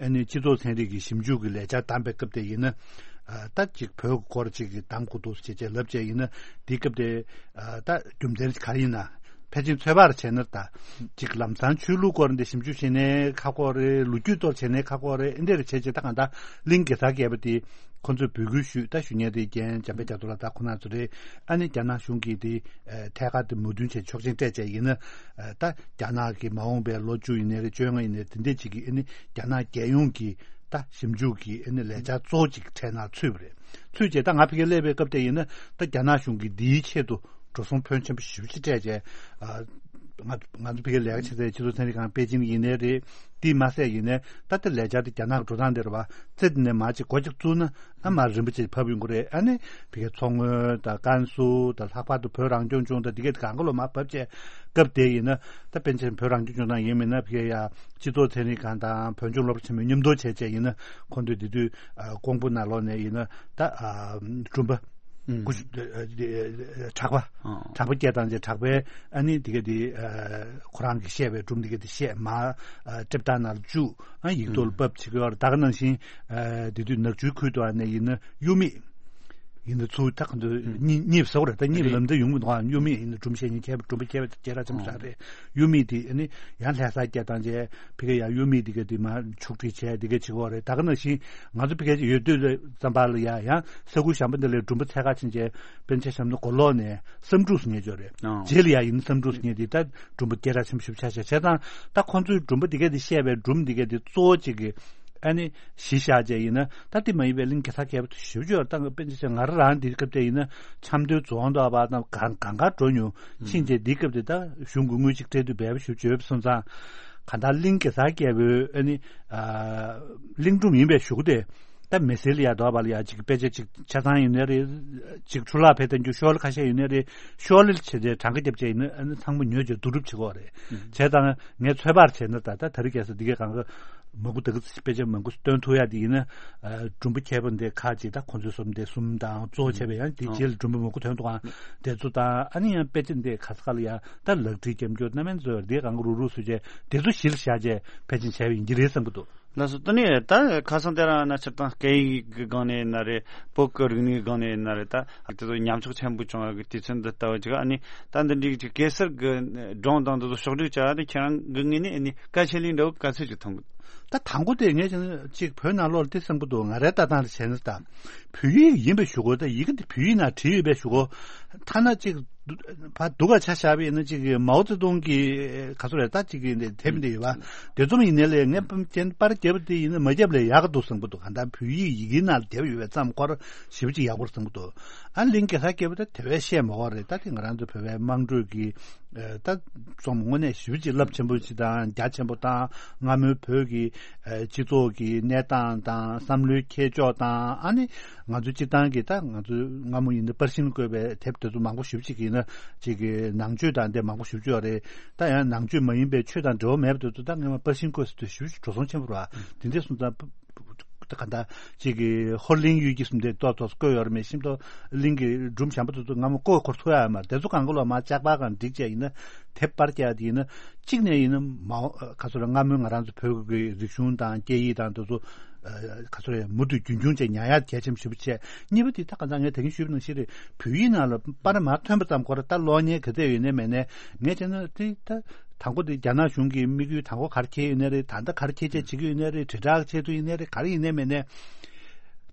ཨ་ནི་སྤྱི་ཚོགས་ཚན་རིག་གི་ཞིབ་འཇུག་གི་ལས་འཆར་བདམས་པའི་སྐབས་དེ་ཡིན་ན། ཨ་ད་ཅིག་བོད་ཀྱི་སྐོར་ཅིག་གི་བདམས་དགོས་འདུག་ཅེས་བྱས་ལབ་བྱས་ཡིན་ན། དེའི་སྐབས་དེ་ཨ་ད་རྒྱུ་མཚན་ག་རེ་ཡིན་ན། ཕལ་ཆེར་ཚོད་དཔག་རེ་བྱས་ན་ད་ཅིག་ལམ་སང་ཆོས་ལུགས་སྐོར་འདི་ཞིབ་འཇུག་བྱས་ནས་ཁག་པོ་རེད། ལོ་རྒྱུས་ཐོག་བྱས་ནས་ཁག་པོ་རེད། འདི་འདྲ་རེ་བྱས་བྱས་ད་གང་ལྟར་གླིང་གེ་སར་རྒྱལ་པོ་དེ་ཁོ་ཚོས་འབོད་སྐུལ་ཞུས། ད་ཞུ་མཁན་དེ་རྒན་འཇམ་དཔལ་རྒྱ་མཚོ་ལགས་ད་ཁོ་རང་ཚོ་རེད། ཨ་ནི་རྒྱ་ནག་གཞུང་གིས་དེ་ཨ་ཐད་ཀར་དེ་མོས་མཐུན་བྱས་ཆོག་མཆན་སྤྲད་བྱས་ཡིན་ན། ཨ་ད་རྒྱ་ནག་གི་མ་འོངས་པའི་ལོ་བཅུ་ཡིན་ནའི་རེད། བཅོ་ལྔ་ཡིན་ནའི་དེ་འདྲས་ཅིག་གི་ཨ་ནི་རྒྱ་ནག་རྒྱལ་ཡོངས་ཀྱི་ད་ཞིབ་འཇུག་གི་ཨ་ནི་ལས་འཆར་གཙོ་བོ་ཅིག་གྲས་ནང་ཚུད་པ་རེད། ཚུད་བྱས་ད་ང་ཕ་གིར་སླེབས་པའི་སྐབས་དེ་ཡིན་ན་ད་རྒྱ་ནག་གཞུང་གིས་འདིའི་ཆེད་དུ་འགྲོ་སོང་ཕོན་ཆེན་པོ་ཞེ་པོ་ཅིག་སྤྲད་བྱས། ཨ་ང་ང་ཚོ་ཕ་གིར་ལས་ཀ་བྱེད་སའི་སྤྱི་ཚོགས་ཚན་རིག་ཁང་པེ་ཅིང་ཡིན་ནའི་རེད། དེས་མ་ཟད་ཡིན་ནའི་ད་ལྟ་ལས་འཆར་དེ་རྒྱ་ནག་གི་འགྲོ་སྟངས་དེ་རེད་པ། རྩེ་དེ་ནས་མར་ཅིག་སྒོ་ཅིག་བཙུགས་ན་ཨ་མར་རིམ་པ་ཅིག་བབས་ཡོང་གི་རེད། ཨ་ནི་ཕ་གིའི་མཚོ་སྔོན་དང་ཀན་སུའུ་དང་ལྷག་པར་དུ་བོད་རང་སྐྱོང་ལྗོངས་དང་འདི་གའི་གང་ག་ལོ་མར་བབས་བྱས། སྐབས་དེ་ཡིན་ན་ད་པཎ་ཆེན་བོད་རང་སྐྱོང་ལྗོངས་ནང་ཡིན་མིན་ན་ཕ་གིའི་ཡ་སྤྱི་ཚོགས་ཚན་རིག་ཁང་དང་བོད་ལྗོངས་སློབ་གྲྭ་ཆེན་མོའི་མཉམ་དུ་བྱས་བྱས་ཡིན་ན་ཁོང་ཚོས་དེ་དུས་ཀོང་པོ་ནང་ལོགས་ནས་ཡིན་ན་ད་སྦྲུམ་པ། ཨུམ། ཀུ་ཤུ་ཨ་ཨ་གྲགས་པ། ཨང་། གྲགས་པ་སྐྱེས་བཏང་རྗེས་གྲགས་པས་ཨ་ནི་དེ་ག་དེ་ཨ་ཁོ་རང་གིས་བཤད་པའི་སྒྲུང་དེ་ག་དེ་བཤད། མར་ཨ་སྒྲིབ་སྟངས་ནང་ལ་བཅུག་ཨ་ཡིག་ཐོག་ལ་ཕབ་བྱེད་ཀྱི་ཡོད་རེད། ད་ག་ནང་བཞིན་ཨ་དེ་དུས་ནག་ཆུའི་ཁུལ་དུ་ཨ་ནི་ཡིན་ན་གཡུ་མིག་ཡིན་ན་ཚུར་ད་ག་འདོད་གཉིད་གཉིད་ཟ་བ་རེད། ད་གཉིད་ལམ་འདི་ཡོང་གི་འདུག་ཨ་གཡུ་མིག་ཡིན་ན་སྒྲུང་བཤད་མཁན་མཁས་པ་སྒྲུང་པ་མཁས་པ་སྐད་གྲགས་ཆེན་པོ་ཞིག་རེད། གཡུ་མིག་དེ་ཨ་ནི་ཡང་ལྷ་ས་སྐྱེས་བཏང་རྗེས་ཕ་གི་ཡང་གཡུ་མིག་དེ་ག་དེ་མར་ཆུག་སྒྲིལ་བྱས་དེ་ག་བྱེད་ཀྱི་ཡོད་རེད། ད་ག་ནང་བཞིན་ང་ཚོ་ཕ་གི་ཡོད་དུས་ཙམ་པ་ལ་ཡ་ཡང་ས་ཁུལ་གཞན་པ་འདི་ལས་སྒྲུང་པ་འཚོལ་ག་ཕྱིན་རྗེས་པཎ་ཆེན་བྱམས་མགོན་མགོ་ལོག་ནས་བསམ་འགྲུབ་ཟེར་མཁན་ཅིག་ཡོད་རེད། ཨང་། རྗེས་ལ་ཡ་ཡིན་ན་བསམ་འགྲུབ་ཟེར་མཁན་དེ་ད་སྒྲུང་པ་སྐད་གྲགས་ཆེན་པོ་ཞེ་པོ་ཆགས་ཤག་བྱས་ཙང་ད་ཁོང་ཚོའི་སྒྲུང་པ་དེ་ག་དེ་བཤད་པའི་སྒྲུང་དེ་ག་དེ་གཙོ་བོ་གཅིག་གི་ཨ་ནི་གཞི་བཞག་བྱས་ཡིན་ན་ད་དེ་མ་ཡིན་པའི་གླིང་གེ་སར་རྒྱལ་པོ་དེ་ཞེ་པོ་ཅིག་ཡོད་རེད། ད་པཎ་ཆེན་ང་རང་རང་དེ་སྐབས་དེ་ཡིན་ན་ཆབ་མདོའི་རྫོང་དུ་བ་དང་གང་གང་ག་འགྲོ་མྱོང་། ཕྱིན་རྗེས་དེའི་སྐབས་དེ་ད་གཞུང་གི་དངུལ་ཅིག་སྤྲད་དུས་འབེལ་པོ་ཞེ་པོ་ཅིག་ཡོད་པ་སོང་ཙང་གང་ལྟར་གླིང་གེ་སར་རྒྱལ་པོའི་ཨ་ནི་ཨ་གླིང་སྒྲུང་ཡིན་པའི་གཞུག་གུ་དེ། ད་མི་སེར་ལ་ཡ་དོ་བ་ལ་ཡ་ཅིག་དཔེ་ཆ་ཅིག་ཆ་ཚང་ཡིན་ནའི་རེད། ཅིག་འཕྲུལ་ལག་ཕེབས་གཏང་རྒྱུ་ཤོག་ལེ་ཁ་ཤས་ཡིན་ནའི་རེད། ཤོག་ལེ་བྱས་ཏེ་གྲངས་ཀ་བརྒྱབ་བྱས་ཡིན་ན་ཨ་ནི་ཚང་མ་ཉོས་བྱས་བསྡུ་རུབ་བྱེད་ཀྱི་ཡོད་རེད། ཨུམ། བྱས་ཙང་ངས་ཚོད་དཔག་བྱས་ན་ད་ལྟ་དེ་རིང་ཁ་སང་འདི་གའི་སྒང་ག་མང་པོ་ད་ག་དཔེ་ཆ་མང་པོ་བཏོན་ཐུབ་ཡ་དེ་ཡིན་ན་ཨ་སྒྲུང་པ་མཁས་པ་འདི་ཁག་ཅིག་ད་ཁོང་ཚོའི་སོ་འདི་གསུམ་དང་གཙོ་བོ་བྱས་པའི་ཡང་དེ་རྗེས་ལ་སྒྲུང་པ་མང་པོ་ཐོན་འདུག་ཨང་། དེ་ཚོ་དང་ཨ་ནི་ཡང་དཔེ་ཆ་འདི་ག་ས་ག་ལ་ཡ་ད་ལག་བྲིས་རྒྱབ་སྐྱོར་རྣམ་པ་ཚོ་འདི་གའི་སྒང་ག་རུག་རུག་བཟོས་བྱས་དེ་ཚོ་གཞི་ལ་བཞག་བྱས་ཕལ་ཆེར་བྱས་པ་ཡིན་གྱི་རེད་བསམ་གྱི་འདུག་ལགས་སོ། ད་ནི་ད་ཁ་སང་དེ་རིང་ན་སྤྱིར་བཏང་སྐད་ཡིག་གི་སྒང་ནས་ཡིན་ན་རེད། བོད་ཀྱི་རིག་གནས་སྒང་ནས་ཡིན་ན་རེད། ད་དེ་ཚོ་ཉམས་ཆག་ཆེན་པོ་བྱུང་བ་གི་དུས་ཚོད་འདི་ལྟ་བུ་ཅིག་ཨ་ནི་ད་འདི་འདྲའི་ཅིག་གེ་སར་གྱི་སྒྲུང་དང་འདི་ཚོ་ཕྱོགས་སྒྲིག་བྱ་བ་དེ་ཁྱེད་རང་གི་ངོས་ནས་ཨ་ནི་གལ་ཆེ་ལེ་འདྲ་བོ་ག་ཚོད་ཅིག་མཐོང་གི། ད་དང་པོ་དེ་ངས་ཅིག་བོད་ནང་ལོགས་ལ་དེ་བསམ་གྱི་འདུག་ང་རའི་ལྟ་སྟངས་ལ་བྱས་ན། ད་བོད་ཡིག་ཡིན་པའི་གཞུག་གུ་ད་ཡི་གེ་འདི་བོད་ཡིག་ནང་བྲིས་ཡོད་པའི་གཞུག་གུ་ཐ་ན་ཅིག་ཕར་སྡུག་ག་ཆ་བཞག་པ་ཡིན་ན་ཅིག་མའོ་ཙེ་ཏུང་གི་ག་ཚོད་རེད་ད་ཅིག་གི་དེབ་འདི་ཡོད་པ། དེ་ཚོ་ཡིན་ནའི་ལས་ངས་ཕམ་ཅན་པར་རྒྱབ་པ་དེ་ཡིན་ན་མ་རྒྱབ་ལས་ཡག་གི་འདུག་བསམ་གྱི་འདུག་གང་ལྟར་བོད་ཡིག་ཡི་གེའི་ནང་ལ་བསྡད་པ་ཡོད་པའི་ཙམ་ཁོ་ར་ཞེ་པོ་ཅིག་ཡག་པོ་རེད་བསམ་གྱི་འདུག་ཨ་གླིང་གེ་སར་རྒྱལ་པོ་ད་དེ་བས་བཤད་མ་དགོས་རེད། ད་དེ་ང་རང་ཚོ་བོད་པའི་དམངས་ཁྲོད་ཀྱི་ད་རྩོམ་དངོས་གནས་ཞེ་པོ་ཅིག་རླབས་ཆེན་པོ་ཅིག་དང་རྒྱ་ཆེན་པོ་དང་སྔ་མོའི་བོད་ཀྱི་སྤྱི་ཚོགས་ཀྱི་གནས་སྟངས་དང་བསམ་བློའི་ཁྱད་ཆོས་དང་ཨ་ནི་ང་ཚོ་སྤྱིར་བཏང་གི་ད་ང་ཚོ་སྔ་མོ་ཡིན་ན་པར་ཤིང་བརྐོས་པའི་དེབ་དེ་ཚོ་མང་པོ་ཞེ་པོ་ཅིག་ཡིན་ན་ཅིག་གི་ནང་ཆོས་དང་དེ་མང་པོ་ཞེ་པོ་ཅིག་ཡོད་རེད། ད་ཡང་ནང་ཆོས་མ་ཡིན་པའི་ཆོས་དང་འབྲེལ་བ་མེད་པ་དེ་ཚོ་ད་སྔ་མ་པར་ཤིང་བརྐོས་ཟེར་དུས་ཞེ་པོ་ཅིག་འགྲོ་སོང་ཆེན་པོ་རེད་བ། དེ་འདྲས་སོང་ཙང་། ད་ག་འདྲ་ཅིག་གི་ཧོར་གླིང་གཡུལ་གྱི་གསུམ་དེ་ཏོག་ཏོག་བཀོད་ཡོད་རེད། མེད་ཤིང་ཏོག་གླིང་གི་སྒྲུང་བྱམས་པ་ཏོག་ཏོག་སྔ་མོ་བཀོད་འཁོར་ཐུབ་ཡ་མ་རེད། དེ་ཚོ་གང་ག་ལོ་མ་ལྕགས་པར་གང་སྒྲིག་བྱས་ཡིན་ན། དེབ་པར་རྒྱག་དེ་ཡིན་ན། གཅིག་ནས་ཡིན་ན་མ་ག་ཚོད་རེད། སྔ་མོའི་ང་རང་ཚོ་བོད་ཀྱི་རིག་གཞུང་དང་སྐད་ཡིག་དང་དེ་ཚོ་ག་ཚོད་རེད། མུ་མཐུད་རྒྱུན་འཁྱོངས་བྱས་ཉར་ཡ་གལ་ཆེན་པོ་ཞེ་པོ་བྱས། གཉིས་པ་དེ་ད་ག་འདྲ་ངས་ད་གིན་ཞུས་པ་ནང་བཞིན་རེད། བོད་ཡིག་ནང་ལ་པར་མར་ཐོན་པ་ཙམ་ཁོ་ར་ད་ཀློག་མཁན་ག་ཚད་ཡོད་ནའི་མེད་ནའི་ངས་བྱས་ན་དེ་ད། དང་པོ་དེ་རྒྱ་ནག་གཞུང་གི་དམིགས་ཡུལ་དང་པོ་ག་རེ་འཁྱེར་ཡོད་ནའི་རེད། ད་ལྟ་ག་རེ་འཁྱེར་བྱས་བྱེད་ཀྱི་ཡོད་ནའི་རེད། དྲིལ་བསྒྲགས་ཆེད་དུ་ཡིན་ནའི་རེད། ག་རེ་ཡིན་ནའི་མེད་ནའི།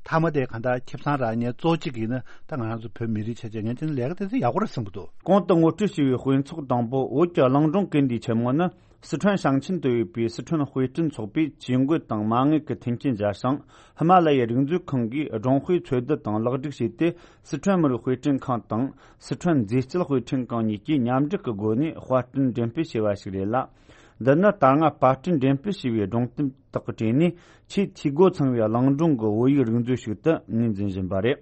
མཐའ་མ་དེ་གང་ལྟར་ཁེ་བཟང་རག་མཁན་གཙོ་གཅིག་ཡིན་ན་ད་ང་རང་ཚོ་བོད་མི་རིགས་ཆ་བྱས་ངས་དེ་ནི་ལས་ཀ་དེ་ཚོ་ཡག་པོ་རེད་བསམ་གྱི་འདུག། གོང་དུ་ངོ་སྤྲོད་བྱས་པའི་དཔེ་ཚོགས་དང་པོ་བོད་ཀྱི་གླིང་སྒྲུང་ཀིརྟི་ཆེན་མོ་ནི། སི་ཁྲོན་ཞིང་ཆེན་དུ་ཡོད་པའི་སི་ཁྲོན་དཔེ་སྐྲུན་ཚོགས་པས་ཇུས་འགོད་དང་མ་དངུལ་གྱི་མཐུན་རྐྱེན་སྦྱར་ཞིང་། ཧི་མ་ལ་ཡའི་རིག་མཛོད་ཁང་གིས་སྒྲུང་དཔེ་འཚོལ་བསྡུ་དང་ལེགས་སྒྲིག་བྱས་ཏེ། སི་ཁྲོན་མི་རིགས་དཔེ་སྐྲུན་ཁང་དང་། སི་ཁྲོན་མཛེས་དཔྱོད་དཔེ་སྐྲུན་ཁང་གཉིས་ཀྱིས་མཉམ་འབྲེལ་གྱི་སྒོ་ནས་དཔར་སྐྲུན་འགྲེམས་སྤེལ་བྱས་པ་ཞིག་རེད་ལ། འདི་ནི་ད་སྔ་དཔར་སྐྲུན་འགྲེམས་སྤེལ་བྱས་པའི་སྒྲུང་དེབ་དག་གི་གྲས་ནས་ཆེས་འཐུས་སྒོ་ཚང་བའི་གླིང་སྒྲུང་གི་བོད་ཡིག་རིག་མཛོད་ཞིག་ཏུ་ངོས་འཛིན་བཞིན་པ་རེད།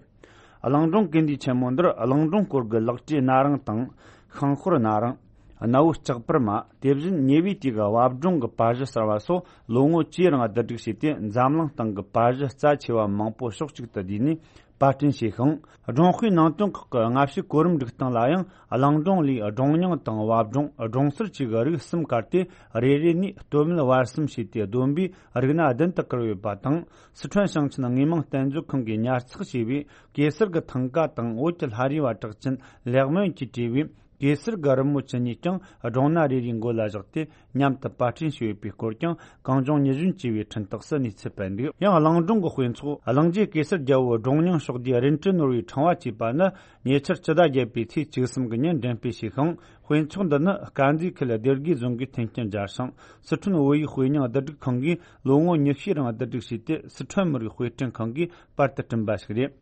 གླིང་སྒྲུང་ཀིརྟི་ཆེན་མོ་འདིར་གླིང་སྒྲུང་སྐོར་གྱི་ལག་བྲིས་སྣ་རིང་དང་། ཤིང་ཤོར་སྣ་རིང་། གནའ་བོའི་ལྕགས་པར་མ། དེ་བཞིན་ཉེ་བའི་དུས་ཀྱི་བབ་སྒྲུང་གི་པར་གཞི་གསར་བ་སོགས་ལོ་ངོ་བཅུའི་རིང་བསྡུ་སྒྲིག་བྱས་ཏེ། འཛམ་གླིང་སྟེང་གི་པར་གཞི་རྩ་ཆེ་བ་མང་པོ་ཕྱོགས་གཅིག་ཏུ་བསྡུས་ནས་པར་སྐྲུན་བྱས་ཤིང་། སྒྲུང་དཔེའི་ནང་དོན་ཁག་གི་སྔ་ཕྱིའི་གོ་རིམ་སྒྲིག་སྟངས་ལ་ཡང་། གླིང་སྒྲུང་ལས་སྒྲུང་རྙིང་དང་བབ་སྒྲུང་། སྒྲུང་གསར་བཅས་ཀྱི་རིགས་གསུམ་བཀར་ཏེ། རེ་རེ་ནས་སྟོད་སྨད་བར་གསུམ་བྱས་ཏེ། བསྡོམས་པས་རིགས་སྣ་བདུན་དུ་བཀར་ཡོད་པ་དང་། སི་ཁྲོན་ཞིང་ཆེན་དངོས་མིང་བསྟན་མཛོད་ཁང་གིས་ཉར་ཚགས་བྱས་པའི་གེ་སར་གྱི་ཐང་ཀ་དང་། བོད་ཀྱི་ལྷ་རིས་པ་གྲགས་ཅན་ལེགས་སྨོན་གྱིས་བྲིས་པའི་གེ་སར་གྱི་རི་མོ་བཅུ་གཉིས་ཀྱང་སྒྲུང་སྣ་རེ་རེའི་མགོ་ལ་བཞག་སྟེ། མཉམ་དུ་པར་སྐྲུན་བྱས་ཡོད་པའི་སྐོར་ཀྱང་གངས་ལྗོངས་ཉི་གཞོན་ཅེས་པའི་འཕྲིན་སྟེགས་སུ་གནས་ཚུལ་སྤེལ་འདུག། ཡང་གླིང་སྒྲུང་གི་དཔེ་ཚོགས་གླིང་རྗེ་གེ་སར་རྒྱལ་པོའི་སྒྲུང་རྙིང་ཕྱོགས་བསྡུས་རིན་བཀྲ་ནོར་བུའི་ཕྲེང་བ་ཅེས་པ་ནི། ཉེ་ཆར་སྤྱི་ཟླ་བརྒྱད་པའི་ཚེས་བཅུ་གསུམ་གྱི་ཉིན་འགྲེམས་སྤེལ་བྱས་ཤིང་། དཔེ་ཚོགས་འདི་ནི་དཀར་མཛེས་ཁུལ་སྡེ་དགེ་རྫོང་གིས་མཐུན་རྐྱེན་སྦྱར་ཞིང་། སི་ཁྲོན་བོད་ཡིག་དཔེ་རྙིང་བསྡུ་སྒྲིག་ཁང་གིས་ལོ་ངོ་ཉི་ཤུའི་རིང་བསྡུ་སྒྲིག་བྱས་ཏེ། སི་ཁྲོན་མི་རིགས་དཔེ་སྐྲུན་ཁང་གིས་པར་དུ་བསྐྲུན་པ་ཞིག་རེད།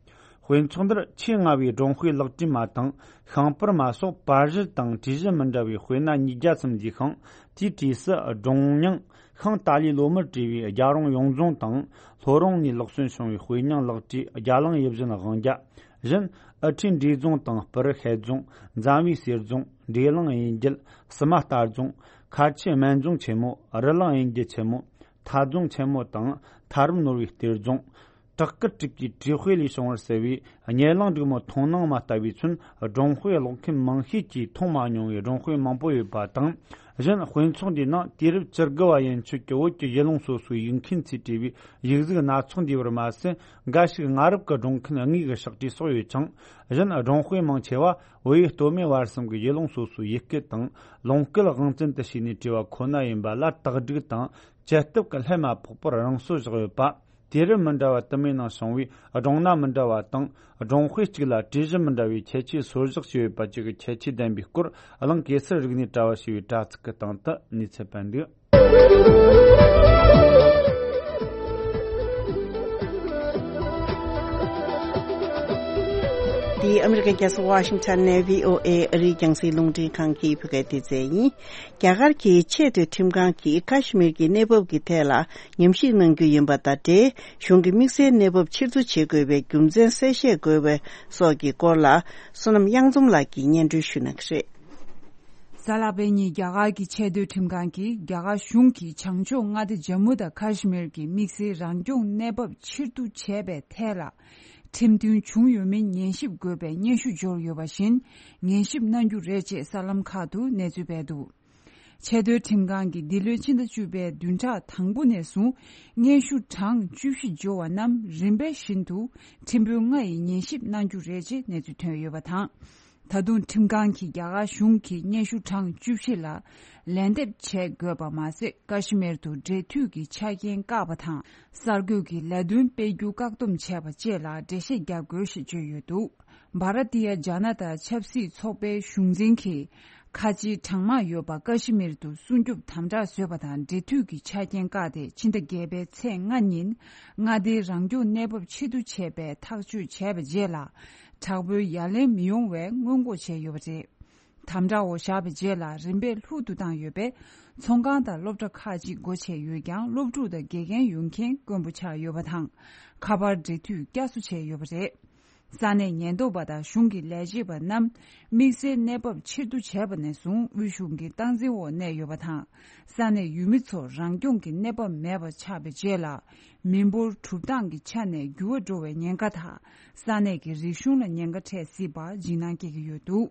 དཔེ་ཚོགས་འདིར་ཆེས་སྔ་བའི་སྒྲུང་དཔེ་ལག་བྲིས་མ་དང་། ཤིང་པར་མ་སོགས་པར་གཞི་དང་བྲིས་གཞི་མི་འདྲ་བའི་དཔེ་སྣ་ཉིས་བརྒྱ་ཙམ་འདུས་ཤིང་། དེའི་གྲས་སུ་སྒྲུང་རྙིང་ཤིང་ཏཱ་ལའི་ལོ་མར་བྲིས་པའི་རྒྱལ་རོང་ཡོངས་རྫོང་དང་། ལྷོ་རོང་ནས་ལག་སོན་བྱུང་བའི་དཔེ་རྙིང་ལག་བྲིས་རྒྱ་གླིང་ཡིད་བཞིན་དབང་རྒྱལ། གཞན་ཨུ་ཁྲིད་འབྲས་རྫོང་དང་སྤུ་རུ་ཤེལ་རྫོང་། འཛམ་བུའི་གསེར་རྫོང་། འབྲས་གླིང་གཡུལ་འགྱེད། བསུ་མ་རྟ་རྫོང་། ཁ་ཆེ་སྨན་རྫོང་ཆེན་མོ། རི་གླིང་གཡུལ་འགྱེད་ཆེན་མོ། ཐ་རྫོང་ཆེན་མོ་དང་ཐ་རམ་ནོར་བུའི་གཏེར་རྫོང་། བྲག་དཀར་གྲུབ་ཀྱི་བྲིས་དཔེ་ལས་བྱུང་བར་གསལ་བའི་སྙེ་གླིང་འབྲུག་མོ་མཐོང་སྣང་མ་ལྟ་བུའི་ཚུན། སྒྲུང་དཔེ་ཀློག་མཁན་མང་ཤས་ཀྱིས་མཐོང་མ་མྱོང་བའི་སྒྲུང་དཔེ་མང་པོ་ཡོད་པ་དང་། གཞན་དཔེ་ཚོགས་འདིའི་ནང་དུས་རབས་བཅུ་དགུ་བ་ཡན་ཆོད་ཀྱི་བོད་ཀྱི་གཞིས་ལུང་སོ་སོའི་ཡིག་མཁན་ཚོས་བྲིས་པའི་ཡིག་གཟུགས་སྣ་ཚོགས་འདུས་པར་མ་ཟད། འགའ་ཞིག་སྔ་རབས་ཀྱི་སྒྲུང་མཁན་དངོས་ཀྱི་ཕྱག་བྲིས་སོགས་ཡོད་ཅིང་། གཞན་སྒྲུང་དཔེ་མང་ཆེ་བ་བོད་ཡུལ་སྟོད་སྨད་བར་གསུམ་གྱི་གཞིས་ལུང་སོ་སོའི་ཡུལ་སྐད་དང་ལུང་སྐད་དབང་བཙན་དུ་བྱས་ནས་བྲིས་པ་ཁོ་ན་ཡིན་པ་ལ། དག་སྒྲིག་དང་དཔྱད་སྟོབས་ཀྱི་ལྷད་མ་ཕོག་པར་རང་སོར་བཞག་ཡོད་པ། དུས་རབས་མི་འདྲ་བ་དུ་མའི་ནང་བྱུང་བའི་སྒྲུང་སྣ་མི་འདྲ་བ་དང་། སྒྲུང་དཔེ་གཅིག་ལ་བྲིས་གཞི་མི་འདྲ་བའི་ཁྱད་ཆོས་སོར་བཞག་བྱས་ཡོད་པ་བཅས་ཀྱི་ཁྱད་ཆོས་ལྡན་པའི་སྐོར། གླིང་གེ་སར་རིག་གནས་དྲ་བ་ཞེས་པའི་དྲ་ཚིགས་ཀྱི་སྟེང་དུ་གནས་ཚུལ་སྤེལ་འདུག། འདི་ཨ་མི་རི་ཀའི་རྒྱལ་ས་ཝ་ཤིང་ཊོན་ནས་བྷི་ཨོ་ཨེ་ཨ་རིའི་རྒྱང་སྲིང་རླུང་འཕྲིན་ཁང་གི་བོད་སྐད་སྡེ་ཚན་ཡིན། རྒྱ་གར་གྱི་ཆེས་མཐོའི་ཁྲིམས་ཁང་གིས་ཀ་ཤི་མིར་གྱི་གནས་བབ་ཀྱི་ཐད་ལ་ཉམས་ཞིབ་གནང་རྒྱུ་ཡིན་པ་དང་འབྲེལ། གཞུང་གི་དམིགས་བསལ་གནས་བབ་ཕྱིར་བསྡུ་བྱེད་དགོས་པའི་རྒྱུ་མཚན་གསལ་བཤད་དགོས་པ་སོགས་ཀྱི་སྐོར་ལ། བསོད་ནམས་གཡང་འཛོམས་ལགས་ཀྱིས་སྙན་སྒྲོན་ཞུ་གནང་གི་རེད། གཟའ་ལྷག་པའི་ཉིན་རྒྱ་གར་གྱི་ཆེས་མཐོའི་ཁྲིམས་ཁང་གིས་རྒྱ་གར་གཞུང་གིས་བྱང་ཕྱོགས་མངའ་སྡེ་ཇམ་མུ་དང་ཀ་ཤི་མིར་གྱི་དམིགས་བསལ་རང་སྐྱོང་གནས་བབ་ཕྱིར་བསྡུ་བྱས་པའི་ཐད་ལ། ཁྲིམས་མཐུན་བྱུང་ཡོད་མིན་ཉན་ཞིབ་དགོས་པའི་སྙན་ཞུ་འབྱོར་ཡོད་པ་བཞིན། ཉན་ཞིབ་གནང་རྒྱུ་རེད་ཅེས་གསར་ལམ་ཁག་ཏུ་གནས་ཚུལ་སྤེལ་འདུག། ཆེས་མཐོའི་ཁྲིམས་ཁང་གིས་འདི་ལོའི་ཕྱི་ཟླ་བཅུ་པའི་བདུན་ཕྲག་དང་པོ་ནས་བཟུང་སྙན་ཞུ་གྲངས་བཅུ་བཞི་འབྱོར་བ་རྣམས་རིམ་པ་བཞིན་དུ་ཁྲིམས་དཔོན་ལྔ་ཡིས་ཉན་ཞིབ་གནང་རྒྱུ་རེད་ཅེས་གནས་ཚུལ་ཐོན་ཡོད་པ་དང་། ད་དུང་ཁྲིམས་ཁང་གིས་རྒྱ་གར་གཞུང་གི་སྙན་ཞུ་གྲངས་བཅུ་བཞི་ལ་ལན་འདེབས་བྱེད་དགོས་པ་མ་ཟད། ཀ་ཤི་མིར་དུ་འབྲེལ་མཐུད་ཀྱི་ཆ་རྐྱེན་བཀག་པ་དང་། གསར་འགོད་ཀྱི་ལས་དོན་སྤེལ་རྒྱུ་བཀག་སྡོམ་བྱས་པ་བཅས་ལ་འགྲེལ་བཤད་རྒྱག་དགོས་ཞེས་བརྗོད་ཡོད་འདུག། བྷ་ར་ཏི་ཡ་ཇ་ན་ཏ་ཆབ་སྲིད་ཚོགས་པའི་གཞུང་འཛིན་གྱིས། ཁ་ཆེའི་གྲངས་མང་ཡོད་པ་ཀ་ཤི་མིར་དུ་སྲུང་སྐྱོབ་དམ་དྲག་བཟོས་པ་དང་། འབྲེལ་མཐུད་ཀྱི་ཆ་རྐྱེན་བཀག་སྟེ། ཕྱི་ཟླ་བརྒྱད་པའི་ཚེས་ལྔ་ཉིན་མངའ་སྡེའི་རང་སྐྱོང་གནས་བབ་ཕྱིར་བསྡུ་བྱས་པའི་ཐག་གཅོད་བྱས་པའི་རྗེས་ལ། དྲག་པོའི་ཡ་ལན་མི་ཡོང་བའི་སྔོན་འགོག་བྱས་ཡོད་པ་རེད། དམ་དྲག་འོག་བཞག་པའི་རྗེས་ལ་རིམ་པས་ལྷུག་ཏུ་བཏང་ཡོད་པས། ཚོང་ཁང་དང་སློབ་གྲྭ་ཁག་ཅིག་སྒོ་ཕྱེ་ཡོད་ཀྱང་། སློབ་ཕྲུག་དང་དགེ་རྒན་ཡོང་མཁན་དཀོན་པོ་ཆགས་ཡོད་པ་དང་། ཁ་པར་འབྲེལ་མཐུད་བསྐྱར་གསོ་བྱས་ཡོད་པ་རེད། ས་གནས་ཉེན་རྟོག་པ་དང་གཞུང་གི་ལས་བྱེད་པ་རྣམས་དམིགས་བསལ་གནས་བབ་ཕྱིར་བསྡུ་བྱས་པ་ནས་བཟུང་དབུས་གཞུང་གི་སྟངས་འཛིན་འོག་གནས་ཡོད་པ་དང་། ས་གནས་ཡུལ་མི་ཚོར་རང་སྐྱོང་གི་གནས་བབ་མེད་པ་ཆགས་པའི་རྗེས་ལ། མི་འབོར་གྲུབ་སྟངས་ཀྱི་ཆ་ནས་འགྱུར་བ་འགྲོ་བའི་ཉེན་ཁ་དང་། ས་གནས་ཀྱི་རིག་གཞུང་ལ་ཉེན་ཁ་འཕྲད་སྲིད་པར་འཇིགས་སྣང་སྐྱེ་གི་ཡོད་འདུག།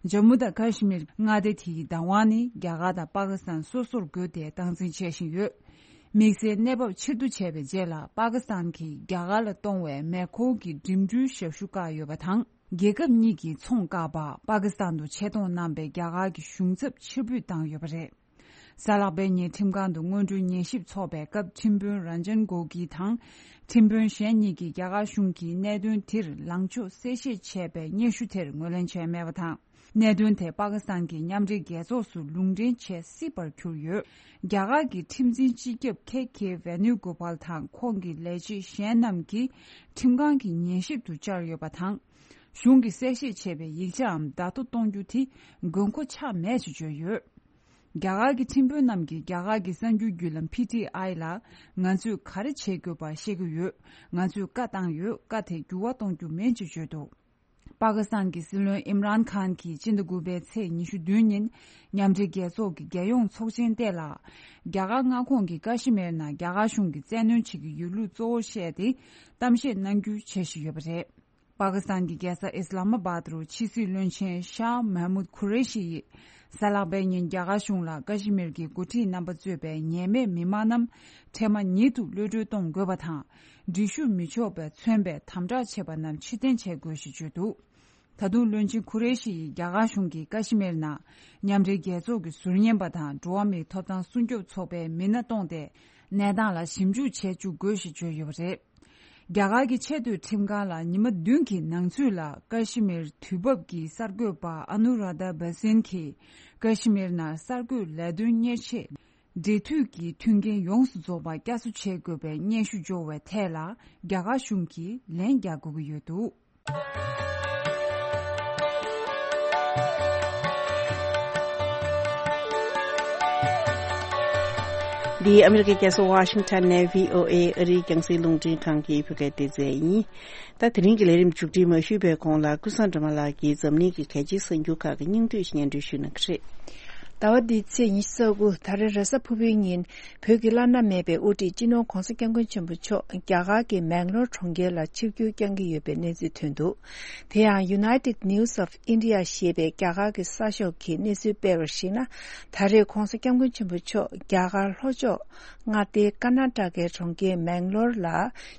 ཇམ་མུ་དང་ཀ་ཤི་མིར་མངའ་སྡེ་དེའི་བདག་དབང་ནི་རྒྱ་གར་དང་པ་ཀི་སི་ཐན་སོ་སོར་བགོས་ཏེ་སྟངས་འཛིན་བྱེད་བཞིན་ཡོད། དམིགས་བསལ་གནས་བབ་ཕྱིར་བསྡུ་བྱས་པའི་རྗེས་ལ་པ་ཀི་སི་ཐན་གྱིས་རྒྱ་གར་ལ་གཏོང་བའི་མེ་འཁོར་གྱི་འགྲིམ་འགྲུལ་ཞབས་ཞུ་བཀག་ཡོད་པ་དང་། རྒྱལ་ཁབ་གཉིས་ཀྱི་ཚོང་བཀག་པར་པ་ཀི་སི་ཐན་དུ་ཆེད་གཏོང་གནང་པའི་རྒྱ་གར་གྱི་གཞུང་ཚབ་ཕྱིར་འབུད་བཏང་ཡོད་པ་རེད། གཟའ་ལྷག་པའི་ཉིན་ཁྲིམས་ཁང་དུ་སྔོན་འགྲོའི་ཉན་ཞིབ་ཚོགས་པའི་སྐབས་ཁྲིམས་དཔོན་རན་ཇན་གོ་གི་དང་། ཁྲིམས་དཔོན་གཞན་གཉིས་ཀྱིས་རྒྱ་གར་གཞུང་གིས་གནད་དོན་དེར་ལངས་ཕྱོགས་གསལ་བཤད་བྱས་པའི་སྙན་ཞུ་དེར་ངོས་ལེན་བྱས་མེད་པ་དང་། གནད་དོན་དེ་པ་ཀི་སི་ཐན་གྱི་མཉམ་འབྲེལ་རྒྱལ་ཚོགས་སུ་ལུང་འདྲེན་བྱེད་སྲིད་པར་གྱུར་ཡོད། རྒྱ་གར་གྱི་ཁྲིམས་འཛིན་སྤྱི་ཁྱབ་ཁེ་ཁེ་ཝེ་ནུ་གོ་པལ་དང་ཁོང་གི་ལས་བྱེད་གཞན་རྣམས་ཀྱིས་ཁྲིམས་ཁང་གི་ཉན་ཞིབ་ཏུ་བཅར་ཡོད་པ་དང་། གཞུང་གིས་གསལ་བཤད་བྱས་པའི་ཡིག་ཆའམ་བརྡ་ཐོ་གཏོང་རྒྱུ་དེ་དགོས་མཁོ་ཆགས་མེད་ཅེས་བརྗོད་ཡོད། རྒྱ་གར་གྱི་ཁྲིམས་དཔོན་རྣམས་ཀྱིས་རྒྱ་གར་གྱི་གསར་འགྱུར་བརྒྱུད་ལམ་ཕི་ཊི་ཨའི་ལ། ང་ཚོས་ག་རེ་བྱེད་དགོས་པ་ཤེས་ཀྱི་ཡོད། ང་ཚོས་བཀའ་བཏང་ཡོད། བཀའ་དེ་འགྱུར་བ་གཏོང་རྒྱུ་མིན་ཅེས་བརྗོད་འདུག། པ་ཀི་སི་ཐན་གྱི་སྲིད་བློན་ཨིམ་རཱན་ཁཱན་གྱིས་སྤྱི་ཟླ་དགུ་པའི་ཚེས་ཉི་ཤུ་བདུན་ཉིན་མཉམ་འབྲེལ་རྒྱལ་ཚོགས་ཀྱི་རྒྱལ་ཡོངས་ཚོགས་ཆེན་སྟེང་ལ། རྒྱ་གར་མངའ་ཁོངས་ཀྱི་ཀ་ཤི་མིར་ནང་རྒྱ་གར་གཞུང་གིས་བཙན་གནོན་བྱེད་ཀྱི་ཡོད་ལུགས་གཙོ་བོར་བཤད་དེ་གཏམ་བཤད་གནང་རྒྱུའི་འཆར་གཞི་ཡོད་པ་རེད། པ་ཀི་སི་ཐན་གྱི་རྒྱལ་ས་ཨིས་ལ་མ་བཱད་རུ་ཕྱི་སྲིད་བློན་ཆེན་ཤཱ་མཱ་མུད་ཁུ་རེ་ཤི་ཡིས་གཟའ་ལྷག་པའི་ཉིན་རྒྱ་གར་གཞུང་ལ་ཀ་ཤི་མིར་གྱི་འགོ་ཁྲིད་རྣམ་པ་གཙོས་པའི་ཉེས་མེད་མི་མང་རྣམས་འཕྲལ་མ་ཉིད་དུ་གློད་གྲོལ་གཏོང་དགོས་པ་དང་། འགྲིག་ཤུགས་མི་ཆོག་པའི་མཚོན་པའི་དམ་དྲག་བྱས་པ་རྣམས་ཕྱིར་འཐེན་བྱེད་དགོས་ཞེས་བརྗོད་འདུག། ད་དུང་བློན་ཆེན་ཁུ་རེ་ཤི་ཡིས་རྒྱ་གར་གཞུང་གིས་ཀ་ཤི་མིར་ནང་མཉམ་འབྲེལ་རྒྱལ་ཚོགས་ཀྱི་ཟུར་ཉན་པ་དང་འགྲོ་བ་མིའི་ཐོབ་ཐང་སྲུང་སྐྱོབ་ཚོགས་པའི་མི་སྣ་གཏོང་སྟེ་གནས་སྟངས་ལ་ཞིབ་འཇུག་བྱེད་བཅུག་དགོས་ཞེས་བརྗོད་ཡོད་པ་རེད། རྒྱ་གར་གྱི་ཆེས་མཐོའི་ཁྲིམས་ཁང་ལ་ཉི་མ་བདུན་གྱི་ནང་ཚུད་ལ་ཀ་ཤི་མིར་དུས་བབ་ཀྱི་གསར་འགོད་པ་ཨ་ནུ་ར་དྷ་བྷ་སིན་གྱིས་ཀ་ཤི་མིར་ནང་གསར་འགོད་ལས་དོན་གཉེར་ཆེད་འབྲེལ་མཐུད་ཀྱི་མཐུན་རྐྱེན་ཡོངས་སུ་རྫོགས་པ་བསྐྱར་གསོ་བྱེད་དགོས་པའི་སྙན་ཞུ་འབྱོར་བའི་ཐད་ལ་རྒྱ་གར་གཞུང་གིས་ལན་རྒྱག་དགོས་ཀྱི་ཡོད་འདུག། འདི་ཨ་མི་རི་ཀའི་རྒྱལ་ས་ཝ་ཤིང་ཊོན་ནས་བྷི་ཨོ་ཨེ་ཨ་རིའི་རྒྱང་སྲིང་རླུང་འཕྲིན་ཁང་གི་བོད་སྐད་སྡེ་ཚན་ཡིན། ད་དེ་རིང་གི་ལས་རིམ་མཇུག་སྒྲིལ་མ་ཞུས་པའི་གོང་ལ་ཀུན་བཟང་སྒྲོལ་མ་ལགས་ཀྱིས་འཛམ་གླིང་གི་གལ་ཆེའི་གསར་འགྱུར་ཁག་གི་སྙིང་བསྡུས་ཤིག་སྙན་སྒྲོན་ཞུ་གནང་གི་རེད། ཟླ་བ་འདིའི་ཚེས་ཉི་ཤུ་རྩ་དགུ་ད་རེས་རེས་གཟའ་ཕུར་བུའི་ཉིན། བོད་ཀྱི་བླ་ན་མེད་པའི་དབུ་ཁྲིད་སྤྱི་ནོར་༧གོང་ས་༧སྐྱབས་མགོན་ཆེན་པོ་མཆོག་རྒྱ་གར་གྱི་མེང་ལོར་གྲོང་ཁྱེར་ལ་ཆིབས་བསྒྱུར་བསྐྱང་གི་ཡོད་པའི་གནས་ཚུལ་ཐོན་འདུག། དེ་ཡང་United News of India ཞེས་པའི་རྒྱ་གར་གྱི་གསར་ཤོག་གིས་གནས་ཚུལ་སྤེལ་བར་གཞིགས་ན། ད་རེས་༧གོང་ས་༧སྐྱབས་མགོན་ཆེན་པོ་མཆོག་རྒྱ་གར་ལྷོ་ཕྱོགས་མངའ་སྡེ་ཀར་ནཱ་ཊ་ཀའི་གྲོང་ཁྱེར་མེང་ལོར་ལ་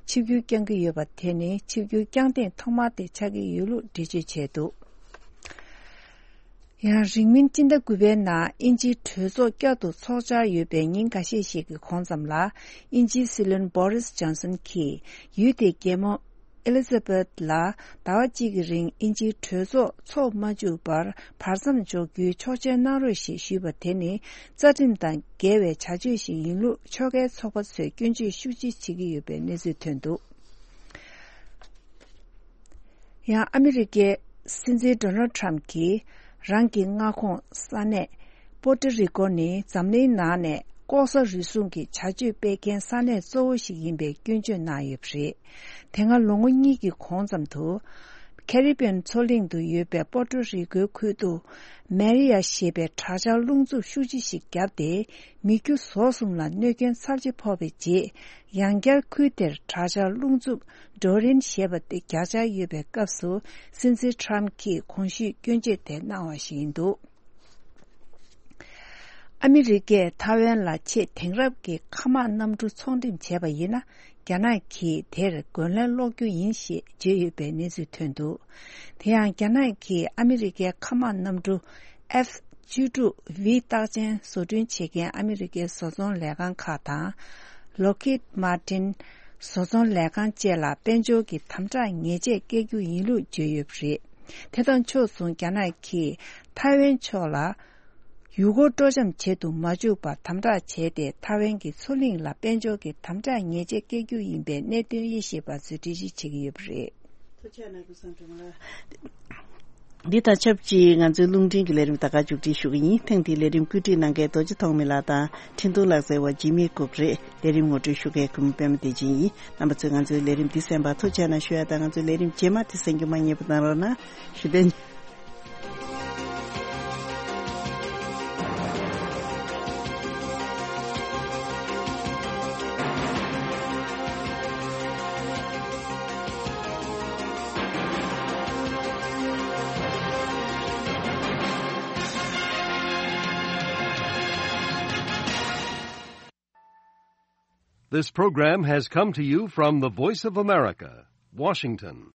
ཆིབས་བསྒྱུར་བསྐྱང་གི་ཡོད་པ་དེ་ནི་ཆིབས་བསྒྱུར་བསྐྱངས་ཐེངས་ཐོག་མ་དེ་ཆགས་ཀྱི་ཡོད་ལུགས་འགྲེལ་བརྗོད་བྱས་འདུག། ཡང་རིང་མིན་སྤྱི་ཟླ་དགུ་པའི་ནང་དབྱིན་ཇིའི་གྲོས་ཚོགས་བསྐྱར་དུ་ཚོགས་འཆར་ཡོད་པའི་ཉིན་འགའ་ཤས་ཤིག་གི་གོང་ཙམ་ལ། དབྱིན་ཇིའི་སྲིད་བློན་Boris Johnson གྱིས་ཡུལ་དེའི་རྒྱལ་མོ་Elizabeth ལ་ཟླ་བ་གཅིག་གི་རིང་དབྱིན་ཇིའི་གྲོས་ཚོགས་འཚོགས་མ་བཅུག་པར་བར་མཚམས་འཇོག་རྒྱུའི་ཆོག་མཆན་གནང་རོགས་ཞེས་ཞུས་པ་དེ་ནི་རྩ་ཁྲིམས་དང་འགལ་བའི་བྱ་སྤྱོད་ཞིག་ཡིན་ལུགས་ཕྱོགས་འགལ་ཚོགས་པ་ཚོས་སྐྱོན་བརྗོད་ཤུགས་ཆེ་བྱེད་ཀྱི་ཡོད་པའི་གནས་ཚུལ་ཐོན་འདུག། ཡང་ཨ་མི་རི་ཀའི་སྲིད་འཛིན་Donald Trump གྱིས་རང་གི་མངའ་ཁོངས་ས་གནས་པོ་ཏོ་རི་ཀོ་ནི་འཛམ་གླིང་ནང་ནས་ལྐོག་ཟ་རུལ་སུངས་ཀྱི་བྱ་སྤྱོད་སྤེལ་མཁན་ས་གནས་གཙོ་བོ་ཞིག་ཡིན་པའི་སྐྱོན་བརྗོད་གནང་ཡོད་པ་རེད། དེ་སྔ་ལོ་ངོ་གཉིས་ཀྱི་གོང་ཙམ་དུ། ཁེ་རི་བྷི་ཡན་མཚོ་གླིང་དུ་ཡོད་པའི་པོ་ཏོ་རི་ཀོའི་ཁུལ་དུ། མེ་རི་ཡ་ཞེས་པའི་དྲག་ཆར་རླུང་འཚུབ་ཤུགས་ཆེ་ཞིག་བརྒྱབ་སྟེ། མི་རྒྱུ་ཟོག་གསུམ་ལ་གནོད་སྐྱོན་ཚབས་ཆེ་ཕོག་པའི་རྗེས། ཡང་བསྐྱར་ཁུལ་དེར་དྲག་ཆར་རླུང་འཚུབ་ཌོ་རིན་ཞེས་པ་དེ་བརྒྱ་ཆར་ཡོད་པའི་སྐབས་སུ། སྲིད་འཛིན་ཊམ་གྱིས་གོང་ཞུས་སྐྱོན་བརྗོད་དེ་གནང་བ་ཞིག་ཡིན་འདུག། ཨ་མི་རི་ཀས་ཐའེ་ཝན་ལ་ཆེས་དེང་རབས་ཀྱི་མཁའ་དམག་གནམ་གྲུ་ཚོང་འགྲེམས་བྱས་པ་ཡིན་ན། རྒྱ་ནག་གིས་དེར་རྒོལ་ལན་སློག་རྒྱུ་ཡིན་ཞེས་བརྗོད་ཡོད་པའི་གནས་ཚུལ་ཐོན་འདུག། དེ་ཡང་རྒྱ་ནག་གིས་ཨ་མི་རི་ཀའི་མཁའ་དམག་གནམ་གྲུ་F བཅུ་དྲུག་V རྟགས་ཅན་བཟོ་སྐྲུན་བྱེད་མཁན་ཨ་མི་རི་ཀའི་བཟོ་ཚོང་ལས་ཁང་ཁག་དང་། Lockheed Martin བཟོ་ཚོང་ལས་ཁང་བཅས་ལ་དཔལ་འབྱོར་གྱི་དམ་དྲག་ཉེས་ཆད་བཀལ་རྒྱུ་ཡིན་ལུགས་བརྗོད་ཡོད་པ་རེད། དེ་དང་ཕྱོགས་མཚུངས་རྒྱ་ནག་གིས་ཐའེ་ཝན་ཕྱོགས་ལ། ཡུལ་སྐོར་སྤྲོ་འཆམ་བྱེད་དུ་མ་བཅུག་པར་དམ་དྲག་བྱས་ཏེ། ཐའེ་ཝན་གྱི་མཚོ་གླིང་ལ་དཔལ་འབྱོར་གྱི་དམ་དྲག་ཉེས་ཆད་བཀལ་རྒྱུ་ཡིན་པའི་གནད་དོན་དབྱེ་ཞིབ་པ་ཚོས་འགྲེལ་བརྗོད་བྱེད་ཀྱི་ཡོད་པ་རེད། ཐུགས་རྗེ་གནང་། ཀུན་བཟང་སྒྲོལ་མ་ལགས། འདི་དང་ཆབས་ཅིག་ང་ཚོའི་རླུང་འཕྲིན་གྱི་ལས་རིམ་ད་ག་མཇུག་སྒྲིལ་ཞུ་གི་ཡིན། ཐེངས་འདིའི་ལས་རིམ་བཀོད་སྒྲིག་གནང་མཁན་རྡོ་རྗེ་ཐོགས་མེད་ལགས་དང་འཕྲིན་གཏོང་ལག་རྩལ་བ་འཇིགས་མེད་ལྐུགས་རེད། ལས་རིམ་ངོ་སྤྲོད་ཞུ་མཁན་གུས་མོ་པད་མ་བདེ་ཆེན་ཡིན། རྣམ་པ་ཚོས་ང་ཚོའི་ལས་རིམ་འདི་གསན་པར་ཐུགས་རྗེ་གནང་ཞུ་ཡ་དང་། ང་ཚོའི་ལས་རིམ་རྗེས་མ་དེ་གསན་རྒྱུ་མ་བསྙེལ་བ་གནང་རོགས་གནང་ཞུ་དོན། This program has come to you from the Voice of America, Washington.